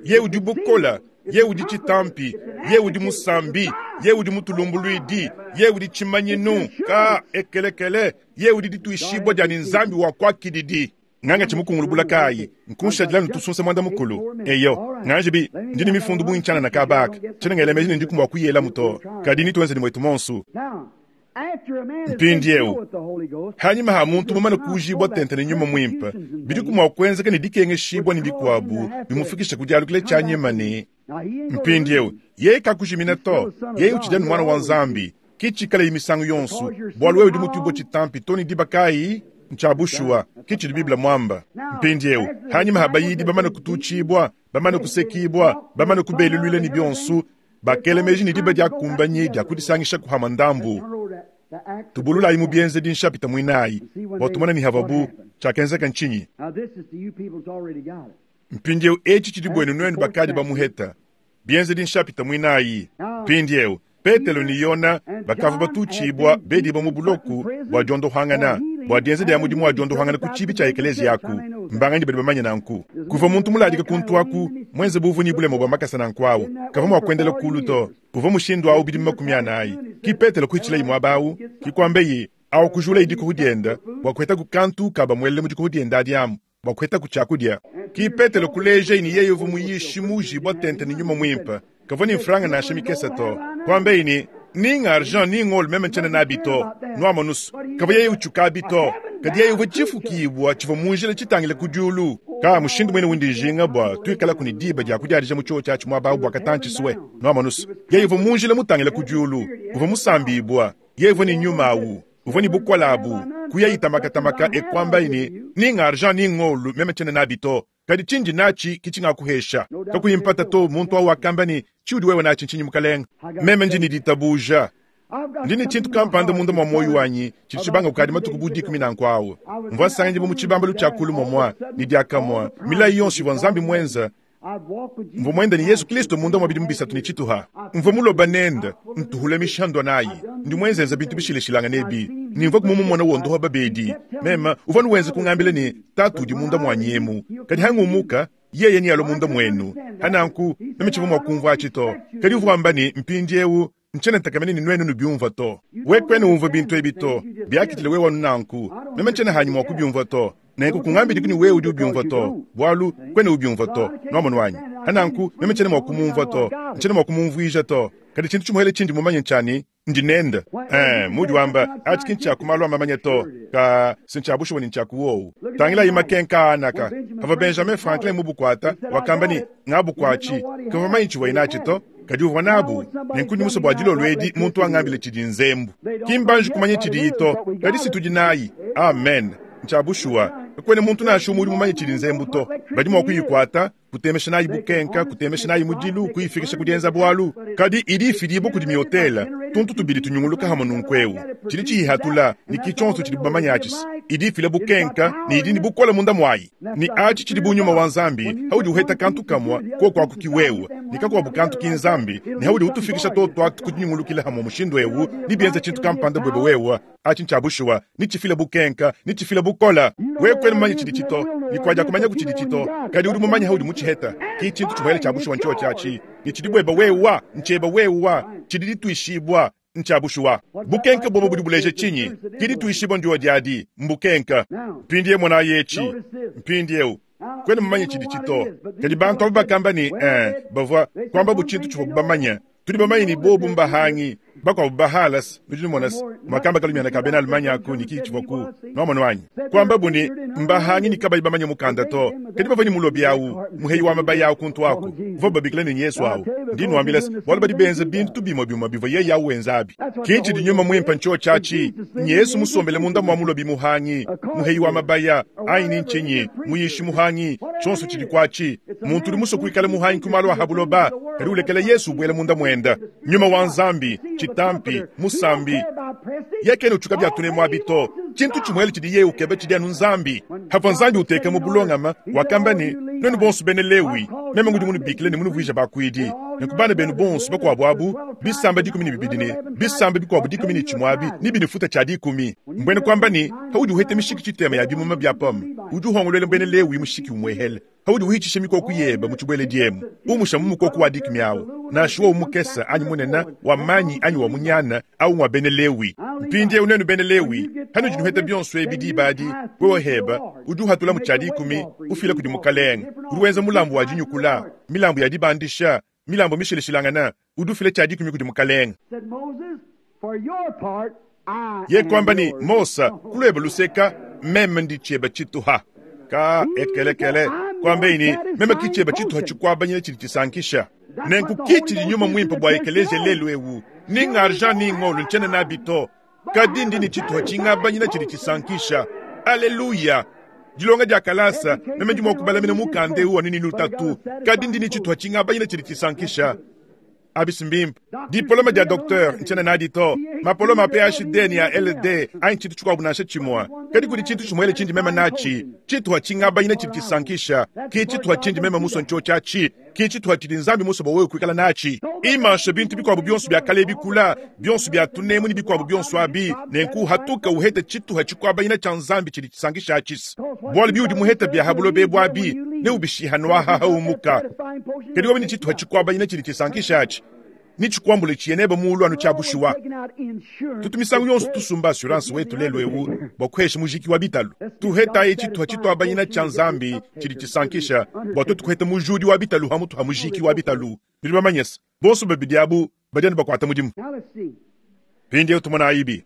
ye udi bukola ye udi chitampi ye udi musambi ye udi mutulumbulwidi ye udi chimanyinu ka ekelekele ye udi dituishibwa dia ni nzambi wa kwakididi nganga chimukungulubula kayi nkunshadila nutusunsa mwanda mukulu eyo nganje bi ndini mifundu buinchana na kabaka chena ngelemeji ndi kumwa kuyela muto kadi nitwenze ni mwetu monsu mpindi eu hanyuma ha muntu mumana kujibwa tente ni nyuma mwimpa bidi kumwa kwenzeka ni dikengeshibwa ni bikwabu bimufikisha kudyalukile chanyima ni mpindi eu ye kakujimina to ye uchidya ni mwana wa nzambi kichikala imisango yonsu bwalu wewe udi mutubwa chitampi toni dibakayi nchabushuwa kichili biblia mwamba mpindi eu hanyuma habayidi bamana kutuchibwa bamana kusekibwa bamana kubelulwila ni byonsu bakelemeji ni diba diakumbanyi diakudisangisha kuhama ndambu tubululayi mu byenze dinshapita mwinayi bwatumona ni havabu chakenzeka nchinyi mpindi eu eci chidi bwenu nwenu bakadi bamuheta byenze dinshapita mwinayi mpindi eu Petelo ni Yona bakava batuchibwa bediba mu buloku bwa dyondohangana bwa dienze dia mudimu wa dyondohangana ku chibi cha ekelezi yaku mbangani badi bamanya nanku kuva muntu muladika kuntu aku mwenze buvu ni bulemo bwa makasa nanku awu kava mwakwendela kulu to kuva mushindu awu bidi makumi anayi ki Petelo kuichila imwe abawu kikwambeyi awu kujula idiko hudienda bwa kuheta ku kantu kaba mwelele mudiko hudienda adiamu bwa kuheta ku chakudia ki Petelo kuleja ini yeyo vu muyishi muji bwa tente ni nyuma mwimpa kava ni mfranga nasha mikesa to kwambe ini ninga argent ninga olu meme nchene na bito nwama nusu kava yeye uchuka bito Kadi yeye uvua tshifukibua tshivua mu njila tshitangile ku diulu. Ka mushindu mwene wundi njinga bua tuikalaku ne diba dia kudiadija mu tshiotshi atshi muaba awu bua katantshi-sue. Nuamonusu, yeye uvua mu njila mutangile ku diulu, uvua musambibua, yeye uvua ne nyuma awu, uvua ne bukole abu, kuya itamakatamaka e kuambaye ne, ni ng'argent ni ng'olu meme tshiena nabi to. Kadi tshindi natshi ki tshingakuhesha. Kakuyi mpata to, muntu awu wakamba ne, tshiudi wewe natshi ntshinyi mukalenge? Meme ndi ne ditabuja. Ndi ne tshintu kampanda munda mua muoyo wanyi tshidi tshibanga kukadi matuku bu dikumi nanku awu. Mvua nsanganyibua mu tshibambalu tshia kulu momua ne diakamua milayi yonso ivua Nzambi muenza. Mvua muenda ne Yesu Kristo munda mua bidimu bisatu ne tshituha. Mvua muloba nende ntuhula mishandua nayi. Ndi muenzenza bintu bishilashilangane ebi. Ne mvua kumumona wondoha babedi. Meme uvua nuwenza kungambila ne tatu udi munda muanyi emu. Kadi hangumuka yeye ni alo munda muenu. Hananku meme tshivua mua kumvua atshi to. Kadi uvua wamba ne mpindiewu ntshiena ntakamene ne nuenu nubiumvua to. We kwena umvua bintu ebi to. Biakitile wewe wanu nanku. Meme ntshiena hanyi mua kubiumvua to. Nenku kungambidi kuni wewe udi ubiumvua to. Bualu kwena ubiumvua to. Nuamono wanyi. Hananku meme ntshiena mua kumumvua to. Ntshiena mua kumumvuija to. Kadi tshintu tshimuhele tshindi mumanye ntshani ndi nende. Eh, mudi wamba atshi ki ntshia ku malu a mamanya to. Ka si ntshia bushuwa ni ntshia ku wowu. Tangilayi makenka anaka. Pavua Benjamin Franklin mubukuata, wakamba ne ngabukuatshi. Kavua manyi tshivua natshi to. Kadi uvua nabu. Nenku ndi musue bua dilolo edi muntu angambile tshidi nzembu. Ki mbanji kumanya tshidiyi to. Kadi si tudi nayi. Amen. Ntshia bushuwa. Kakuena muntu nansha umue udi mumanye tshidi nzembu to. Badi mua kuyikuata, kutemesha nayi bukenka, kutemesha nayi mudilu, kuyifikisha ku dienza bualu. Kadi idi ifidibua kudi miotela, tuntu tubidi tunyunguluka hamwe nunku eu. Tshidi tshiyihatula, ne ki tshionso tshidi bamanya atshi. Idi ifila bukenka, ne idi ne bukole munda muayi. Ne atshi tshidi bu nyuma wa Nzambi, haudi uheta kantu kamwa, koko aku ki wewe. Ne kakuabu kantu ki Nzambi, ne haudi utufikisha toto atu kudinyungulukila hamwe mushindu eu, ne bienza tshintu kampanda bwebe wewe. Atshi ntshia bushuwa, ne tshifila bukenka, ne tshifila bukola. Wewe kwena mumanye tshidi tshito, ne kuadia kumanya ku tshidi tshito. Kadi udi mumanye haudi mutshiheta. Ki tshintu tshimuele tshia bushuwa ntshio tshiatshi. Ne tshidi bweba wewa, ntsheba wewa, tshidi dituishibua ntshia bushuwa. Bukenka bobo budi buleja tshinyi? Ki dituishibua ndio diadi, mbukenka. Mpindie mona yetshi. Mpindiewu. Kwena mumanye tshidi tshito. Kadi bantu abo bakamba ne, eh, bavua kwamba bu tshintu tshivua bamanya. Tudi bamanye ni bobu mbahangi, bakuabu bahalas, nudi numona makamba kalumiana ka bena Allemagne aku ni ki tshivua ku nuamono wanyi. Kwamba bu ni mbahangi ni kabayi bamanye mukanda to. Kadi bavua ni mulobi awu, muheyi wa mabaya awu kuntu aku. Bavua babikila ne Yesu awu. Ndi nuambila se, bualu badi benza bintu bimue bimue bivua yeye awu wenza abi. Ki tshidi nyuma muimpe ntshio tshiatshi. Yesu musombele munda mua mulobi muhangi, muheyi wa mabaya, ayi ni ntshinyi, muyishi muhangi, tshionso tshidi kuatshi. Muntu udi musue kuikala muhangi ku malu a habuloba, kadi ulekela Yesu ubuela munda muenda. Nyuma wa Nzambi, chitampi, musambi. Yekene uchuka bya tune mwa bito. Tshintu tshimuele tshidi yeye ukeba tshidi anu Nzambi. Havua Nzambi uteka mu bulongama, wakamba ne, nuenu bonso bene Lewi, meme ngudi munubikile ne munuvuija bakuidi. Nenku bana benu bonso bakuabu abu, bisamba dikumi ne bibidi ne bisamba bikuabu dikumi ne tshimue abi, ne binifuta tshia dikumi. Mbwene kwamba ne, haudi uheta mishiki tshitema ya bimuma bya pome, udi uhongolwela mbwene Lewi mushiki umwehele. Haudi uhitshisha mikoko yeba mu tshibwele diemu, umusha mu mukoko wa dikumi awu. Nansha wowu mukesa anyi munene, wa manyi anyi wa munyana, awu ngwa bene Lewi. Mpindiewu nuenu bene Lewi, hanudi nuheta bionso ebi diba adi, wewe heba, udi uhatula mu tshia dikumi, ufila kudi mukalenge. Udi wenza mulambu wa dinyukula, milambu ya dibandisha, milambu mishilashilangana, udi ufila tshia dikumi kudi mukalenge. Ye kwamba ni Mosa, kulweba luseka, meme ndi tshieba tshituha. Ka ekelekele, kwamba ini, meme ki tshieba tshituha tshikwabanyile tshidi tshisankisha. Nenku ki tshidi nyuma muimpe bua ekeleje lelu ewu. Ni ng'argent ni ng'olu ntshiena nabi to. Kadi ndi ne tshituha tshingabanyina tshidi tshisankisha. Aleluya! Dilonga dia kalasa, meme ndi mua kubalamina mukanda ewu anu ni lutatu. Kadi ndi ne tshituha tshingabanyina tshidi tshisankisha. Abisi mbimpe. Diploma dia docteur ntshiena nadi to. Mapoloma a P H D ni a L D anyi tshintu tshikuabu nansha tshimue. Kadi kudi tshintu tshimuele tshindi meme natshi. Tshituha tshingabanyina tshidi tshisankisha. Ki tshituha tshindi meme musue ntshio tshiatshi. Ki tshituha tshidi Nzambi musue bua wewe kuikala natshi. Imansha bintu bikuabu bionso bia kale bikula, bionso bia tunemu ne bikuabu bionso abi, nenku hatuka uhete tshituha tshikuabanyina tshia Nzambi tshidi tshisankisha atshisa. Bualu biudi muhete bia habulobe bwabi, ne ubishihanwaha haumuka. Kadi wabi ne tshituha tshikuabanyina tshidi tshisankisha atshi. Ni tshikuambule tshieneba muulu anu tshia bushuwa. Tutu misangu yonso tusumba assurance wetu lelu ewu bua kuhesha mujiki wa bitalu. Tuhetaye tshituha tshituabanyina tshia Nzambi tshidi tshisankisha bua tuetu kuheta mujudi wa bitalu hamutu ha mujiki wa bitalu. Nudi bamanye se, bonso babidi abu badi anu bakuata mudimu. Mpindiewu tumona ayibi.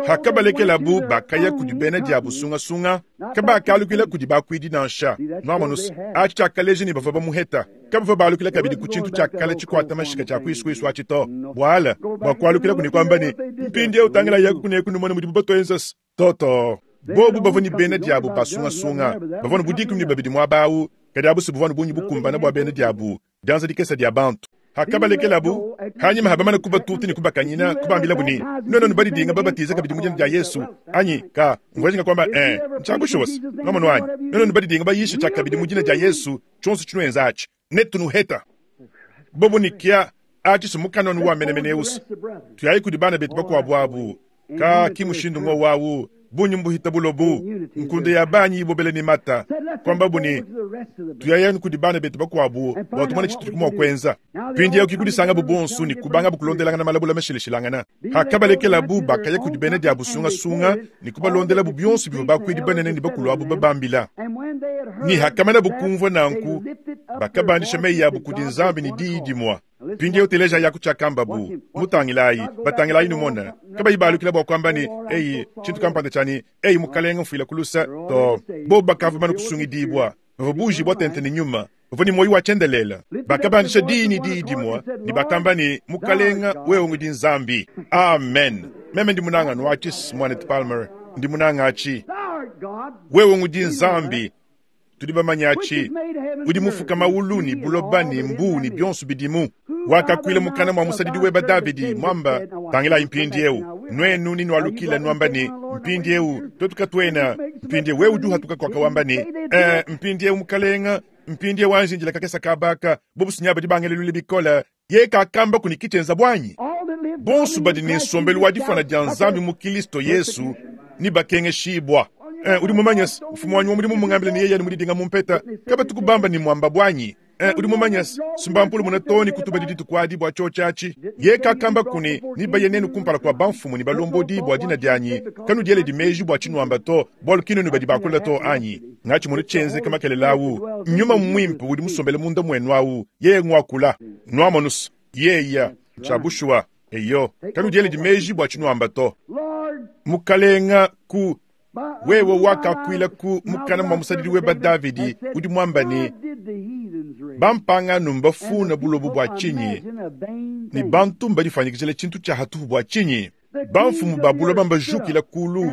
Hakabalekelabu bakaya kudi bena diabu sungasunga, kabakalukila kudi bakuidi nansha. Nwamonu achi tshiakaleja ne bavua bamuheta. Kabavua balukila kabidi ku tshintu tshia kale tshikwata mashika tshia kuisukuisu atshi to. Bwala bua kualukila kuni kwamba ne mpindieu tangila yaku kuneku numone mudibu batuenzasa toto. Bobu bavua ne bena diabu basungasunga, bavua ne budikumi ne babidi muaba awu, kadi abu si buvua ne bungi bukumbana bua bena diabu, dianza dikesa dia bantu. Hakabalekelabu hanyima habamana kubatuta ne kubakanyina, kubambilabu ne nuenu nubadidinga babatiza kabidi mu dina dia Yesu anyi ka mvua kwamba eh ntshiakushosa nwamonu anyi nuenu nubadidinga bayisha tshia kabidi mu dina dia Yesu tshionso tshinuenza atshi netunuheta. Bobu ne kia atshi sumukanonu wa menemeneusi tuyayi kudi bana betu bakuabu abu ka kimushindu ngo wawu bunyi mbuhita bulobu nkunde ya banyi ibobele ni mata kwamba buni tuyayanu kudi bana betu bakuabu bua tumone tshitu kumwa kwenza mpindieu kikudisanga bubonsu ni kubanga bukulondelangana malabula mashileshilangana hakabalekelabu bakaya kudi bena dia busungasunga ni kubalondelabu bionso bivua bakuidi banene ni bakulu abu babambila ni hakamana bukumvua nanku bakabandisha meyi yabu kudi Nzambi ni diyi dimwa. Mpindieu teleja yaku tshiakambabu mutangilayi batangilayi numona kabayi balukila bua kuamba ne eyi tshintu kampanda tshiani eyi mukalenga mfuila kulusa to bobu bakavua bana kusungidibwa bavua bujibwa tente ne nyuma bavua ne moyo wa tshiendelela bakabandisha diyi ne diyi dimwa ne bakamba ne mukalenga wewe ngudi Nzambi. Amen. Meme ndi munanga nwatshi mwanet Palmer ndi munanga atshi wewe ngudi Nzambi tudi bamanya atshi udi mufuka maulu ni buloba ni mbu ni bionso bidimu wakakwila mukana mwa musadidi weba Davidi mwamba tangilayi mpindieu nwenu ni nwalukila nwamba ni mpindieu twetu katwena mpindieu wewe udi uhatuka kwaka wamba ni eh, mpindieu mukalenga mpindieu wanjinjila kakesa kabaka bobusunya badi bangelelule bikola ye kakamba kuni kichenza bwanyi bonso badi ni nsombelu wa difana dia Nzambi mu Kristo Yesu ni bakengeshibwa. Eh, udi mumanyasi mfumu wanyi wa mudimu mungambile ni yeye ni mudidinga mumpeta kabatukubamba ni mwamba bwanyi. Eh, udi mumanyasi sumbampulu muna toni kutuba diditu kwadi bua tshotshatshi ye kakamba kuni ni baye nenu kumpala kwa bamfumu ni balombodi bua dina dianyi kanudiele dimeji bua tshinuamba to bualu kinunu badi bakula to anyi ngatshi munu tshienze kamakelelawu nyuma mwimpe udi musombele munda mwenu awu yeye ngwakula nwamonusu yeya tshiabushua eyo kanudiele dimeji bua tshinuamba to mukalenga ku wewe wakakwila ku mukana mwa musadidi weba Davidi udi mwamba ni bampangano mbafuna bulobu bua tshinyi ni bantu mbadifanyikizile tshintu tshia hatuhu bua tshinyi bamfumu ba buloba mbajukila kulu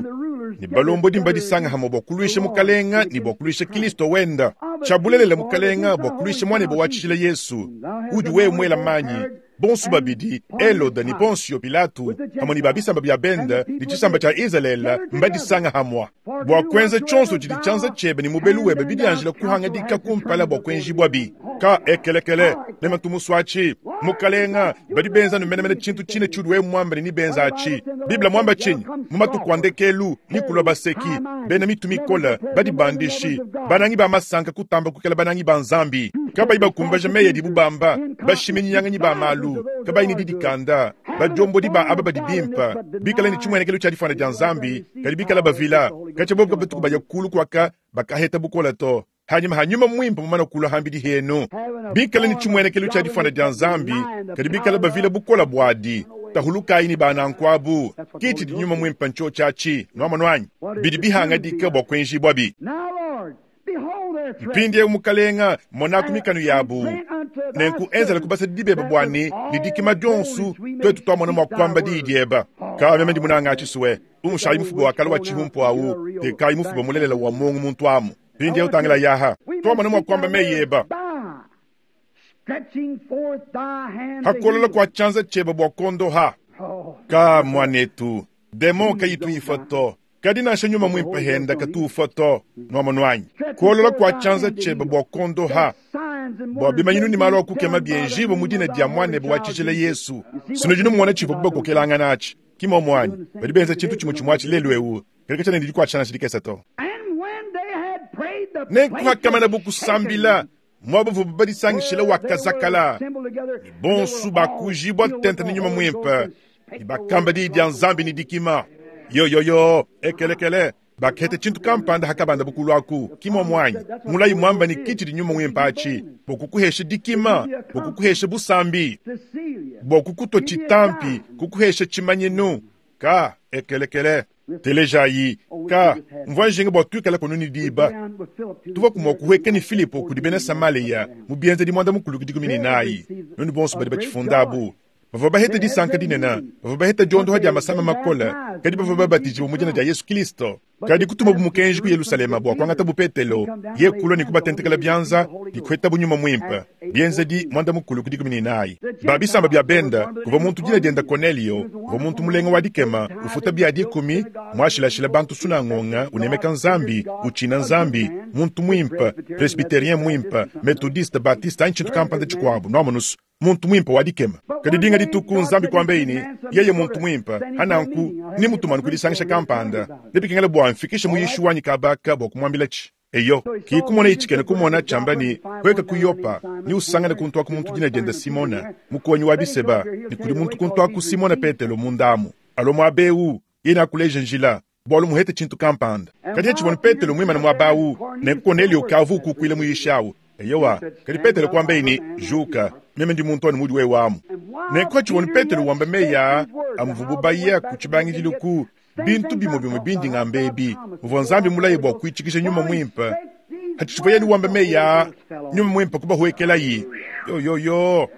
ni balombodi mbadisanga hamwe bua kuluisha mukalenga ni bua kuluisha Kristo wenda tshiabulelela mukalenga bua kuluisha mwanebe wa tshijila Yesu udi wewe mwela manyi bonso babidi Elode ni Ponsio Pilato hamwe ni babisamba bya benda ni tshisamba tshia Israele mbadisanga hamwa bua kwenza tshionso tshidi tshianza tshiebe ni mubelu webe bidianjila kuhangadika kumpala bua kuenjibwa bi ka ekelekele meme tumuswatshi mukalenga badi benza numenemene tshintu tshine tshiudi wewe mwamba ni benza atshi Biblia mwamba tshinyi mu matuku a ndekelu ni kulwa baseki bena mitu mikola badi bandishi banangi ba masanka kutamba kukela banangi ba Nzambi kabayi bakumbaja meya dibu bamba bashiminyang'anyi ba malu kabayi ni didikanda badiombodi ba aba badi bimpa bikala ni tshimwenekelo tshia difana dia Nzambi kadi bikala bavila katshia bobu kabatuku baya kulu kwaka bakaheta bukola to hanyuma hanyuma mwimpe mumana kula hambidi henu bikala ni tshimwenekelo tshia difana dia Nzambi kadi bikala bavila bukola bwadi tahulukayi ni banankwabu kiti dinyuma mwimpe ncho tshiatshi nwamanwanyi bidi bihangadika bua kuenjibwa bi mpindieu mukalenga monaku mikanu yabu nenku enzela kubasa dibeba bwani ni dikima dionsu twetu twamona mwa kuamba diyi dieba ka meme ndi munanga atshisuwe umushayi mufuba wa kala wa tshihumpu awu tekayi mufuba mulelela wa mungu muntu amu mpindieu tangila yaha twamona mwa kuamba meyi eba hakolola kwa tshianza tshieba bua kondoha ka mwanetu demon kayituifa to kadi nansha nyuma mwimpe henda katufa to nwamonwanyi kuolola kwa tshianza tshieba bua kondoha bua bimanyinu ni malu akukema bienjibo mu dina dia mwanebe wa tshijila Yesu sino dino muona tshivo bubakokelangana atshi kimomwanyi badi benza tshintu tshimwe tshimwe atshi lelu ewu kaleka tshiana ndidi kuatshana tshidikesa to nenkuhakamana bukusambila mwabavu badisangishila wakazakala ni bonsu bakujibwa tente ni nyuma mwimpe ni bakamba diyi dia Nzambi ni dikima yo yo yo ekelekele bakhete tshintu kampanda hakabanda bukulu aku kimomwanyi mulayi mwamba ni kiti di nyuma mwimpe atshi bokukuhesha dikima bokukuhesha busambi bokukutwa tshitampi kukuhesha tshimanyinu ka Ekelekele. Telejayi ka mvua njinga bua tuikala kunu ne diba. Tuvua kumua kuhueka ne Filipo kudi bena Samaleya mu bienzedi muanda mukulu ku dikumi ne nayi. Nunu bonso badi batshifunda abu. Bavua baheta disanka dinene, bavua baheta diondoha dia masama makole, kadi bavua babatijibua mu dina dia Yesu Kristo. Kadi kutuma bu mukenji ku Yerusalema bua kuangata bu Petelo, ye kulua ne kubatentekela bianza, ne kuheta bu nyuma muimpe. Bienzedi muanda mukulu ku dikumi ne nayi. Ba bisamba bia benda, kuvua muntu dina dienda Cornelio, uvua muntu mulenga wa dikema, ufuta bia dikumi, muashilashila bantu sunangonga, unemeka Nzambi, uchina Nzambi, muntu muimpe, presbyterien muimpe, methodiste, baptiste, anyi tshintu kampanda tshikuabu, nuamonusu. Muntu muimpe wa dikema. Kadi dinga dituku Nzambi kuamba ini, yeye muntu muimpe, hananku ni mutumanu kudisangisha kampanda. Nebikengela bua mfikishe muyishi wanyi kabaka bua kumwambila chi. Eyo, ki kumona ichikene kumona chamba ni kweka kuyopa, ni usangane kuntu aku muntu dina dienda Simona, mukonyi wa biseba, ni kuli muntu kuntu aku Simona Petelo mundamu. Alo mwabeu, yena akuleje njila, bwalu muhete chintu kampanda. Kadi echibona Petelo mwimana mwabau, ne Cornelio kavu kukwila muyishawu. Eyowa, kadi Petelo kuamba ini, juka, meme ndi muntu anu mudi wewe amu. Ne kwa chibona Petelo wamba meya, amuvubu baya kuchibangidilu ku bintu bimwe bimwe bindi ngambebi. Muvua Nzambi mulaye bua kuichikisha nyuma mwimpe. Hachichibwa yenu wamba meya, nyuma mwimpe kubahuekelayi. Yo yo yo.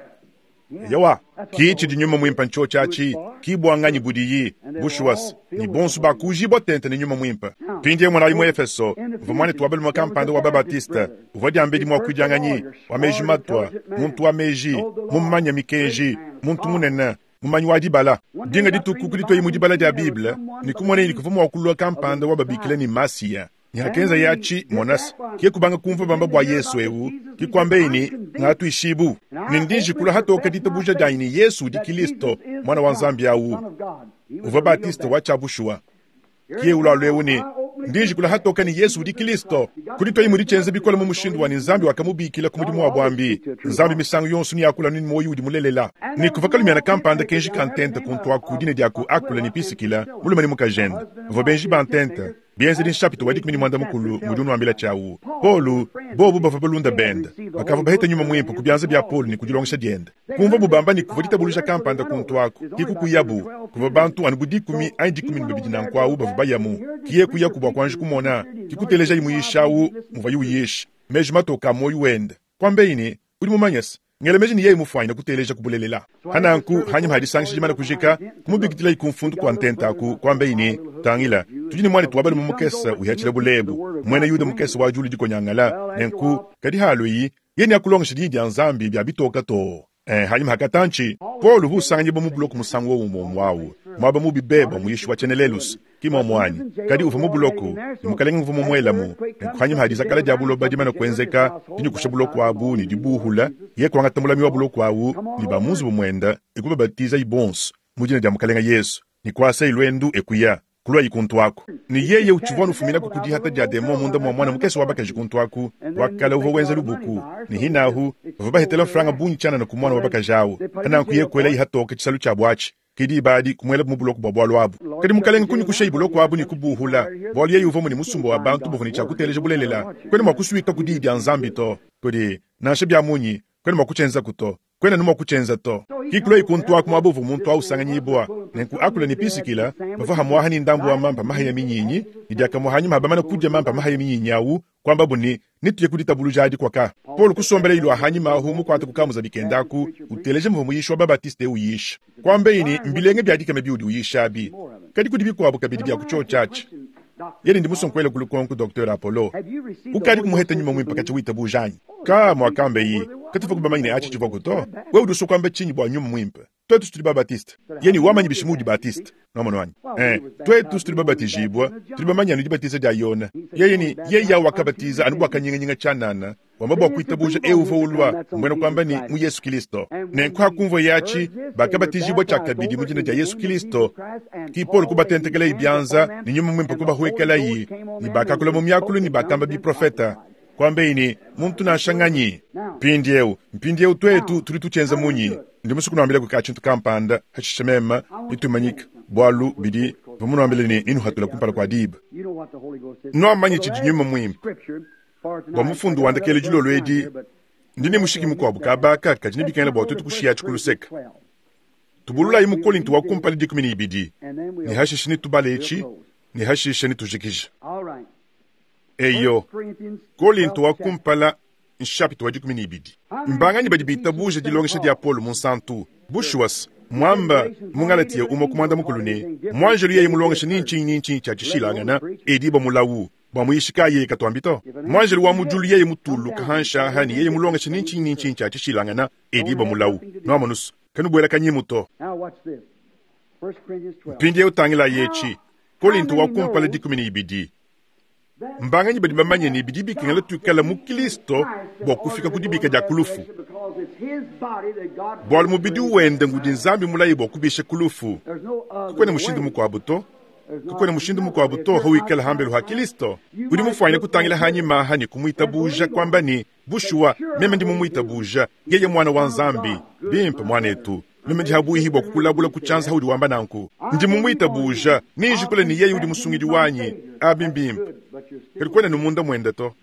Eyowa, kichi di nyuma mwimpe ncho chachi, kibwanganyi budiyi, bushuwas, ni bonsu bakujibwa tente ni nyuma mwimpe. Pindi mwana wa Efeso, uvua mwana tuwabelu makampanda wa Babatiste, uvua diambedi mwa kuidianganyi, wa meji matwa, muntu wa meji, mumanya mikeji, muntu munene, mumanyi wa dibala. Dinga dituku kuditwa mu dibala dia Bible, ni kumona ni kuvua mwa kulua kampanda wa babikila ni Masiya. Ni hakenza yachi monas, kie kubanga kumva bamba bwa Yesu ewu, kikwambe ini ngatu ishibu. Ni ndinji kula hatoka ditabuja dia ini Yesu di Kristo, mwana wa Nzambi awu. Uvua Batiste wa chabushua. Kie ulalo ewu ni ndinji kula hatoka ni Yesu di Kristo. Kuditwa imu dichenze bikola mu mushindu wa ni Nzambi wakamubikila ku mudimu wa bwambi. Nzambi misangu yonso ni yakula ni moyo udi mulelela. Ni kuva kalumiana kampanda kenji kantente kuntu aku dina dia ku akula ni pisikila, mulume ni mukajende. Uvua benji bantente. Bienzedi nshapito wa dikumi ni mwanda mukulu mudi unuambila chawu. Polu, bobu bavua balunda benda. Bakavua baheta nyuma mwimpe ku bianza bia Polu ni kudilongesha dienda. Kumva bubamba ni kuvua ditabuluja kampanda kuntu aku. Kikukuyabu, kuvua bantu anu bu dikumi anyi dikumi ni bibidi na nkwawu bavua bayamu. Kiye kuyaku bua kuanji kumona, kikuteleja imuyishawu muvua yuyisha. Meji matoka moyo wenda. Kwambe ini, udi mumanyese. Ngele meji ni yeye mufwanya kuteleja kubulelela. Hananku hanyuma hadisangisha jimana kujika, kumubikitila ikumfundu kwa ntenta aku kwambe ini tangila. Tujini mwana tuwabale mumukesa uyachila bulebu. Mwene Yuda mukesa wa julu dikonyangala nenku kadi haluyi yeni akulongesha didi ya Nzambi bya bitoka to. Eh, hanyuma hakatanchi Paul husanganye bo mubuloko musango wo mumwawu. Mwaba mubibeba muyishi wa chenelelus kima mwanyi kadi uva mubuloko ni mukalenga mvumo mwelamu nenku hanyuma hadizakala dia buloba dimana kuenzeka dinyu kusha buloko abu ni dibuhula ye kwangata mulami wa buloko awu ni bamunzu bumwenda ekubabatiza ibonso mujina dia mukalenga Yesu ni kwasa ilwendu ekuya kulwa ikuntu ako ni yeye uchivwa nufumina kukudihata dia demo munda mwa mwana mukesi wabakaji kuntu aku wakala uva wenza lubuku ni hinahu bava bahetela franga bunyi chana na kumwana wabakajawo hananku ye kwela ihatoke chisalu cha bwachi kidi ibadi kumwela mubuloko bwa bwalo abu kadi mukalenga kunyu kusha ibuloko abu ni kubuhula bwalo yeye uva muni musumba wa bantu buvuni cha kuteleja bulelela kwene mwakusuika kudi dia Nzambi to kodi nansha bya munyi kwene mwakuchenza kuto kwene numa kuchenza to kikulo ikuntu aku mwabuvu muntu ausanganyibwa nenku akula ni pisikila bava hamwaha ni ndambu wa mampa mahaya minyinyi ni diakamwa hanyuma habamana kudya mampa mahaya minyinyi awu kwamba buni nituye kuditabuluja adi kwaka Paul kusombela ilu ahanyima ahu mukwata kukamuza bikendaku uteleje mvumu yisha wa Babatiste uyisha kwambe ini mbilenge byadikame biudi uyisha abi kadi kudi bikuabu kabidi bya kuchochachi yeli ndi musonkwele kulukonku Docteur Apollo ukadi kumuheta nyuma mwimpe kachi wita bujanyi ka mwakambe yi katufa kubamanyine achi chivoko to we udusu kwamba chinyi bwa nyuma mwimpe twetu tuli babatiste yeni wamanyi bishimudi batiste nomono wanyi eh twetu tuli babatijibwa tuli bamanya ni dibatiza dia Yona yeye ni yeye yawo akabatiza anu bwakanyinganyinga chanana wamba bwa kuitabuja euva ulwa mbwena kwamba ni mu Yesu Kristo nenku hakumva yachi bakabatijibwa chakabidi mu jina dia Yesu Kristo ki Paul kubatentekela ibyanza ni nyuma mwimpe kubahuekela yi ni bakakula mu myakulu ni bakamba biprofeta kwambe ini muntu nashanganyi mpindiewu mpindiewu twetu tuli tuchenza munyi ndi musu kunuambila kuka chintu kampanda hachishemema nitumanyika bwalu bidi vamunuambile ni ninuhatula kumpala kwa diba noamanyi chidi nyuma mwimpe bwa mufundu wandakele dilolo edi ndine mushiki mukuabu kabaka kadi nibikengela bua tuetu kushiya tshikuluseka Tubululayi mu Kolinto wa kumpala dikumi ne ibidi ne hashishe ne tubala etshi ne hashishe ne tujikija. Eyo, Kolinto wa kumpala nshapita wa dikumi ne ibidi. Mbanganyi badi bitabuja dilongesha dia Paulo munsantu bushuwas mwamba mu Galatia umwe kumwanda mukulu ne mwanjelu yeye mulongesha ni nchinyi ni nchinyi cha tshishilangana ediba mulawu bwa muyishika yeye katwambito mwanjelu wa mujulu yeye mutulu kahansha hani yeye mulongesha ni nchinyi ni nchinyi cha tshishilangana ediba mulawu nwamonusu kanubwela kanyimuto. Mpindi utangila yechi Kolinto wa kumpala dikumi ne ibidi. Mbanganyi badi bamanye ne bidi bikengela tuikala mu Kristo bua kufika ku dibika dia kulufu. Bwalu mubidi wende ngudi Nzambi mulayi bua kubisha kulufu. Kukwene mushindu mukuabu to. Kukwene mushindu mukuabu to hawikala hambelu ha Kristo. Udi mufwanya kutangila hanyima hani kumwitabuja kwamba ni bushuwa meme ndi mumwitabuja yeye mwana wa Nzambi bimpe mwanetu. Meme ndi habuihi bua kukulabula kuchanza haudi wamba nanku. Ndi mumwitabuja ninjikule ni yeye udi musungidi wanyi abimbimpe. Kalikwena numunda mwenda to.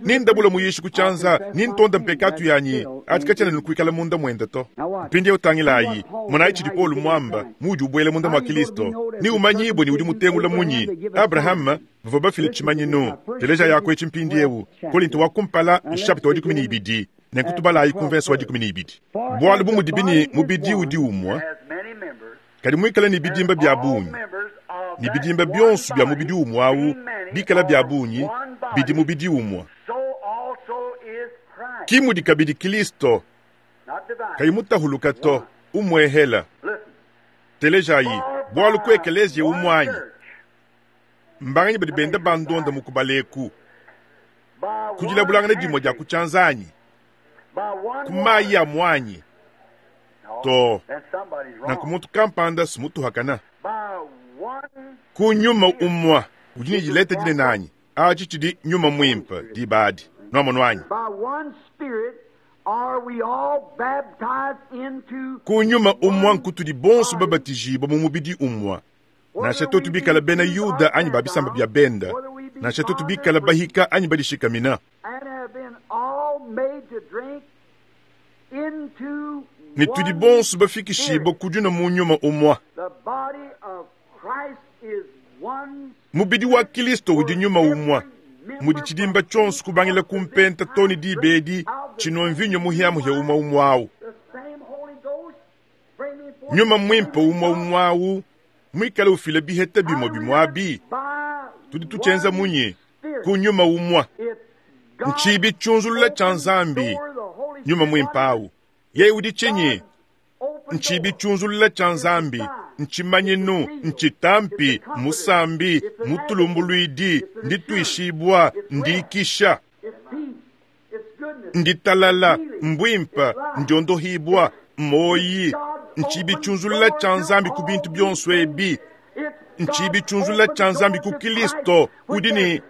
Nindabula muyishi kuchanza nintonda mpekatu yanyi atikachana nukuikala munda mwenda to. Mpindi utangilayi munayi chidi Paulo mwamba mudi ubwele munda mwa Kristo ni umanyibwe ni udi mutengula munyi Abraham bava bafile chimanyinu teleja yako echi mpindi ewu Kolinto wa kumpala nshapita wa dikumi ne ibidi nenkutubalayi kumvenso wa dikumi ne ibidi. Bwalu bumudibini mubidi udi umwa kadi mwikala ni bidimba bya bungi ni bidimba byonso bya mubidi umwawu bikala bya bungi bidi mubidi umwa. Kimudi kabidi Kristo kayimutahuluka to umwehela. Telejayi bwalu ku ekeleziya umwanyi mbanganyi badi benda bandonda mukubaleku kudilabulangana dimwe dia kuchanzanyi kumayi ya mwanyi to nanku kampanda sumutuhakana kunyuma umwa udi ne dileta dine nanyi achi chidi nyuma mwimpe dibadi nwamonwanyi kunyuma umwa nkutudi bonso babatijibwa mu mubidi umwa nansha totu bikala bena Yuda anyi babisamba bya benda nansha totu bikala bahika anyi badishikamina ne tudi bonso bafikishibwa kudina mu nyuma umwa. Mubidi wa Kristo udi nyuma umwa mudi chidimba chonso kubangila kumpenta toni dibedi chino mvinyo muhiamuhia umwa umwawu nyuma mwimpe umwa umwawu mwikala ufile biheta bimwe bimwabi tudi tuchenza munyi kunyuma umwa nchibi chunzulula cha Nzambi nyuma mwimpawu yeye udi chinyi nchibi chunzulula cha Nzambi nchimanyinu nchitampi musambi mutulumbulwidi ndituishibwa ndikisha nditalala mbwimpa ndiondohibwa moyi nchibi chunzulula cha Nzambi ku bintu byonso ebi nchibi chunzulula cha Nzambi ku Kristo udi ni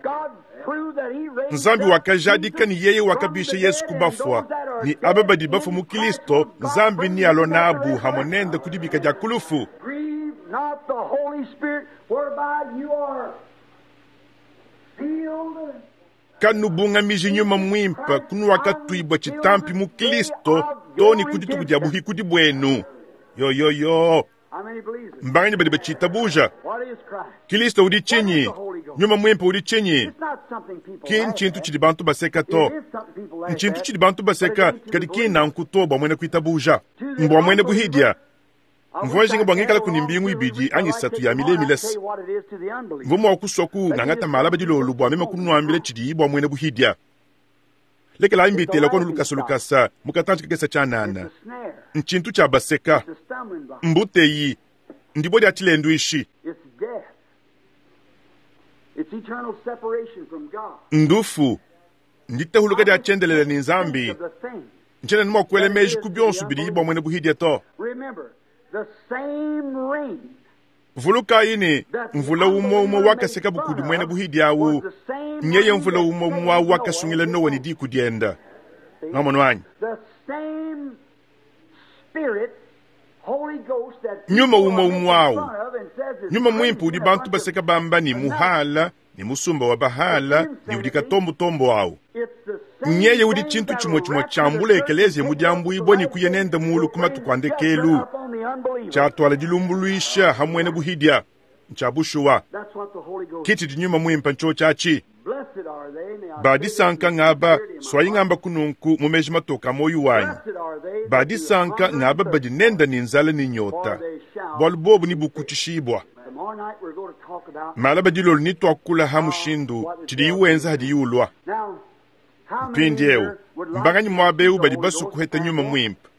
Nzambi wakajadika ni yeye wakabisha Yesu kubafwa ni aba badi bafa mu Kristo Nzambi ni alonabu hamonenda kudibika dia kulufu. Kanubungamiji nyuma mwimpa kunuwakatwibwa chitampi mu Kristo toni kudituku dia buhikudi bwenu yo yo yo mbanganyi badi bachitabuja Kristo udi chinyi nyuma mwimpe udi chinyi ki nchintu chidi bantu baseka to nchintu chidi bantu baseka kadi ki nanku to bwa mwene kuitabuja mbwa mwene buhidia mvua jinga bwa ngikala kuni mbingu ibidi anyi satu ya mile milesi mvua mwa kuswa ku ngangata mala badilolu bwa mema kunwambile chidi bwa mwene buhidia lekela imbitela kono lukasa lukasa mukatanchi kakesa chanana nchintu cha baseka mbuteyi ndibodi dia chilendu ishi ndufu nditahuluka dia chendelela ni Nzambi nchena nima kuele meji ku byonso bidi bwa mwene buhidia to. Vuluka ini mvula umwe umwe wakaseka bukudi mwene buhidia awu nyeye mvula umwe umwe awu wakasungila Noa ni diku dienda nwamonwanyi nyuma umwe umwe awu nyuma mwimpe udi bantu baseka bamba ni muhala ni musumba wa bahala ni udi katombotombo awu Nyeye udi chintu chimwe chimwe chambula ekelezia mudiambuibwa ni kuya nenda mulu ku matuku a ndekelu. Chatwala dilumbuluisha hamwe buhidya. Ncha bushuwa. Kiti dinyuma mwimpa ncho chachi. Badisanka ngaba swayingamba kununku mumeji matoka moyo wanyi. Badisanka ngaba badinenda ni nzala ni nyota. Bwalu bobu ni bukuchishibwa. Malaba dilolo ni twakula ha mushindu chidi iwenza hadi yulwa. Mpindi eu mbanganyi mwabeu badi basu kuheta nyuma mwimpa.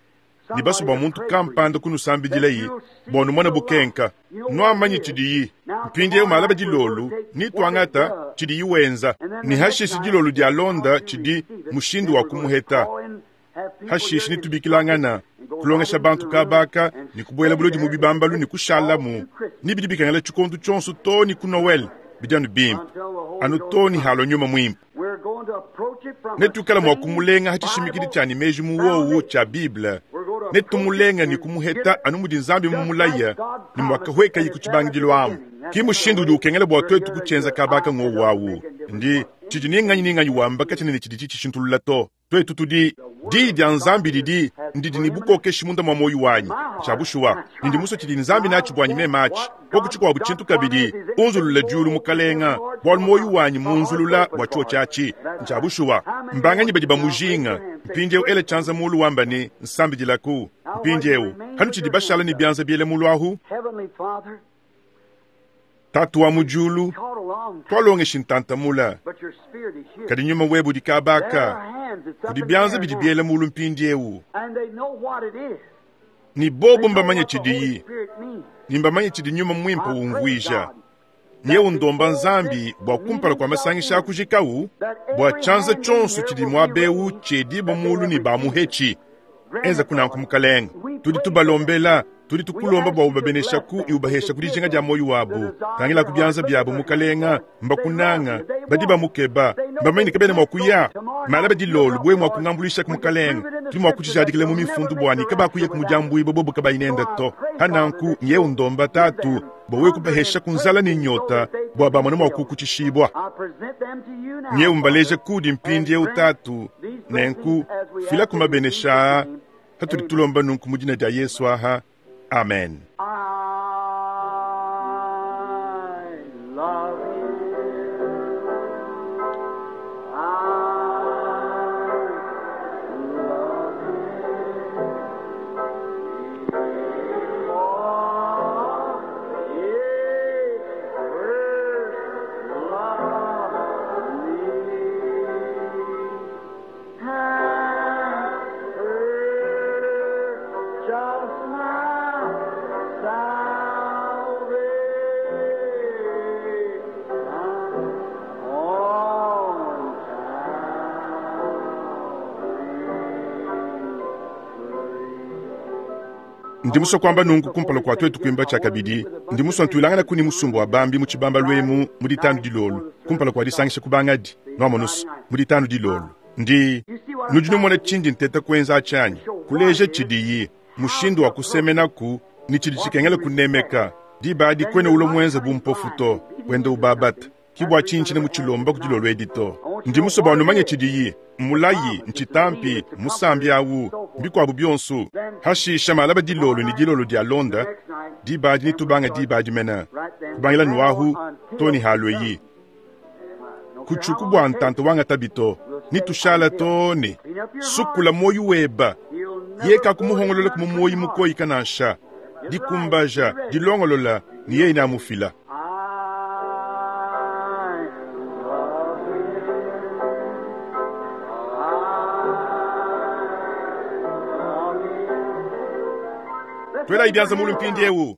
Ni basu bwa muntu kampanda kunusambidila yi bonu mwana bukenka. Nwamanyi chidi mpindi eu malaba dilolo ni twangata chidi iwenza. Ni hashishi dilolo dia londa chidi mushindu wa kumuheta. Hashishi ni tubikilangana kulongesha bantu kabaka ni kubwela bulodi mu bibambalu ni kushalamu ni bidi bikangela chikondu chonso to ni ku Noel bidianu bimpe anu to ni halo nyuma mwimpe netukala mwa kumulenga hachishimikidi chani meji muwowu cha Bible netumulenga ni kumuheta anu mudi nzambi mumulaya ni mwakahweka yiku chibangidilo amu ki mushindu udi ukengela bwa twetu kuchenza kabaka ngowawu ndi chidi ninganyi ninganyi wamba kachinene chidi chichishintulula to twetu tudi di dia nzambi didi ndidi ni bukokeshi munda mwa moyo wanyi chabushuwa ndi muso chidi nzambi nachi bwanyi memachi pokuchikwa buchintu kabidi unzulula julu mukalenga bwa moyo wanyi munzulula bwa cho chachi chabushuwa mbanganyi badi bamujinga mpindiewu ele chanza mulu wamba ni nsambi dilaku mpindiewu hanu chidi bashala ni byanza biele mulu ahu tatu wa mujulu twalongeshi ntantamula kadi nyuma webu dikabaka kudi byanza bidi biela mulu mpindiewu ni bobu mbamanye chidiyi ni mbamanye chidi nyuma mwimpa wumvuija nyewu ndomba nzambi bwa kumpala kwa masangisha akujikawu bwa chanza chonso chidi mwabewu chedibo mulu ni bamuhechi enza kunanku mukalenga tudi tubalombela tudi tukulomba bwa ubabeneshaku iubahesha kudijinga dia moyo wabu tangila kubyanza byabo mukalenga mbakunanga badi bamukeba mbamanyine kabene mwa kuya malaba dilolo bwe mwa kungambulisha ku mukalenga tudi mwa kuchijadikile mu mifundu bwani kabakuya kumujambuibo bobo kabayinenda to hananku nyewu ndomba tatu bwa kubahesha kunzala ni nyota bwa bamona mwa kukuchishibwa nyewu mbaleje kudi mpindi eu tatu nenku fila kumabenesha hatuli tulomba nunku mudina dia Yesu aha. Amen. I love you. I love you. For he first loved me. And purchased my Ndimuso kwamba nungu kumpala kwa twetu kuimba chakabidi ndimuso ntwilangana kuni musumbu wa bambi mu chibamba lwemu mu ditanu dilolo kumpala kwa disangisha kubangadi nwamonusu mu ditanu dilolo ndi nudi numona chindi nteta kwenza achanyi kuleja chidiyi mushindu wa kusemenaku ni chidi chikengela kunemeka dibadi kwene ulo mwenza bumpofu to wenda ubabata kibwa chinchine muchilomba kudilolo edito ndimuso bwa numanye chidiyi mulayi nchitampi musambi awu mbikwabu byonso hashisha malaba dilolo ni dilolo dia londa dibadi nitubanga dibadi mena kubangila nuahu toni halweyi kuchuku bwa ntanto wanga tabito nitushala toni sukula moyo weba yeka kumuhongolola kumumoyi mukoyi kanansha dikumbaja dilongolola ni yeye namufila. I love you. I love you. Twela ibyanza mulu mpindi ewu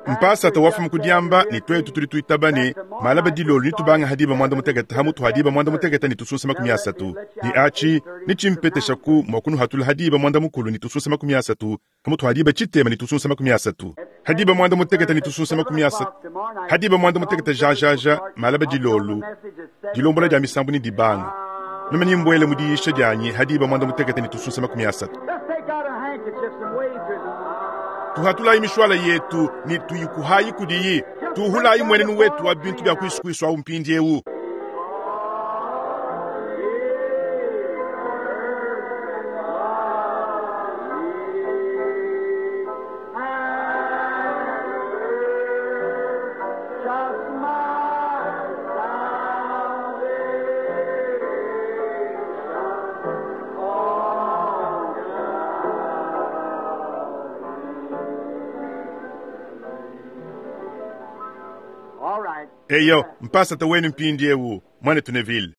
Mpasa tawafu mukudiamba ni twetu tuli tuitabane Malaba dilolu ne tubanga ha diba mwanda mutekete ha mutu ha diba mwanda mutekete ne tusunsa makumi asatu. Ne achi ne tshimpeteshaku mua kunuhatula ha diba mwanda mukulu ne tusunsa makumi asatu ha mutu ha diba tshitema ne tusunsa makumi asatu. Ha diba mwanda mutekete ne tusunsa makumi asatu. Ha diba mwanda mutekete jajaja malaba dilolu dilombola dia misambu ne dibanga. Meme nimbwele mu diyisha dianyi ha diba mwanda mutekete ne tusunsa makumi asatu. Let's take out our handkerchiefs and wave to them. Tuhatulayi mishwala yetu ne tuyikuhayi kudiyi. Tuhulayi mwenenu wetu wa bintu bya kwisukuiswa awu mpindiewu. Just my salvation on All right. Eyo mpasata wenu mpindiewu mwanetu Neville.